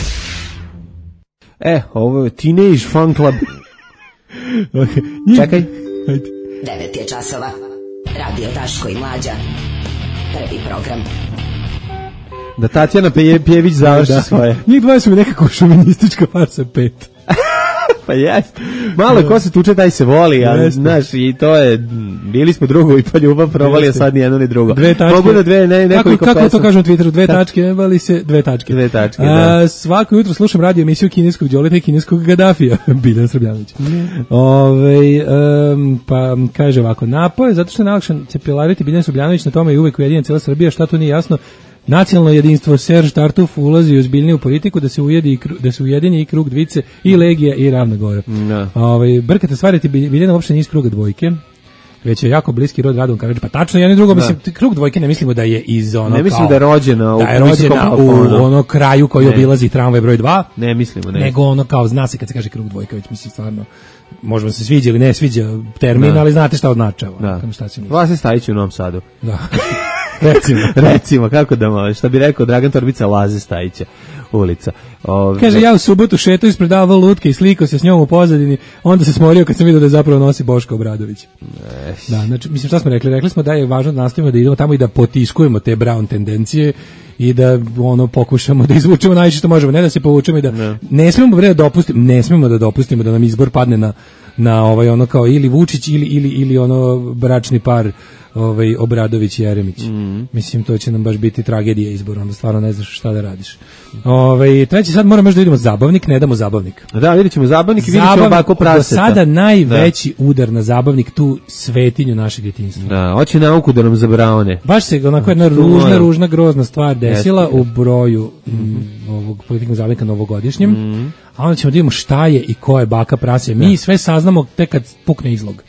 E, ovo je Teenage Fan Club. Čekaj. devet je časova. Radio Daško i Mlađa. Prvi program. Da Tatjana Pjević završi da. Svoje. Njih dvoje su mi nekako šovinistička farsa pet. Pa jest. Malo ko se tuče, taj se voli, ali znaš, i to je, bili smo drugo i pa ljubav probali, a sad ni jedno ni drugo. Dve tačke. Mogu da dve, ne, nekoliko kako, kako to kažem u Twitteru, dve tačke, ne vali se, dve tačke. Dve tačke, a, da. Svako jutro slušam radio emisiju kineskog Đoleta i kineskog Gaddafija, Biljan Srbljanović. Mm. Ove, um, pa kaže ovako, napoj, zato što je najlakšan cepilariti Biljan Srbljanović, na tome je uvek ujedinjen cijela Srbija, šta to nije jasno. Nacionalno jedinstvo Serž Tartuf ulazi u ozbiljniju politiku da se ujedi da se ujedini i krug Dvice i Legija i Ravna Gora. No. Ovaj brkate stvari, ti Biljana uopšte nije iz kruga dvojke. Već je jako bliski rod Radon Karadžić. Pa tačno, jedno i drugo, mislim, krug dvojke ne mislimo da je iz ono ne mislim da je rođena u, da je rođena u ono kraju koji ne. Obilazi tramvaj broj dva. Ne mislimo, ne. Nego ono kao zna se kad se kaže krug dvojka, već mislim stvarno možda se sviđa ili ne sviđa termin, da. Ali znate šta označava. Da. Šta se misli. Vlasi Stajić u Novom Sadu. Da. Recimo, recimo, kako da može, šta bi rekao Dragan Torbica, Laze Stajića ulica. Ove... Kaže, ja u subotu šeto ispredavao lutke i slikao se s njom u pozadini, onda se smorio kad sam vidio da zapravo nosi Boško Obradović. Da, znači, mislim, šta smo rekli? Rekli smo da je važno da nastavimo da idemo tamo i da potiskujemo te Brown tendencije i da ono pokušamo da izvučemo najviše što možemo, ne da se povučemo i da ne, ne smemo bre da dopustimo, ne smemo da dopustimo da nam izbor padne na na ovaj ono kao ili Vučić ili ili ili ono bračni par ovaj Obradović i Jeremić. Mm. Mislim, to će nam baš biti tragedija izbora, onda stvarno ne znaš šta da radiš. Ovaj treći sad moramo još da vidimo zabavnik, ne damo zabavnik. Da, vidjet ćemo zabavnik i vidjet ćemo bako praseta. Do sada najveći da. Udar na zabavnik, tu svetinju našeg djetinjstva. Da, hoće nauku da nam zabraone. Baš se onako jedna ružna, ružna, grozna stvar desila Jeste. U broju mm, ovog politiknog zabavnika novogodišnjem, mm. a onda ćemo da vidimo šta je i ko je baka prase. Mi da. Sve saznamo tek kad pukne izlog.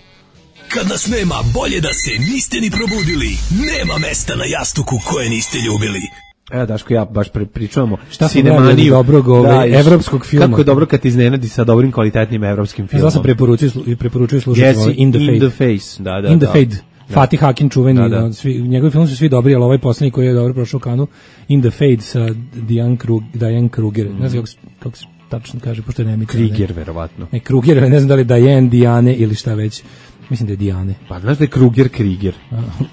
Kad nas nema, bolje da se niste ni probudili. Nema mesta na jastuku koje niste ljubili. Evo, Daško, ja baš pričamo šta Sinemaniju dobrog ovaj, da, evropskog filma. Kako je dobro kad ti iznenadi sa dobrim kvalitetnim evropskim filmom. Ja sam preporučio i preporučujem slušati yes, ovaj In the Fade. In the Face, da, da. In the da. Fade. Fatih Akin čuveni, da, da. Svi, njegovi filmi su svi dobri, ali ovaj posljednji koji je dobro prošao Kanu, In the Fade sa Diane, Krug, Diane Kruger. Mm. Ne znam kako, kako se tačno kaže, pošto je nema Krieger, verovatno. Ne, Kruger, ne znam da li Diane, Diane ili šta već. Mislim da je Dijane. Pa znaš da je Kruger Krieger.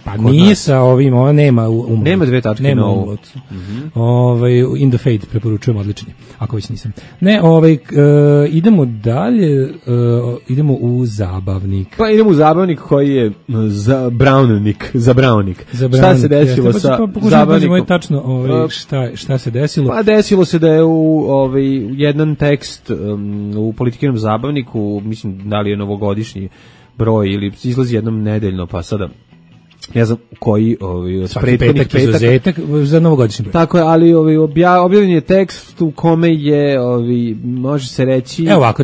Pa Kod nije nas. Sa ovim, ona nema umrot. Nema dve tačke nema na umrot. Mm-hmm. Ovaj In the Fade preporučujem, odličan je. Ako već nisam. Ne, ovaj uh, idemo dalje, uh, idemo u zabavnik. Pa idemo u zabavnik koji je za Brownik, za Brownik. Za Brownik. Šta se desilo Jeste, sa pa zabavnikom? Tačno, ovaj šta šta se desilo? Pa desilo se da je u ovaj jedan tekst um, u političkom zabavniku, mislim da li je novogodišnji broj ili izlazi jednom nedeljno, pa sada ne znam koji ovaj od prethodnih petaka za novogodišnji broj. Tako je, ali ovaj objavljen je tekst u kome je ovaj može se reći evo ovako,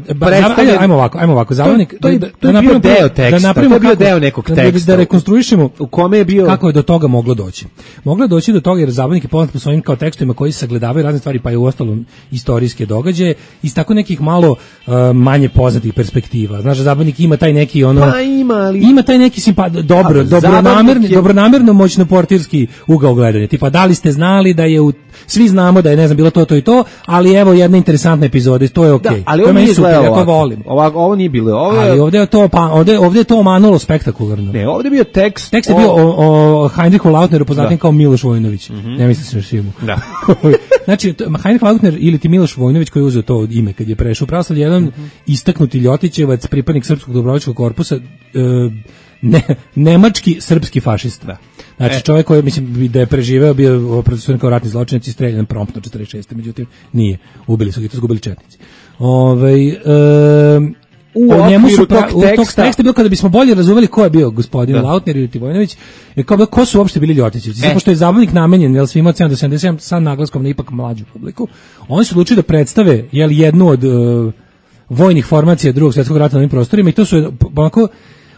ajde, ajmo ovako, ajmo ovako, zabavnik to, to, to, to je bio deo teksta, da napravimo to je bio deo nekog teksta. Da rekonstruišemo u kome je bio kako je do toga moglo doći. Moglo je doći do toga jer zabavnik je poznat po svojim kao tekstovima koji sagledavaju razne stvari, pa i u ostalom istorijske događaje iz tako nekih malo uh, manje poznatih perspektiva. Znaš, zabavnik ima taj neki ono pa ima, ali... ima taj neki simpa, dobro, dobro Je... dobronamerno moćno portirski ugao gledanja. Tipa, da li ste znali da je u, svi znamo da je, ne znam, bilo to, to i to, ali evo jedna interesantna epizoda, to je okej. Okay. Da, ali ovo nije super, ja to volim. Ovako, ovo nije bilo. Ovo je... Ali ovdje je to, pa, ovdje, ovdje je to omanulo spektakularno. Ne, ovdje je bio tekst. Tekst je o... bio o, o Heinrichu Lautneru, poznatim kao Miloš Vojnović. Mm-hmm. Ne misliš na Šimu. Da. Znači, Heinrich Lautner ili ti Miloš Vojnović koji je uzeo to ime kad je prešao pravoslavlje, jedan mm-hmm. istaknuti Ljotićevac, pripadnik Srpskog dobrovoljačkog korpusa, e, ne, nemački srpski fašista. Da. Znači, E. čovjek koji, mislim, da je preživeo, bio procesuiran kao ratni zločinac i streljan promptno četrdeset šeste Međutim, nije. Ubili su ga i to zgubili četnici. Ovaj e, U o njemu su okviru pra, tog u tog teksta- teksta bilo kada bismo bolje razumeli ko je bio gospodin Da. Lautner ili Tivojnović, je kao bilo, ko su uopšte bili Ljotićevci. E. Zato što je zabavnik namenjen, jel, svima od sedam do sedamdeset sedam sa naglaskom na ipak mlađu publiku. Oni su odlučili da predstave, jel, jednu od uh, vojnih formacija Drugog svjetskog rata na ovim prostorima i to su onako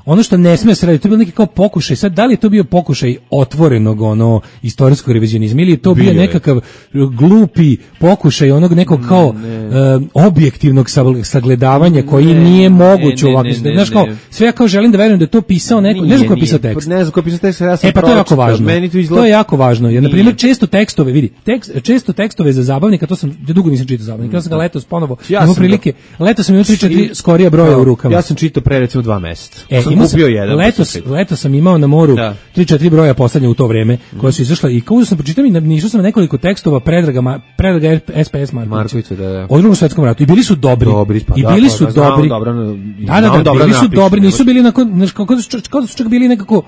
ono što ne sme se raditi, to je bio neki kao pokušaj, sad da li je to bio pokušaj otvorenog ono istorijskog revizionizma ili je to bio Bio je. nekakav glupi pokušaj onog nekog kao e, objektivnog sagl- sagledavanja koji Ne, nije ne, moguć ne, ovako. ne, ne, Znaš kao, ne. sve ja kao želim da verujem da je to pisao neko, ne Nije, znam ko je nije. pisao tekst. Ne znam ko je pisao tekst, ja sam E pa to je jako pročitao, važno. meni to izgleda- To je jako važno. Jer na Nije. primjer često tekstove, vidi, tekst, često tekstove za zabavnika, to sam ja dugo nisam čitao zabavnika. Ja sam ga letos ponovo Ja imao sam prilike. Letos sam imao tri četiri I- skorija broja u rukama. Ja sam čitao pre recimo dva meseca. E, sam imao kupio jedan. pa letos, sam čitao. letos sam imao na moru Da. tri četiri broja poslednje u to vreme, koja su izašla i kao sam pročitao i nišao sam na nekoliko tekstova Predraga, Ma- Predraga S P S Markovića. Markovića, da, da. O Drugom svetskom ratu. I bili su dobri. Dobri, pa I da, bili pa su da, znam dobri. dobro, da, da, znam da, dobro bili su napišu, dobri, ne nisu bili onako, znaš, kao da su čak- kao da su čak bili nekako,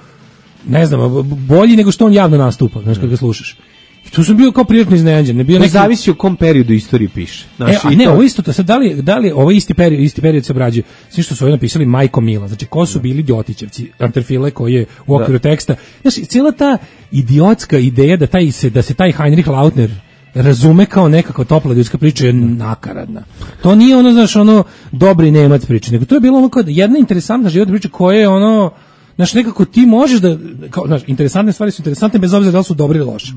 ne znam, bolji nego što on javno nastupa, znaš, kad ga slušaš. I tu sam bio kao prijatno iznenađen. Ne bio To neki... zavisi u kom periodu istorije piše. Znaš, E, a i ne, to- ovo isto, to sad, da li, da li ovo isti period, isti period se obrađuje, svi što su ovdje napisali Majko Mila, znači ko su bili Ljotićevci, Anterfile koji je u okviru teksta, znači cijela ta idiotska ideja da, taj se, da se taj Heinrich Lautner razume kao nekakva topla ljudska priča je nakaradna. To nije ono, znaš, ono dobri Nemac priča, nego to je bilo ono kao jedna interesantna životna priča koja je ono, znaš, nekako ti možeš da, kao, znaš, interesantne stvari su interesantne bez obzira da li su dobre ili loše.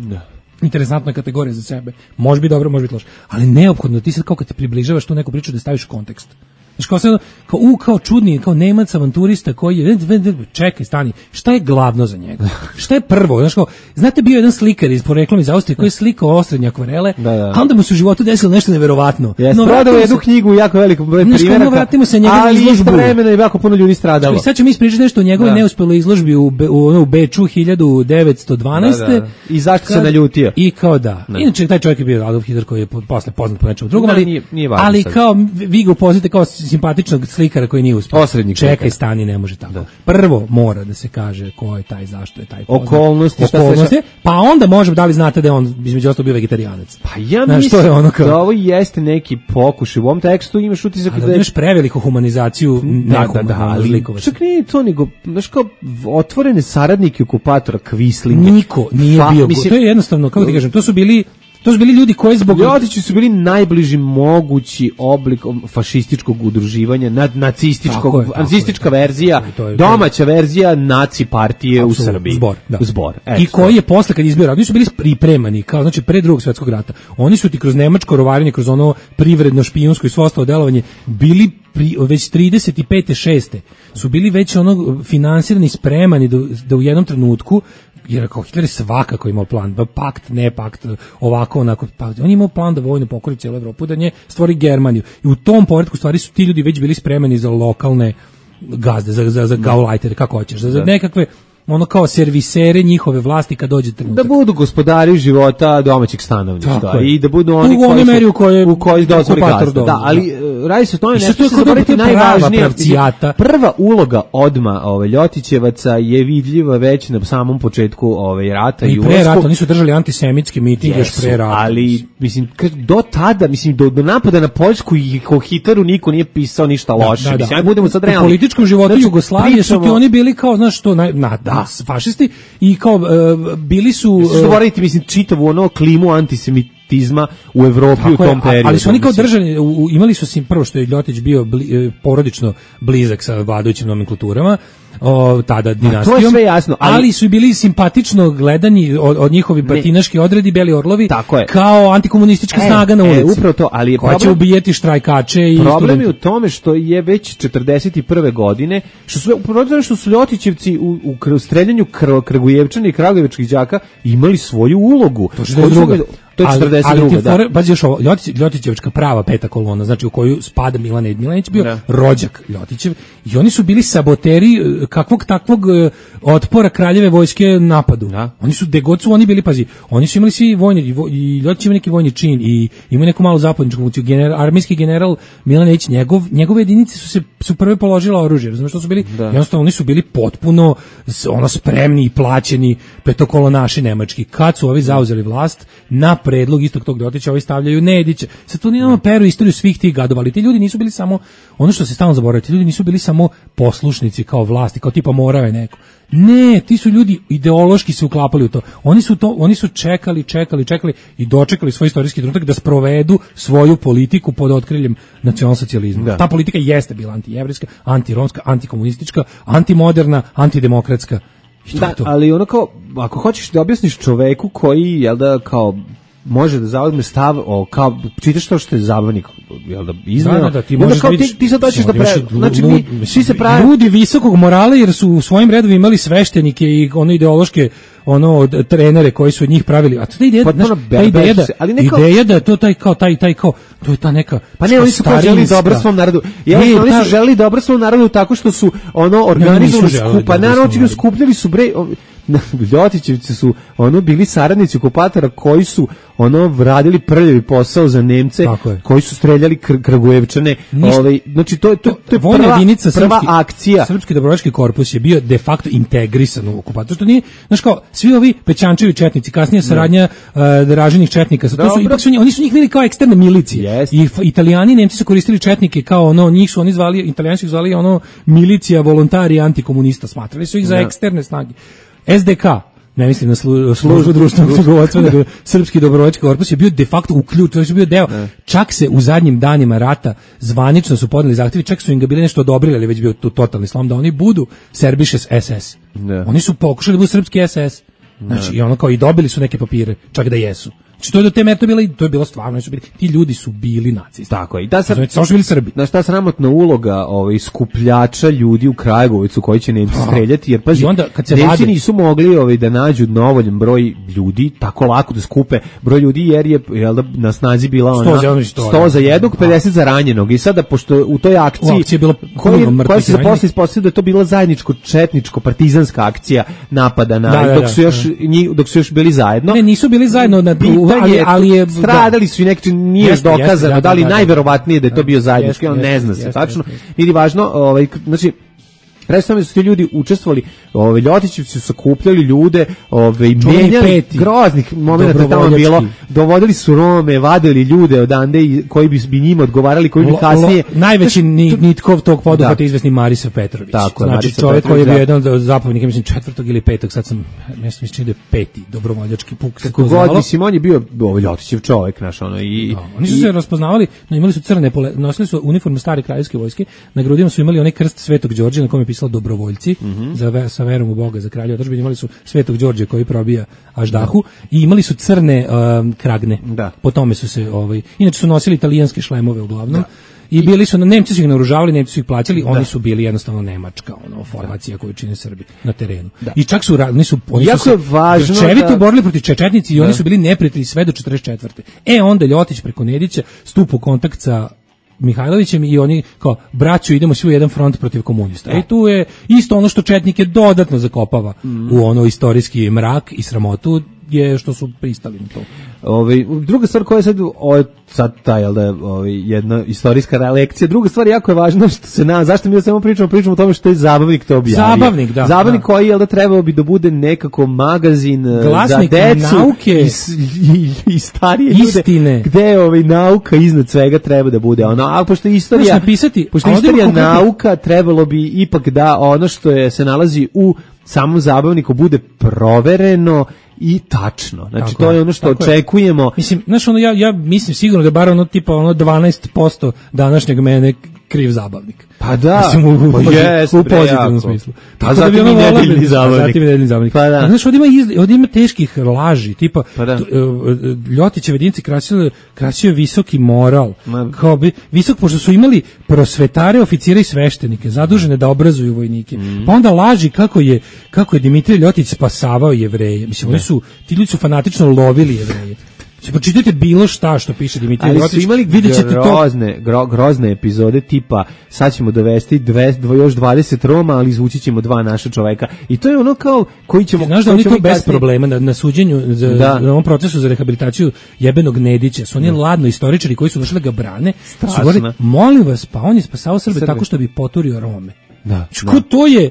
Interesantna kategorija za sebe. Može biti dobro, može biti loše. Ali neophodno, ti sad kao kad te približavaš tu neku priču da staviš u kontekst. Znaš, kao, sad, kao, u, kao čudni, kao Nemac avanturista koji je, čekaj, stani, šta je glavno za njega? Šta je prvo? Znaš, kao, znate, bio jedan slikar iz poreklom iz Austrije koji je slikao osrednje akvarele, Da, da. a onda mu se u životu desilo nešto neverovatno. Jeste, No, prodao vratimo jednu se- knjigu u jako velikom broju Znaš, kao, primjeraka, no, vratimo se njega na ali izložbu. istovremeno je jako puno ljudi stradalo. I sad ćemo mi ispričati nešto o njegovoj Da. neuspeloj izložbi u, Be, u, ono, u Beču hiljadu devetsto dvanaeste. Da, da. I zašto se Kad- naljutio? I kao da. Da. Inače, taj čovjek je bio Adolf Hitler koji je po- posle poznat po nečemu drugom, Da, ali, nije- nije važno ali sad. kao vi ga upozite kao simpatičnog slikara koji nije uspio. Osrednjeg Čekaj, slikara. stani, ne može tako. Prvo mora da se kaže ko je taj, zašto je taj poznat. Okolnosti, šta se Okolnosti, dešava. pa onda možemo, da li znate da je on između ostalog bio vegetarianac. Pa ja Znaš, mislim to je ono kao- da ovo jeste neki pokušaj. U ovom tekstu imaš utisak Ali da da je... imaš preveliku humanizaciju Da, da, da, ali likovaca. čak nije to nego, znaš kao, otvorene saradnike okupatora Kvislinga. Niko nije Fa- bio, mislim, to je jednostavno, kako ti kažem, to su bili to su bili ljudi koji zbog Ljotići su bili najbliži mogući oblik fašističkog udruživanja, nad, Tako nacističkog, je, tako nacistička je, tako je. verzija, To je- to je- domaća verzija naci partije u Apsolutno, Srbiji. Zbor, da. Zbor. I eto. koji je posle kad je izbio rat, oni su bili pripremani, kao znači pre Drugog svjetskog rata. Oni su ti kroz nemačko rovarenje, kroz ono privredno špijunsko i svo ostalo delovanje bili pri, već trideset pete šeste su bili već ono finansirani, spremani da, da u jednom trenutku, jer kao Hitler je svakako imao plan, da pakt, ne pakt, ovako, onako, pa on je imao plan da vojno pokori cijelu Evropu, da nje stvori Germaniju. I u tom poretku stvari su ti ljudi već bili spremani za lokalne gazde, za, za, za gaulajtere, kako hoćeš, za, za nekakve ono kao servisere njihove vlasti kad dođe trenutak. Da budu gospodari života domaćeg stanovništva Tako je. i da budu oni U onoj koji meri u su, kojoj u kojoj dozvoli okupator gazda. Da, dozvoli, ali e, radi se o tome I sad nešto to je se kao da zaboraviti bude prava najvažnije. pravcijata. Prva uloga odma ove Ljotićevaca je vidljiva već na samom početku ove rata i, I pre ulasku. rata, oni su držali antisemitski miting još Jesu, pre rata. ali mislim kad do tada, mislim do, do napada na Poljsku i o Hitleru niko nije pisao ništa loše. Da, da, da. Mislim, ajde budemo sad U realni. političkom životu Znači, Jugoslavije su ti pričamo- oni bili kao, znaš što, na, na, da, fašisti i kao e, bili su... Što e, zaboraviti, mislim, čitavu ono klimu antisemitizma u Evropi u Tako je, tom a- periodu. ali su oni kao mislim. državni, u- u- imali su sim, prvo što je Ljotić bio bli, e, porodično blizak sa vladajućim nomenklaturama, o, tada dinastijom. sve jasno, ali- ali, su i bili simpatično gledani od, od njihovi batinaški odredi, Beli Orlovi, Tako je. kao antikomunistička E, snaga na e, ulici. upravo to, ali je koja će problem- ubijeti štrajkače i Problem je u studente. tome što je već četrdeset prve godine, što su upravo zato što su Ljotićevci u, u kr- streljanju kr, Kragujevčana i Kragujevačkih đaka imali svoju ulogu. To što je druga. to je četrdeset druga ali, ali da. Pazi još ovo, Ljotić, Ljotićevčka prava peta kolona, znači u koju spada Milan Ed Milanić, bio da. rođak Ljotićev, i oni su bili saboteri kakvog takvog otpora kraljeve vojske napadu. Da. Oni su, gde god su oni bili, pazi, oni su imali svi vojni, i Ljotić ima neki vojni čin, i ima neku malu zapadničku funkciju, general, armijski general Milan Ed, njegov, njegove jedinice su se su prve položila oružje, razumiješ što su bili, da. jednostavno oni su bili potpuno ono spremni i plaćeni petokolonaši nemački. Kad su ovi zauzeli vlast, na predlog istog tog Ljotića ovi stavljaju Nedića. Sad tu nemamo peru istoriju svih tih gadova, ali ti ljudi nisu bili samo, ono što se stalno zaboravlja, ti ljudi nisu bili samo poslušnici kao vlasti, kao tipa morao je neko. Ne, ti su ljudi ideološki se uklapali u to. Oni su to, oni su čekali, čekali, čekali i dočekali svoj istorijski trenutak da sprovedu svoju politiku pod otkriljem nacionalsocijalizma. Da. Ta politika jeste bila antijevrijska, antiromska, antikomunistička, antimoderna, antidemokratska. I to da, je to. Ali ono kao, ako hoćeš da objasniš čoveku koji, jel da, kao može da zauzme stav o kao čitaš to što je zabavnik, jel da izneo. Da, da, ti možeš kao, ti, ti sad hoćeš da pre, znači mi svi se pravi ljudi visokog morala jer su u svojim redovima imali sveštenike i ono ideološke ono trenere koji su od njih pravili, a ta ideja, znaš, ta ideja da, ali neka ideja da to taj kao taj taj kao to je ta neka pa ne, oni su želeli dobro svom narodu. Ja oni su želeli dobro svom narodu tako što su ono organizovali skupa, naravno skupljali su bre Ljotićevci su ono bili saradnici okupatora koji su ono radili prljavi posao za Nemce, koji su streljali kr Kragujevčane, ovaj znači to je to, to je vojna jedinica, prva srpski, akcija. Srpski dobrovoljački korpus je bio de facto integrisan u okupaciju. Što nije, znači kao svi ovi Pećančevi četnici, kasnije saradnja uh, Dražinih četnika, to su ipak su oni su njih bili kao eksterne milicije. Yes. I Italijani i Nemci su koristili četnike kao ono, njih su oni zvali, Italijani su ih zvali ono milicija, volontari, antikomunista, smatrali su ih za eksterne snage. S D K, ne mislim na slu, službu društvenog knjigovodstva, nego Srpski dobrovoljački korpus je bio de facto uključ, to je bio deo. Ne. Čak se u zadnjim danima rata zvanično su podneli zahtjevi, čak su im ga bili nešto odobrili, ali već bio tu totalni slom da oni budu Serbišes S S. Ne. Oni su pokušali da budu srpski S S. Znači, ne. I ono kao i dobili su neke papire, čak da jesu. Znači, to je do te mere to bilo, to je bilo stvarno, su bili, ti ljudi su bili nacisti. Tako je. I da se znači, samo su bili Srbi. Znaš, ta sramotna uloga ovaj skupljača ljudi u Kragujevacu koji će Nemci streljati, jer pazi, onda, kad se Nemci vade, nisu mogli ovaj da nađu dovoljan broj ljudi, tako lako da skupe broj ljudi, jer je jel da na snazi bila ona sto za jednog, pedeset za ranjenog. I sada pošto u toj akciji, akcija je bila koji, koja se posle ispostavila da je to bila zajedničko četničko partizanska akcija napada na da, da, dok su još da. njih, dok su još bili zajedno. Ne, nisu bili zajedno na ali, ali je stradali su i neki nije jest, dokazano jest, da li najverovatnije da je to bio zajednički, on ne zna se tačno. Ili važno, ovaj znači predstavljaju su ti ljudi učestvovali, ovaj Ljotićevci su sakupljali ljude, ovaj menjali groznih momenata tamo bilo, dovodili su Rome, vadili ljude odande i koji bi bi njima odgovarali, koji bi kasnije najveći nitkov tog poduhvata izvesni Marisav Petrović. Tako, znači Marisav čovjek Petrović, koji je bio jedan od zapovjednika, mislim četvrtog ili petog, sad sam mislim mislim da je peti dobrovoljački puk. Kako god, mislim on je bio ovaj Ljotićev čovjek, naš ono i da, oni su i, se raspoznavali, no, imali su crne pole, nosili su uniformu stare kraljevske vojske, na grudima su imali onaj krst Svetog Đorđa na kome je pisalo dobrovoljci. Mm-hmm. za sa verom u Boga, za kralja otadžbine, imali su Svetog Đorđa koji probija Aždahu i imali su crne um, kragne. Da. Po tome su se ovaj inače su nosili italijanske šlemove uglavnom. Da. I bili su, Nemci su ih naoružavali, Nemci su ih plaćali, da. Oni su bili jednostavno nemačka ono, formacija koju čine Srbi na terenu. Da. I čak su, oni su, oni jako su se grčevito da... borili protiv čečetnici i da. Oni su bili neprijatelji sve do četrdeset četvrte. E onda Ljotić preko Nedića stupa u kontakt sa Mihajlovićem i oni kao braćo idemo svi u jedan front protiv komunista. I tu je isto ono što četnike dodatno zakopava mm. u ono istorijski mrak i sramotu je što su pristali na to. Ovaj druga stvar koja je sad o, sad ta jel da ovaj jedna istorijska lekcija. Druga stvar jako je važna što se na zašto mi samo pričamo pričamo o tome što je zabavnik to objavio. Zabavnik, da. Zabavnik da. Koji jel da trebao bi da bude nekako magazin Glasnik za decu nauke i, i, i starije istine. Ljude. Gde ovaj nauka iznad svega treba da bude. Ono, a pošto je istorija napisati, pošto istorija nauka trebalo bi ipak da ono što je se nalazi u samom zabavniku bude provereno i tačno. Znači tako to je ono što očekujemo. Je. Mislim, znaš, ono, ja, ja mislim sigurno da bar ono tipa ono dvanaest posto današnjeg mene kriv zabavnik. Pa da, mislim, u, pa jest, u pozitivnom smislu. Pa zatim i nedeljni zabavnik. Zatim i nedeljni zabavnik. Pa da. Znaš, ovdje ima, iz, ovdje ima teških laži, tipa pa da. Ljotićeve jedinice krasio, krasio visoki moral. Ma. Kao bi, visok, pošto su imali prosvetare, oficire i sveštenike, zadužene da obrazuju vojnike. Mm. Pa onda laži kako je, kako je Dimitrij Ljotić spasavao Jevreje. Mislim, oni su, ti ljudi su fanatično lovili Jevreje. Pročitajte bilo šta što piše Dimitrije Ali Rotić. su imali videćete grozne, to. Gro, grozne epizode tipa sad ćemo dovesti dve, dvo, još dvadeset Roma, ali izvući ćemo dva naša čoveka. I to je ono kao koji ćemo... Znaš da oni to bez problema na, na suđenju, za, da. na ovom procesu za rehabilitaciju jebenog Nedića, su oni ladno istoričari koji su došli da ga brane, Strašno. su govorili, molim vas, pa on je spasao Srbe, Srbe. tako što bi poturio Rome. Da, Čko da. to je...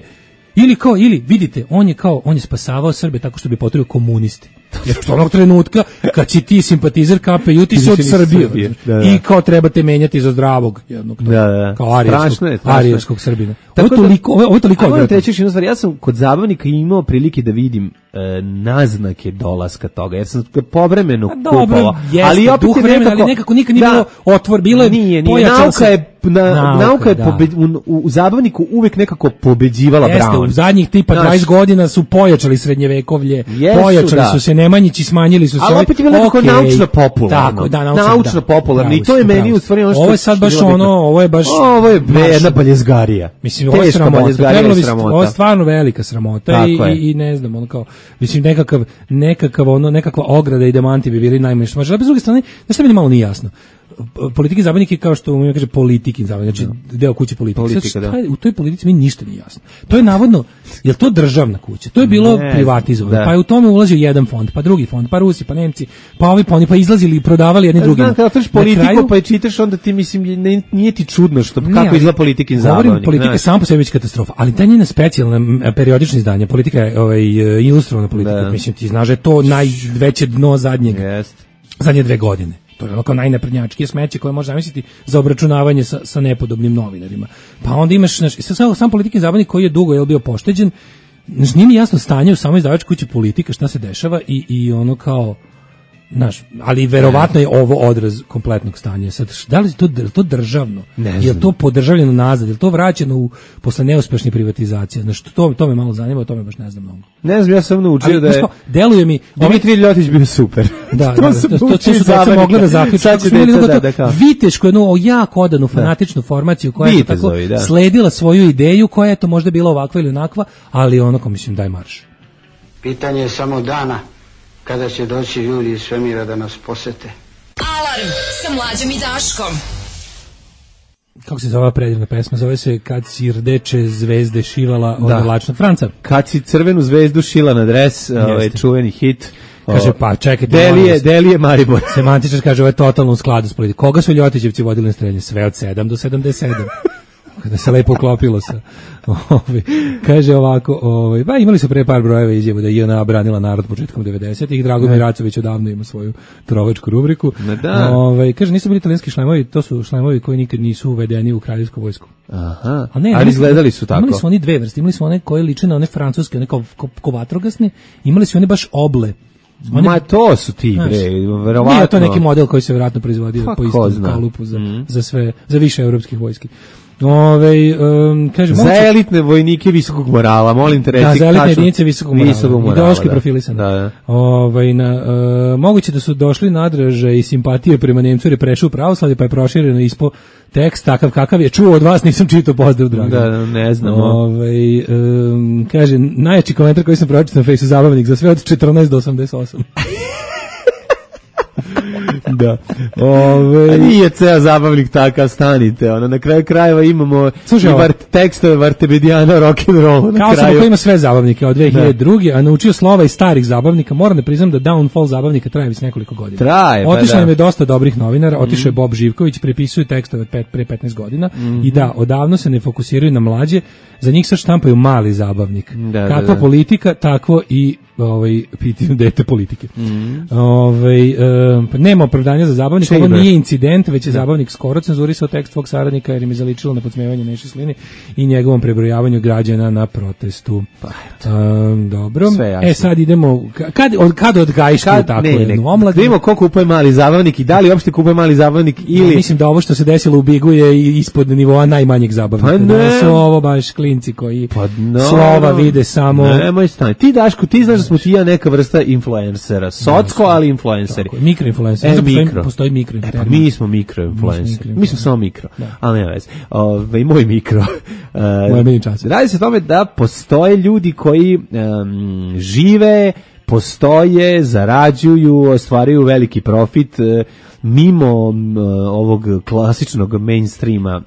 Ili kao, ili, vidite, on je kao, on je spasavao Srbe tako što bi poturio komunisti. Jer što onog trenutka, kad si ti simpatizer K P U, ti si od Srbije. Da, da. I kao trebate menjati za zdravog jednog. To, da, da. Kao arijevskog, je, arijevskog Srbina. Ovo je toliko, ovo je toliko. Moram reći još jednu stvar, ja sam kod zabavnika imao prilike da vidim e, naznake dolaska toga, jer sam povremeno kupovao. Ali opet je nekako, ali nekako nikad nije da, bilo otvor, bilo je nije, nije, nauka je Na, nauka, nauka je da. pobed, u, u zabavniku uvek nekako pobeđivala Jeste, Brown. U zadnjih tipa Naš, dvadeset godina su pojačali srednjevekovlje, jesu, pojačali da. su se Nemanjići, smanjili su se. Ali opet je bilo nekako okay. naučno popularno. Tako, da, naučno, naučno da. popularno. I to je meni u stvari ono što... Ovo je sad baš ono, ovo je baš... Ovo je jedna baljezgarija. Mislim, ovo je sramota. Ovo je stvarno velika sramota i, i, i ne znam, ono kao... Mislim, nekakav, nekakav ono, nekakva ograda i demanti bi bili najmanje što može. Ali bez druge strane, znaš šta mi malo nije jasno? Politiki zabavnik je kao što mi kaže politikin zabavnik, znači no. deo kuće politike. Politika, Sad, u toj politici mi ništa nije jasno. To je navodno, je to državna kuća? To je bilo ne, privatizovano. Da. Pa je u tome ulazio jedan fond, pa drugi fond, pa Rusi, pa Nemci, pa ovi, pa oni pa izlazili i prodavali jedni drugima. Znam, kada otvoriš politiku kraju, pa je čitaš, onda ti mislim, ne, nije ti čudno što, ne, kako izgleda politikin zabavnik. Govorim, politika je samo po sebi već katastrofa, ali ta njena specijalna periodična izdanja, politika je ovaj, ilustrovana politika, da. Mislim, ti znaš da je to najveće dno zadnjeg, yes. zadnje dve godine. To je ono kao najnaprednjačkije smeće koje može zamisliti za obračunavanje sa, sa nepodobnim novinarima. Pa onda imaš, znaš, sam, sam politikin zabavnik koji je dugo je bio pošteđen, znaš, nije mi jasno stanje u samoj izdavačkoj kući Politika, šta se dešava i, i ono kao, znaš, ali verovatno je ovo odraz kompletnog stanja. Sad, da li je to, to državno? Je li to podržavljeno nazad? Je li to vraćeno u, posle neuspešne privatizacije? Znaš, to, to me malo zanima, o tome baš ne znam mnogo. Ne znam, ja sam naučio ali, da je... Deluje mi... Dimitrije Ljotić bio super. Da, da, da, to, to, to su deca mogla da zaključiti. Da, da, da, Vitešku, jednu jako odanu fanatičnu formaciju koja je tako da. sledila svoju ideju, koja je to možda bila ovakva ili onakva, ali ono ko mislim daj marš. Pitanje je samo dana kada će doći ljudi iz svemira da nas posete. Alarm sa Mlađom i Daškom. Kako se zove predivna pesma? Zove se Kad si rdeče zvezde šivala od da. Lačnog Franca. Kad si crvenu zvezdu šila na dres, ovaj čuveni hit. Kaže, pa čekajte. Delije, Delije Maribor. Semantičar kaže, ovo je totalno u skladu s politikom. Koga su Ljotićevci vodili na strelje? Sve od sedam do sedamdeset sedam. Kada se lepo uklopilo sa ovi, kaže ovako, ovaj, ba imali su pre par brojeva izjavu da je J N A branila narod početkom devedesetih, Dragomir Racović odavno ima svoju trovačku rubriku. Da. Ovaj, kaže nisu bili italijanski šlemovi, to su šlemovi koji nikad nisu uvedeni u kraljevsku vojsku. Aha. A ne, ali izgledali su tako. Imali su oni dve vrste, imali su one koje liče na one francuske, one kao ko, ko vatrogasne, imali su one baš oble. One, Ma to su ti bre, verovatno. Nije to neki model koji se verovatno proizvodio pa, po istom kalupu za, mm. za sve, za više evropskih vojski. Ove, um, kaže, za moguće... elitne vojnike visokog morala, molim te reći. Da, za elitne jedinice visokog morala, visokog morala ideološki da. profilisane. Da, da. Ove, na, uh, moguće da su došli nadraže i simpatije prema Nemcu jer je prešao u pravoslavlje, pa je prošireno ispo tekst takav kakav je čuo od vas, nisam čitao, pozdrav dragi. Da, ne znamo. Ove, um, kaže, najjači komentar koji sam pročitao na Fejsu, zabavnik za sve od četrnaest do osamdeset osam. Da. Ove... nije ceo zabavnik takav, stanite. Ono, na kraju krajeva imamo Slušaj, vart, tekstove Vartebedijana rock'n'roll. Kao sam koji ima sve zabavnike od dve hiljade druge. a naučio slova iz starih zabavnika. Moram da priznam da downfall zabavnika traje već nekoliko godina. Traje, otišao da. nam je dosta dobrih novinara, otišao je mm. Bob Živković, prepisuje tekstove od pre petnaest godina mm. i da, odavno se ne fokusiraju na mlađe, za njih sad štampaju mali zabavnik. Da, Kakva da, da. politika, takvo i ovaj pitanje dete politike. Mm. Ovaj e, nema opravdanja za zabavnik, ovo nije incident, već je zabavnik skoro cenzurisao tekst svog saradnika jer im je zaličilo na podsmevanje Neše Sline i njegovom prebrojavanju građana na protestu. Pa, um, dobro. E sad idemo kad od kad odgajiš kad, tako ne, jednu omladinu. Vidimo ko kupuje mali zabavnik i da li uopšte kupuje mali zabavnik ili ja, mislim da ovo što se desilo u Bigu je ispod nivoa najmanjeg zabavnika. Pa da su ovo baš klinci koji pa no, slova vide samo. Nemoj stani. Ti Daško, ti znaš da smo ti ja neka vrsta influencera. Socko, ali influenceri. Mikroinfluencer. E, postoji, mikro. postoji mikro. E, pa mi smo mikroinfluenceri. Mi smo samo mikro. Da. Ali nema veze. Ove, moj mikro. Moja mini čas. Radi se o tome da postoje ljudi koji um, žive postoje, zarađuju, ostvaruju veliki profit e, mimo m, ovog klasičnog mainstreama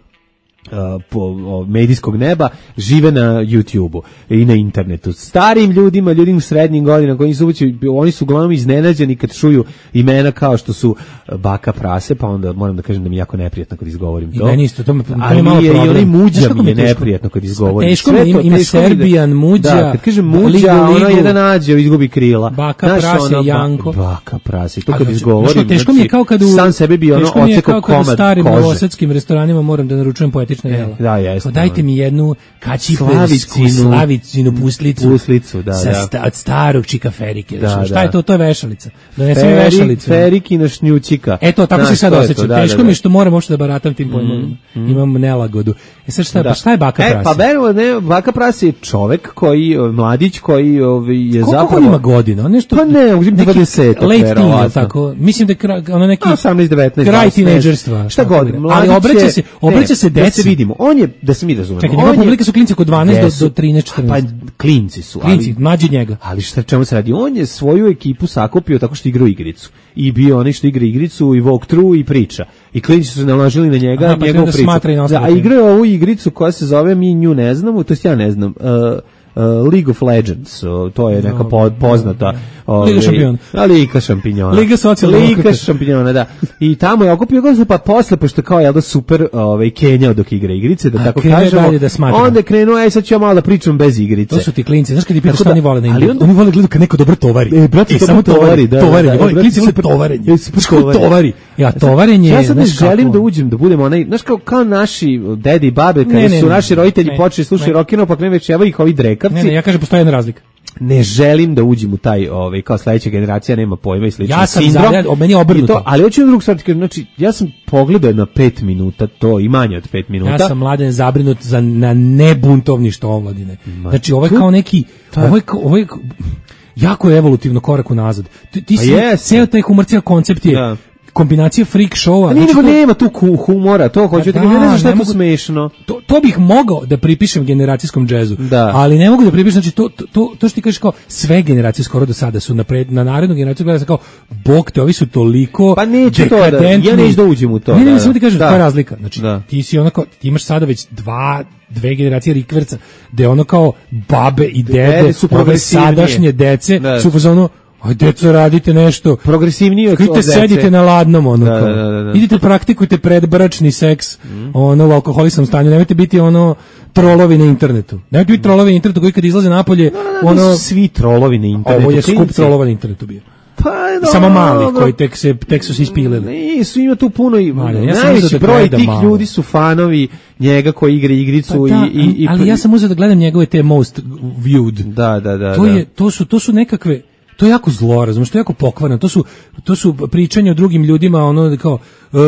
po o, medijskog neba, žive na YouTubeu i na internetu. Starim ljudima, ljudima srednjim godinama, koji su ući, oni su uglavnom iznenađeni kad čuju imena kao što su Baka Prase, pa onda moram da kažem da mi je jako neprijatno kad izgovorim to. I meni isto, to mi, to ali je malo je, problem. I onaj Muđa mi je teško? neprijatno kad izgovorim. Teško mi ima, ima Serbijan, Muđa, da, kad kažem Muđa, ligu, ona ligu, jedan nađe, izgubi krila. Baka Znaš, Prase, ono, Janko. Baka Prase, to kad znači, izgovorim, znači, teško mi je kao kad u, sam sebi bi ono teško mi je ocekao kao kad u komad starim kože. novosadskim restoranima moram da naručujem poetična jela. Da, jeste. Dajte mi jednu kačipersku Slavicinu, slavicinu puslicu, puslicu da, sa da. sta, od starog čikaferike. Da, šta da. je to? To je vešalica. Donesi mi Ferik, vešalicu. Ferikina šnjučika. E to, tako Znaš, se sad to je osjećam. to, da, Teško da, mi da. je što moram uopšte da baratam tim pojmovima. Mm, mm. Imam nelagodu. E sad šta, Da. pa šta je Baka Prase? E, pa verujem, ne, Baka Prase je čovek koji, mladić koji ovaj, je Koliko zapravo... on ima godina? On nešto, Pa ne, uzim neki dvadeset. late teen, je li tako? Mislim da je kra- ono neki osamnaest devetnaest kraj dvadeset, tinejdžerstva. Šta tako god, da. mladić Ali obraća je- se, obraća ne, se da deci. se vidimo. On je, da se mi razumemo. Čekaj, njegova on je- publika su klinci oko dvanaest do, Jesu. do trinaest četrnaest. Pa klinci su, Klinci, ali... mlađi od njega. Ali šta čemu se radi? On je svoju ekipu sakupio tako što igra igricu. I bio onaj što igra igricu i walk through i priča. I klinci su se naložili na njega, Aha, pa njegovu onda priču. smatra i na Da, ostale a teme. igrao je ovu igricu koja se zove, mi nju ne znamo, to jest ja ne znam, uh, uh, League of Legends, uh, to je neka po, poznata ovaj, Liga šampiona. a, Liga šampiona. Liga socijaldemokrata. Liga šampiona, da. I tamo je okupio ga, pa posle, pošto kao je da super ovaj, Kenjao dok igra igrice, da A tako krenuo je kažemo, dalje da smatra. onda je krenuo, aj sad ću ja malo da pričam bez igrice. To su ti klinci, znaš kad ti pitaš Tako šta da, oni vole na ali igri? onda- Oni vole gledati kad neko dobro tovari. E, brate, I to samo tovari, tovari, da, da, tovari. da, Ovi brate, klinci vole super- tovarenje. e, super Znaš kako tovari. tovari? Ja, tovarenje Ja je, sad ne znaš želim kako- da uđem, da budemo onaj, znaš kao, kao naši dedi i babe, kada Ne, ne, su ne, naši roditelji ne, počeli slušati ne. rock'n'roll, pa krenu već evo ih ovi drekavci. Ne, ne, ja kažem postoji jedna razlika. Ne želim da uđem u taj, ovaj, kao sledeća generacija nema pojma i slično. Ja sam sindrom. za- ja- meni je obrnuto. I to, ali hoću jednu drugu stvar, ti kažem, znači, ja sam pogledao na pet minuta to, i manje od pet minuta. Ja sam mladen zabrinut za na nebuntovništvo omladine. Znači ovo je to- kao neki, to je- ovo je, kao- ovo je kao- jako je evolutivno korak unazad. Ti, ti Pa si, jeste. ceo taj humor, ceo koncept je Da. kombinacija freak showa. A nije znači nego to- nema tu ku- humora, to hoću da, Da, kažem, ne znam šta ne je tu mogu- smešno. To, to bih mogao da pripišem generacijskom džezu, Da. ali ne mogu da pripišem, znači to, to, to, to što ti kažeš kao sve generacije skoro do sada su napred, na narednu generaciju gleda se kao, bog te, ovi su toliko Pa neću to da- dekadentni. ja neću da uđem u to, Ne, ne, da, ne, da. samo ti kažem, Da. koja je razlika, znači Da. ti si onako, ti imaš sada već dva, dve generacije rikverca, gde ono kao babe i dede, Dede su ove progresivnije. sadašnje dece, Da. su u fazonu, aj deco radite nešto, Progresivniji od od idite dece. sedite na ladnom, ono Da, kao. da, da, da. Idite praktikujte predbračni seks, ono u alkoholisnom stanju, nemojte biti ono trolovi na internetu. Nemojte biti trolovi na internetu koji kad izlaze napolje, Ono, ono, svi trolovi na internetu. ovo je skup klinci. trolova na internetu bio. Pa, Samo mali, dobro. koji tek se, tek su se ispilili. Nisu, ima tu puno i Mali, ja sam najveći uzeo da broj gledam tih malo. ljudi su fanovi njega koji igra igricu Pa da, i, i, i ali ja sam uzeo da gledam njegove te most viewed. Da, da, da. To da. je, to su, to su nekakve, to je jako zlo, razumiješ, to je jako pokvarno, to su, to su pričanje o drugim ljudima, ono kao, uh,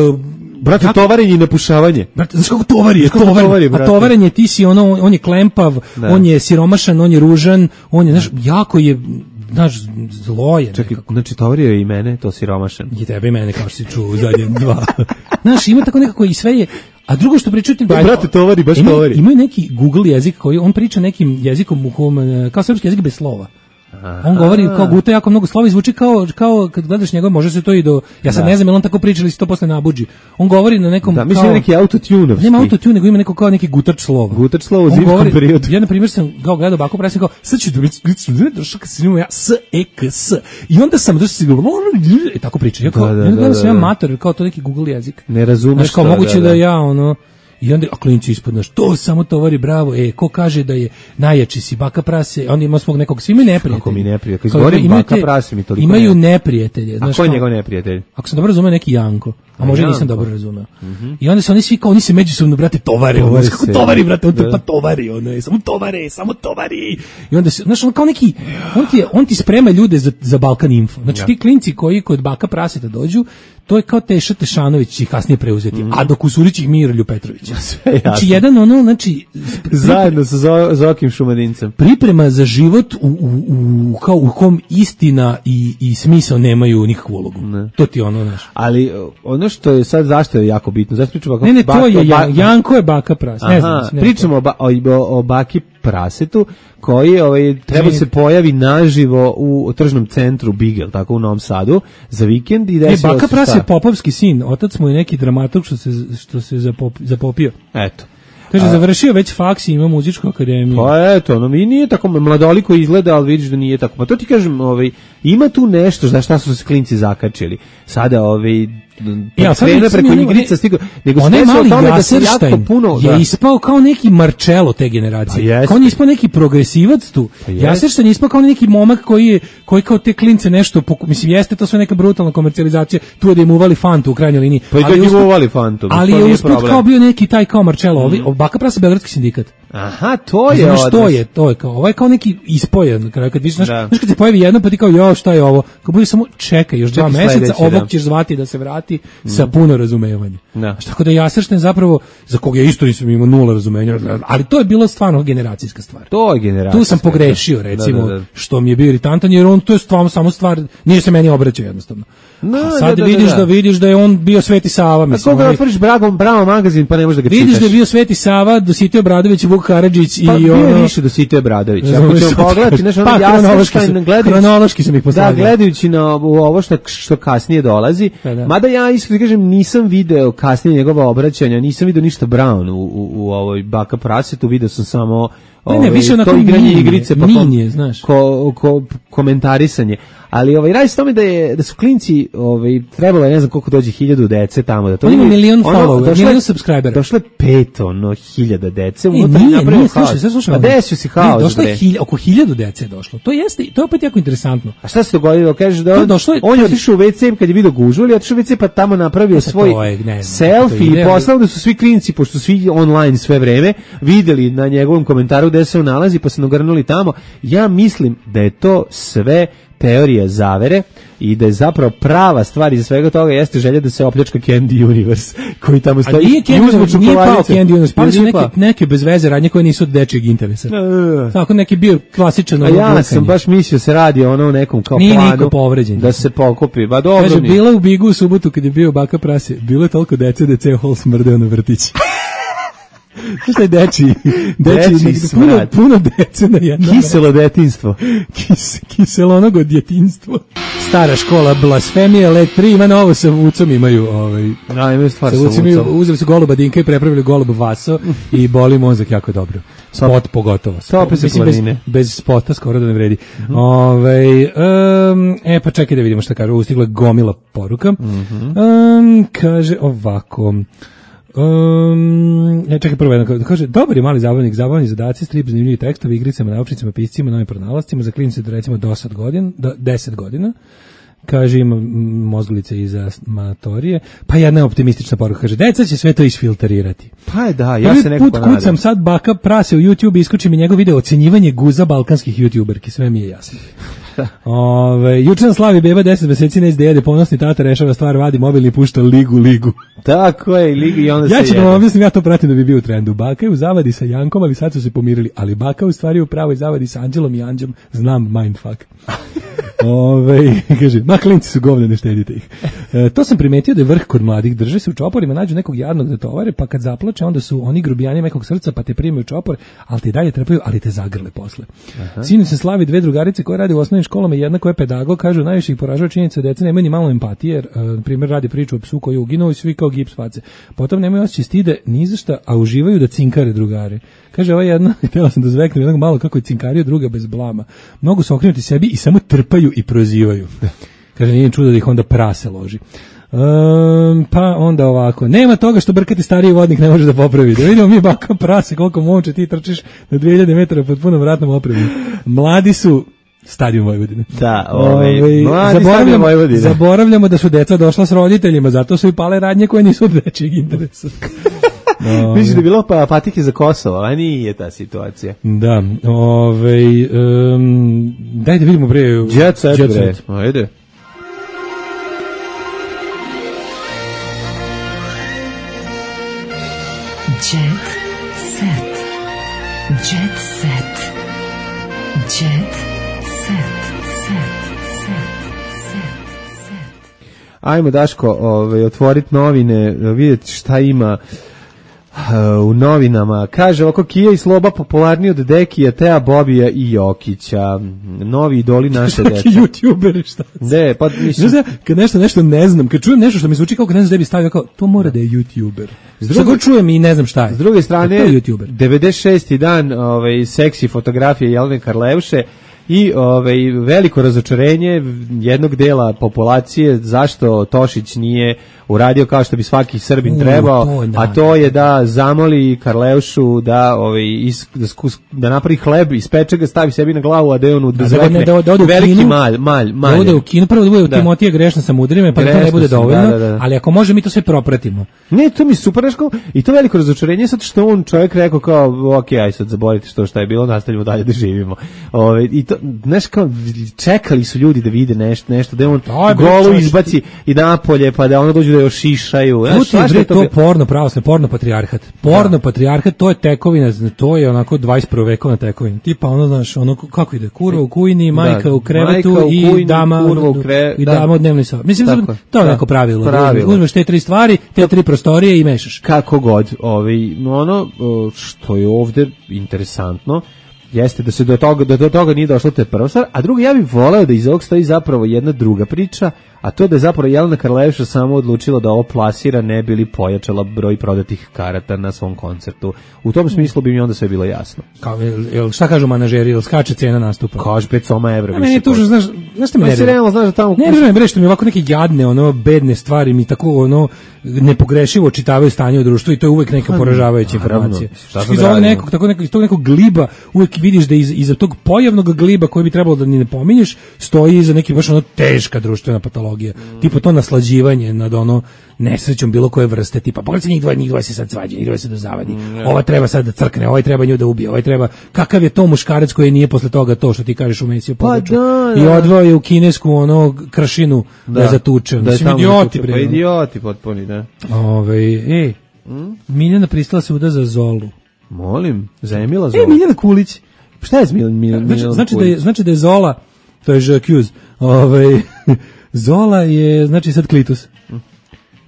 Brate, jako- tovarenje i napušavanje. Brate, znaš kako tovar je, Znaš kako tovar, tovar je, a brate? tovarenje, ti si ono, on je klempav, Da. on je siromašan, on je ružan, on je, znaš, jako je, znaš, zlo je. Čekaj, nekako. znači tovario je i mene, to siromašan. I tebe i mene, kao što si čuo u zadnje dva. Znaš, ima tako nekako i sve je, a drugo što pričaju ti... Pa, brate, tovari, baš imaju, tovari. Imaju neki Google jezik koji, on priča nekim jezikom u kom, e, kao srpski jezik bez slova. On govori kao guta jako mnogo slova i zvuči kao, kao kad gledaš njegov, može se to i do... Ja sad Da. ne znam, jel on tako priča ili se to posle nabuđi. On govori na nekom... Da, mislim kao, da je neki autotunovski. nema autotune, nego ima neko kao neki gutač slova. Gutač slova u On zimskom govori- periodu. Ja, na primjer, sam kao gledao Baku Prase, kao, sad ću dobiti, došao kad sam imao ja, s, e, k, s. I onda sam, došao si govorio, i tako priča. Ja kao, Da, da, ja gledam da, sam ja da. mator, kao to neki Google jezik. Ne razumeš Znaš, kao to, moguće da, da, da. ja, ono, i onda, a klinci ispod naš, to samo tovari, bravo, e, ko kaže da je najjači si Baka Prase, onda ima svog nekog, svi imaju neprijatelje. Kako mi neprijatelj? Kad Kao izgovorim imaju Baka te- Prase mi toliko Imaju ne- neprijatelje. A Znaš, ko je kao- njegov neprijatelj? Ako sam dobro razumeo, neki Janko. A možda Janko. nisam dobro razumeo. I onda se oni svi kao, oni se međusobno, brate, tovare. Ono, Tovare znaš kako se. tovari, brate, on te Da. pa tovari, ono je, samo tovare, samo tovari. I onda se, znaš, on kao neki, on ti, je- on ti sprema ljude za, za Balkan Info. Znači, Ja. ti klinci koji kod Baka Praseta dođu, to je kao Teša Tešanović će ih kasnije preuzeti, a dok Usurić ih Mirolju Petrović. jasno. Znači, jedan ono, znači, spri- Zajedno sa Zo- Zokim Šumadincem. priprema za život u, u, u, kao u kom istina i, i smisao nemaju nikakvu ulogu. To ti je ono, znaš. Ali uh, ono što je sad, zašto je jako bitno, zašto pričamo o Ne, ne, to Baka- je, ba- Jan- Janko je Baka Pras. Ne znam, Aha, ne znam. pričamo o, ba, o, o, o Baki prasetu koji ovaj treba se pojavi naživo u tržnom centru Bigel, tako u Novom Sadu za vikend i desilo se. Baka Prase je popovski sin, otac mu je neki dramaturg što se što se zapop, zapopio. Eto. Kaže, završio već faks i ima muzičku akademiju. Pa eto, no mi nije tako mladoliko izgleda, ali vidiš da nije tako. Pa to ti kažem, ovaj, ima tu nešto za šta su se klinci zakačili. Sada, ovaj, ja, sad krene preko igrica stigo, nego se desilo o tome da se jako puno... je da. ispao kao neki Marcello te generacije. Kao on je ispao neki progresivac tu. Pa Jaserštajn je ispao kao neki momak koji je, koji kao te klince nešto, poku, mislim, jeste to sve neka brutalna komercijalizacija, tu je da im uvali fantu u krajnjoj liniji. Pa i da im uvali fantu. Ali je usput kao bio neki taj kao Marcello, ovi, mm. Baka Prase Beogradski sindikat. Aha, to je znaš što je, to je kao, ovo je kao neki ispojen, kad vidiš, znaš, znaš kad se pojavi jedno pa ti kao, jo, šta je ovo, kao bude samo čekaj, još dva meseca, sledeći, ovog da. ćeš zvati da se vrati mm. sa puno razumevanja. Da. Tako da Jaserštajn zapravo, za koga ja isto nisam imao nula razumenja, ali to je bilo stvarno generacijska stvar. To je generacijska. Tu sam pogrešio, recimo, da, da, da. što mi je bio iritantan, jer on, to je stvarno samo stvar, nije se meni obraćao jednostavno. No, a sad da, da, vidiš da, da. da vidiš da je on bio Sveti Sava, mislim. A koga otvoriš Bragom, Bravo magazin, pa ne možeš da ga vidiš čitaš. Vidiš da je bio Sveti Sava, Dositej Obradović, Vuk Karadžić i pa, ono... Pa bio više Dositej Obradović. Ako ćemo pogledati, znaš, ono pa, Jaserštajn, kronološki sam ih postavio. Da, gledajući na ovo što, što kasnije dolazi, pa, da. Mada ja iskreno kažem, nisam video kasnije njegova obraćanja, nisam video ništa Brown u, u, u ovoj Baka Prasetu, video sam samo... Ne, ne, više onako igranje igrice, pa minije, znaš. Ko, ko, komentarisanje. Ali ovaj radi se tome da je da su klinci, ovaj trebalo je ne znam koliko dođe hiljadu dece tamo da to. Ima milion followera, milion subscribera. Došlo je pet ono hiljada dece, unutra nije napravio slušaj, sve slušaj. A desio si haos. Došlo je hilj, oko hiljadu dece je došlo. To jeste, to je opet jako interesantno. A šta se dogodilo? Kažeš da on, došlo je, on je otišao u ve ce kad je video gužvu, ili otišao u ve ce pa tamo napravio svoj je, ne, selfie i poslao da su svi klinci, pošto su svi online sve vreme, videli na njegovom komentaru gde se on nalazi, pa se nagrnuli tamo. Ja mislim da je to sve teorija zavere i da je zapravo prava stvar iza svega toga jeste želja da se opljačka Candy Universe koji tamo stoji. A nije Candy, nije pao Candy Universe, pali su neke, neke bez veze radnje koje nisu od dečijeg interesa. Uh, Tako neki bio klasičan ono. A ja sam blokanje. Baš mislio se radi ono nekom kao nije planu povređen, da se pokupi. Ba dobro. Kaže, bila u Bigu u subotu kad je bio Baka Prase, bilo je toliko dece da ceo hol smrdeo na vrtić. Šta je deči? Deči, deči puno, puno dece na jedno. Kiselo detinjstvo. Kis, kiselonogo djetinjstvo. Stara škola blasfemije, let tri ima novo sa Vucom imaju. Ovaj, da, imaju stvar sa, sa Vucom. Vucom. Uzeli su goluba Dinka i prepravili golub Vaso i boli mozak jako dobro. Spot pogotovo. Spot, mislim, bez, bez spota skoro da ne vredi. Mm-hmm. Ove, um, e, pa čekaj da vidimo šta kaže. Ustigla gomila poruka. Mm-hmm. Um, kaže ovako... Um, ja čekaj prvo jedno, kaže, dobar je mali zabavnik, zabavni zadaci, strip, zanimljivi tekstovi, igricama, naučnicama, piscima, novim pronalascima, za klinice do recimo deset godina, do deset godina, kaže, ima mozglice iza matorije, pa jedna optimistična poruka, kaže, deca će sve to isfiltrirati. Pa je da, ja se nekako nadam. Put kucam sad Baka Prase u YouTube i iskoči mi njegov video ocenjivanje guza balkanskih youtuberki, sve mi je jasno. Ove, juče na slavi beba deset meseci ne izde jede, ponosni tata rešava stvar, vadi mobilni i pušta ligu, ligu. Tako je, ligu i onda ja se ću da vam objasnim, ja to pratim da bi bio u trendu. Baka je u zavadi sa Jankom, ali sad su se pomirili, ali Baka u stvari u pravoj zavadi sa Anđelom i Anđom, znam mindfuck. Ove, kaže, ma klinci su govne, ne štedite ih. E, to sam primetio da je vrh kod mladih, drže se u čoporima, nađu nekog jadnog da tovare, pa kad zaplače, onda su oni grubijani nekog srca, pa te primaju čopor, ali te dalje trpaju, ali te zagrle posle. Sinu se slavi dve drugarice koje rade u osnovnim školama i jedna koja je pedagog, kažu, najviše ih poražava činjenica da deca nemaju ni malo empatije, jer, na primjer, radi priču o psu koji je uginuo i svi kao gips face. Potom nemaju osjećaj stide ni za šta, a uživaju da cinkare drugare. Kaže, ova jedna, htjela sam da zveknem jednog malo kako je cinkario, druga bez blama. Mnogo su okrenuti sebi i samo trpaju i prozivaju. Kaže, nije čudo da ih onda prase loži. Um, pa onda ovako, nema toga što brkati stariji vodnik ne može da popravi. Da vidimo mi Baka Prase koliko momče ti trčiš na dvije hiljade metara pod punom vratnom opremom. Mladi su Stadion Vojvodine. Da, ovaj, zaboravljamo, Vojvodine. Zaboravljamo da su deca došla s roditeljima, zato su i pale radnje koje nisu od dečijeg interesa. No, mislim da je bilo pa patike za Kosovo, a nije ta situacija. Da, ovaj um, daj da vidimo bre Jet Set, Jet Set. Ajde. Jet Set. Jet Set. Jet Ajmo, Daško, ovaj, otvoriti novine, vidjeti šta ima u novinama. Kaže ovako, Kija i Sloba popularniji od Dekija, Teja, Bobija i Jokića. Novi idoli naše dece. Svaki YouTuberi, šta? Ne, pa mislim... Znaš, kad nešto, nešto ne znam, kad čujem nešto što mi zvuči kao kad ne znam da bi stavio, kao, to mora da je YouTuber. Šta god čujem i ne znam šta je. S druge strane, YouTuber. devedeset šesti dan ovaj, seksi fotografije Jelene Karleuše i ovaj, veliko razočarenje jednog dela populacije zašto Tošić nije uradio kao što bi svaki Srbin trebao, uh, to, da, a to je da zamoli Karleušu da ovaj is, da, skus, da napravi hleb, ispeče ga, stavi sebi na glavu, a da je on da zvekne da, da, da veliki kinu, malj, malj, malj. Da ode u kinu, prvo da bude u Timotija grešna sa mudrime, pa grešno to ne bude dovoljno, da, da, da. Ali ako može mi to sve propratimo. Ne, to mi super, neško, i to veliko razočarenje, sad što on čovjek rekao kao, ok, aj sad zaboravite što šta je bilo, nastavljamo dalje da živimo. Ove, i to, znaš, kao, čekali su ljudi da vide nešto, nešto da on golu izbaci i napolje, pa da ono dođe da još šišaju. Znaš, bre, to, to porno pravoslavno, porno patrijarhat. Porno da. patrijarhat, to je tekovina, to je onako dvadeset prve vekovna tekovina. Tipa ono, znaš, ono, kako ide? Kurva u kujni, majka da. u krevetu majka u kujni, i dama u kre... i dama u dnevnoj sobi. Mislim, tako, to je neko pravilo. pravilo. Uzmeš te tri stvari, te tri prostorije i mešaš. Kako god. Ovi, ono što je ovde interesantno, jeste da se do toga, da do toga nije došlo, to je prva stvar, a drugo, ja bih voleo da iz ovog stoji zapravo jedna druga priča, a to da je zapravo Jelena Karleuša samo odlučila da ovo plasira, ne bi li pojačala broj prodatih karata na svom koncertu. U tom smislu bi mi onda sve bilo jasno. Kao, jel, šta kažu manažeri, jel skače cena nastupa? Kaže pet soma evra. A meni je tužno, znaš, znaš šta me ne realno, znaš da tamo... Ne, ne, bre, što mi ovako neke jadne, ono, bedne stvari, mi tako, ono, nepogrešivo čitavaju stanje u društvu i to je uvek neka poražavajuća informacija. Iz ovog nekog, tako nekog, iz tog nekog gliba uvek vidiš da iz, iza tog pojavnog gliba koji bi trebalo da ni ne pominješ, stoji iza neki baš ono teška društvena patologija. Mm. Tipo to naslađivanje nad ono nesrećom bilo koje vrste, tipa pogledajte njih dvoje, njih dvoje se sad svađaju, njih dvoje se dozavadi, mm, ova treba sad da crkne, ovaj treba nju da ubije, ovaj treba, kakav je to muškarac koji nije posle toga to što ti kažeš u Mesiju području, pa i odveo je u kinesku ono kršinu da, da zatuče, da mislim idioti bre, pa idioti potpuni, da. Ove, ej, mm? Miljana pristala se uda za Zolu. Molim, za Emila Zola. E, Miljana Kulić. Šta je Miljana Miljana znači, znači da je, znači da je Zola, to je Žakuz, ovaj Zola je, znači sad klitus.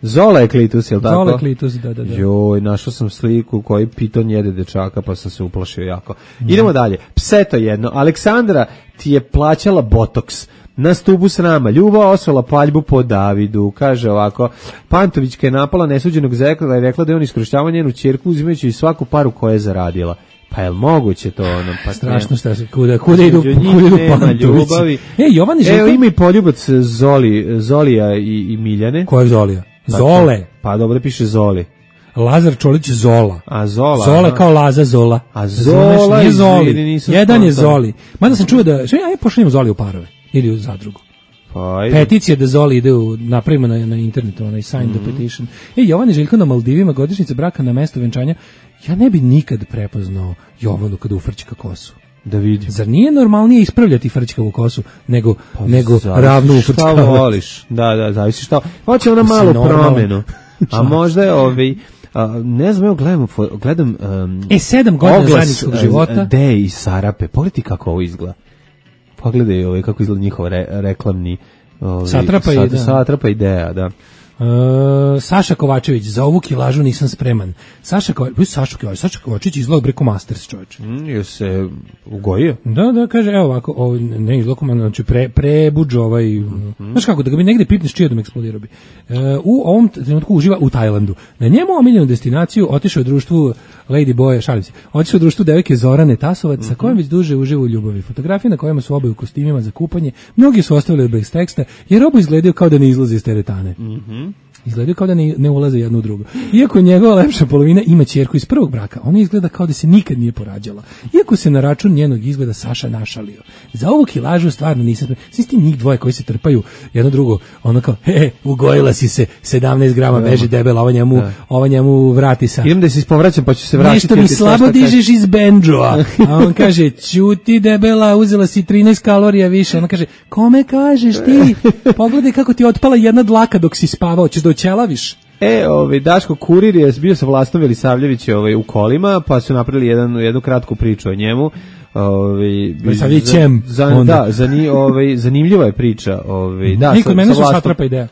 Zola je klitus, jel tako? Zola je klitus, da, da, da. Joj, našao sam sliku koji piton jede dečaka, pa sam se uplašio jako. Mm. Idemo dalje. Pseto jedno. Aleksandra ti je plaćala botoks na stubu srama. Ljubav osvela paljbu po Davidu. Kaže ovako, Pantovićka je napala nesuđenog zekla i rekla da je on iskorištavao njenu ćerku uzimajući svaku paru koju je zaradila. Pa je li moguće to ono? Pa strašno šta se, kuda, kuda idu, kuda idu Pantovići. E, Jovan i Željko... Evo ima i poljubac Zoli, Zolija i, i Miljane. Ko je Zolija? Zole. Pa dobro piše Zoli. Lazar Čolić Zola. A Zola. Zola kao Laza Zola. A Zola je Zoli. Jedan je Zoli. Mada sam čuo da, što ja pošaljem Zoli u parove. Ili u zadrugu. Pa, peticija da Zoli ide u, napravimo na, na internetu, onaj sign mm-hmm. the petition. E, Jovan i Željko na Maldivima, godišnjica braka na mesto venčanja. Ja ne bi nikad prepoznao Jovanu kada ufrčka kosu. Da vidim. Zar nije normalnije ispravljati frčkavu kosu nego, pa, nego ravnu ufrčkavu? Šta voliš? Da, da, zavisi šta. Hoće ona malu promenu. A možda je ovaj... A, ne znam, evo gledam, gledam um, e, sedam godina zajedničkog života. Deje i Sarape. Pogledaj kako ovo izgleda. Pogledaj ovaj, kako izgleda njihov re, reklamni... Ovaj, Satrapa, sat, i, Satrapa ideja, da. Uh, Saša Kovačević, za ovu kilažu nisam spreman. Saša Kovačević, Saša Kovačević, Saša Kovačević izgleda preko Masters, čovječe. Mm, je se ugojio? Da, da, kaže, evo ovako, ovo, ne izgleda, znači pre, prebuđ ovaj, mm-hmm. znaš kako, da ga bi negde pipneš čijadom eksplodirao bi. Uh, u ovom trenutku uživa u Tajlandu. Na njemu omiljenu destinaciju otišao u društvu Lady Boya, šalim se, otišao u društvu devojke Zorane Tasovac, mm-hmm. sa kojom već duže uživa u ljubavi. Fotografije na kojima su oboje u kostimima za kupanje, mnogi su ostavili bez teksta, jer oboje izgledaju kao da ne izlaze iz teretane. Mhm. Izgledaju kao da ne, ne ulaze jedno u drugo. Iako njegova lepša polovina ima ćerku iz prvog braka, ona izgleda kao da se nikad nije porađala. Iako se na račun njenog izgleda Saša našalio. Za ovu kilažu stvarno nisam... Svi ti njih dvoje koji se trpaju jedno drugo, ono kao, he, ugojila si se, sedamnaest grama, beži debela, ova njemu, ova njemu vrati sa... Idem da se ispovraćam, pa ću se vratiti. Nešto mi slabo dižeš iz bendžoa. A on kaže, ćuti debela, uzela si trinaest kalorija više. Ona kaže, kome kažeš ti? Pogledaj kako ti otpala jedna dlaka dok si spavao, ćeš da ćelaviš. E, ovaj Daško Kurir je bio sa Vlastom Velisavljević ovaj u kolima, pa su napravili jedan jednu kratku priču o njemu. Ovaj Velisavljevićem. Za, za, da, za ni ovaj zanimljiva je priča, ovaj da. Niko mene su Satrapa ideja.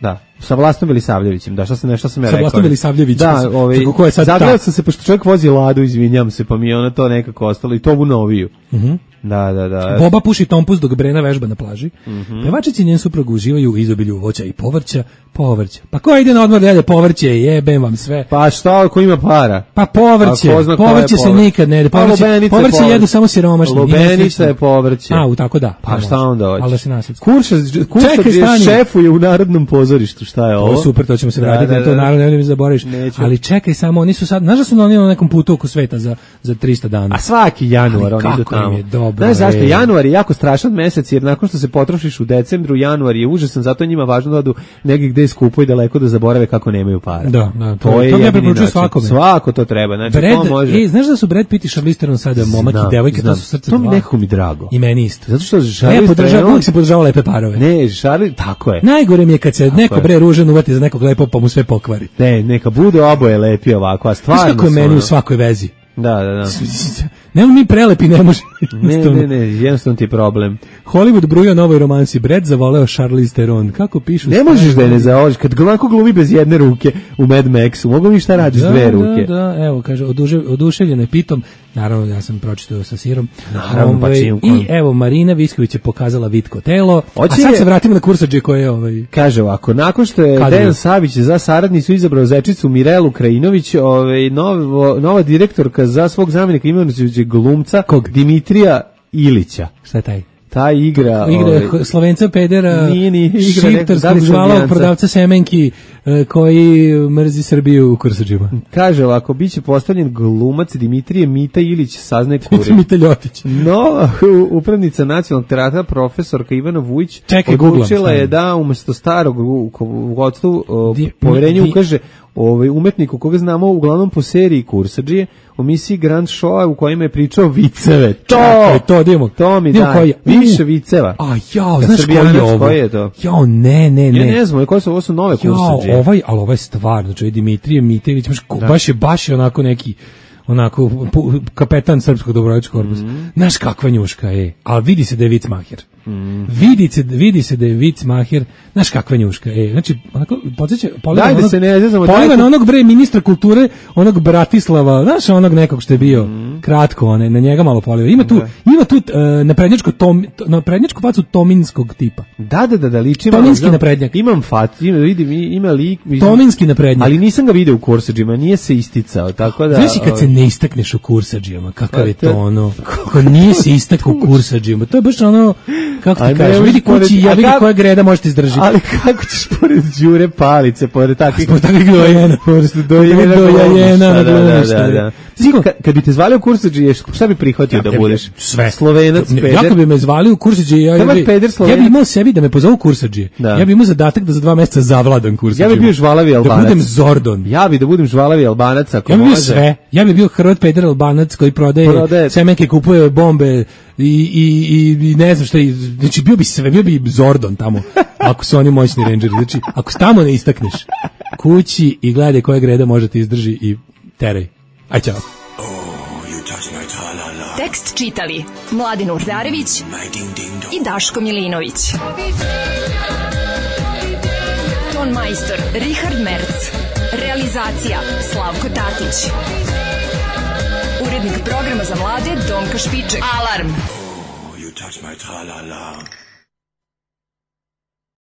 Da, sa Vlastom Milisavljevićem, da, šta sam nešto sam ja rekao. Sa Vlastom Milisavljevićem. Da, ovaj, zagledao sam se, pošto čovjek vozi Ladu, izvinjam se, pa mi je ona to nekako ostalo, i to ovu noviju. Mhm. Uh-huh. Da, da, da. Boba puši tompus dok Brena vežba na plaži. Mm-hmm. Pevačici i njen suprug uživaju u izobilju voća i povrća. Povrća. Pa ko ide na odmor da jede povrće, jebem vam sve. Pa šta, ko ima para? Pa povrće. Pa povrće se nikad ne jede. Povrće, povrće jedu samo siromašni. Lubenica je povrće. A, u tako da. Pa šta onda hoće? Ali da se nasjeti. Kurša, kurša je šefuje u Narodnom pozorištu, šta je ovo? To super, to ćemo se vratiti, da, da, da. To naravno ne mi zaboraviš. Ali čekaj samo, oni su sad, znaš da su oni na nekom putu oko sveta za, za trista dana. A svaki januar oni idu tamo. Je dobro. Znaš zašto? Januar je jako strašan mesec, jer nakon što se potrošiš u decembru, januar je užasan, zato njima važno da odu negdje gde skupo i daleko da zaborave kako nemaju para. Da, da, to, to je to ja preporučujem svakome. Svako to treba. Znači, Brad, to može. E, znaš da su Brad Pitt i Charlize Theron sada momak i devojka, to su srce dva. dva. To mi nekako mi drago. I meni isto. Zato što Charlize ja podržavam, uvijek se podržava lepe parove. Ne, Charlize, tako je. Najgore mi je kad se tako neko je. Bre ružan uvati za nekog lepo pa mu sve pokvari. Ne, neka bude oboje lepi ovako, a stvarno. Znaš kako je meni u svakoj vezi? Da, da, da. Nemo mi prelepi, ne može. Ne, ne, ne, jednostavno ti je problem. Hollywood bruja novoj romansi. Brad zavoleo Charlize Theron. Kako pišu? Ne možeš da je ne zavoliš. Kad glanko glumi bez jedne ruke u Mad Maxu, mogu mi šta radiš s dve ruke? Da, da, evo, kaže, oduševljen je Pitom. Naravno, ja sam pročitao sa sirom. Naravno, pa čim. I evo, Marina Visković je pokazala vitko telo. Oće a sad je, se vratimo na kursadže koje je ovaj... Kaže ovako, nakon što je Dejan Savić za saradnicu izabrao zečicu Mirelu Krajinović, ovaj, novo, nova direktorka za svog zamjenika imenujući glumca Kog? Dimitrija Ilića. Šta je taj? Ta igra... Igra ovaj, Slovenca pedera, nije, nije, šiptarskog žvalavog prodavca semenki koji mrzi Srbiju u kursadžima. Kaže ovako, bit će postavljen glumac Dimitrije Mita Ilić, saznaj kuri. Mita Ljotić. No, upravnica nacionalnog teatra, profesorka Ivana Vujić, Čekaj, odlučila je da umjesto starog rukovodstvu povjerenje ukaže ovaj umetniku koga znamo uglavnom po seriji Kursadžije, u emisiji Grand Show u kojima je pričao viceve. To, Čakaj, to dimo. To mi da. Koji, više viceva. A jao, znaš koji je ovo? Koji je to? Jao, ne, ne, ne. Ja ne znam, koje su ovo su nove Kursadžije. Jao, ovaj, al ovaj stvarno, znači Dimitrije Mitević, baš je baš je onako neki onako kapetan srpskog dobrovoljačkog korpusa. Mm. Znaš kakva njuška je, ali vidi se da je vicmaher. Mm. Vidi se, vidi se da je vicmaher, znaš kakva njuška je. Znači, onako, podsjeća, poliva onog, se ne zezamo, poliva na onog bre ministra kulture, onog Bratislava, znaš onog nekog što je bio, mm. kratko, one, na njega malo poliva. Ima tu, da. ima tu uh, naprednjačko, tom, naprednjačku facu tominskog tipa. Da, da, da, da liči. Tominski naprednjak. Imam fat, ima, vidim, ima lik. Mislim, Tominski naprednjak. Ali nisam ga video u kursadžima, nije se isticao, tako da... Znaš kad se ne istakneš u kursadžijama, kakav je to ono, kako nije se istakao u kursadžijama, to je baš ono, kako ti kažeš, vidi kući, ja vidi koja greda možete izdržiti. Ali kako ćeš pored Đure Palice, pored takvih... Pored takvih dojena. Pored dojena. Dojena na glumiš. Da, da, da. Kad bi te zvali u kursadžije, šta bi prihvatio da budeš? Sve. Slovenac, peder. Ja kad bi me zvali u kursadžije, ja bi imao sebi da me pozovu kursadžije. Ja bi imao zadatak da za dva mjeseca zavladam kursadžijom. Ja bi bio žvalavi Albanac. Da budem Zordon. Ja bi da budem žvalavi Albanac ako može. Ja bi bio može. sve. Ja bi bio Hrvat peder Albanac koji prodaje, prodaje. semenke, kupuje bombe i, i, i, i ne znam šta. Znači bio bi sve, bio bi Zordon tamo. Ako su oni moćni rangeri. Znači ako tamo ne istakneš kući i gledaj koja greda može ti izdrži i teraj. Aj čao. Tekst čitali Mladin Urdarević i Daško Milinović. Ton majstor Richard Merc. Realizacija Slavko Tatić. Urednik programa za mlade Donka Špiček. Alarm! Oh, you touch my tra-la-la.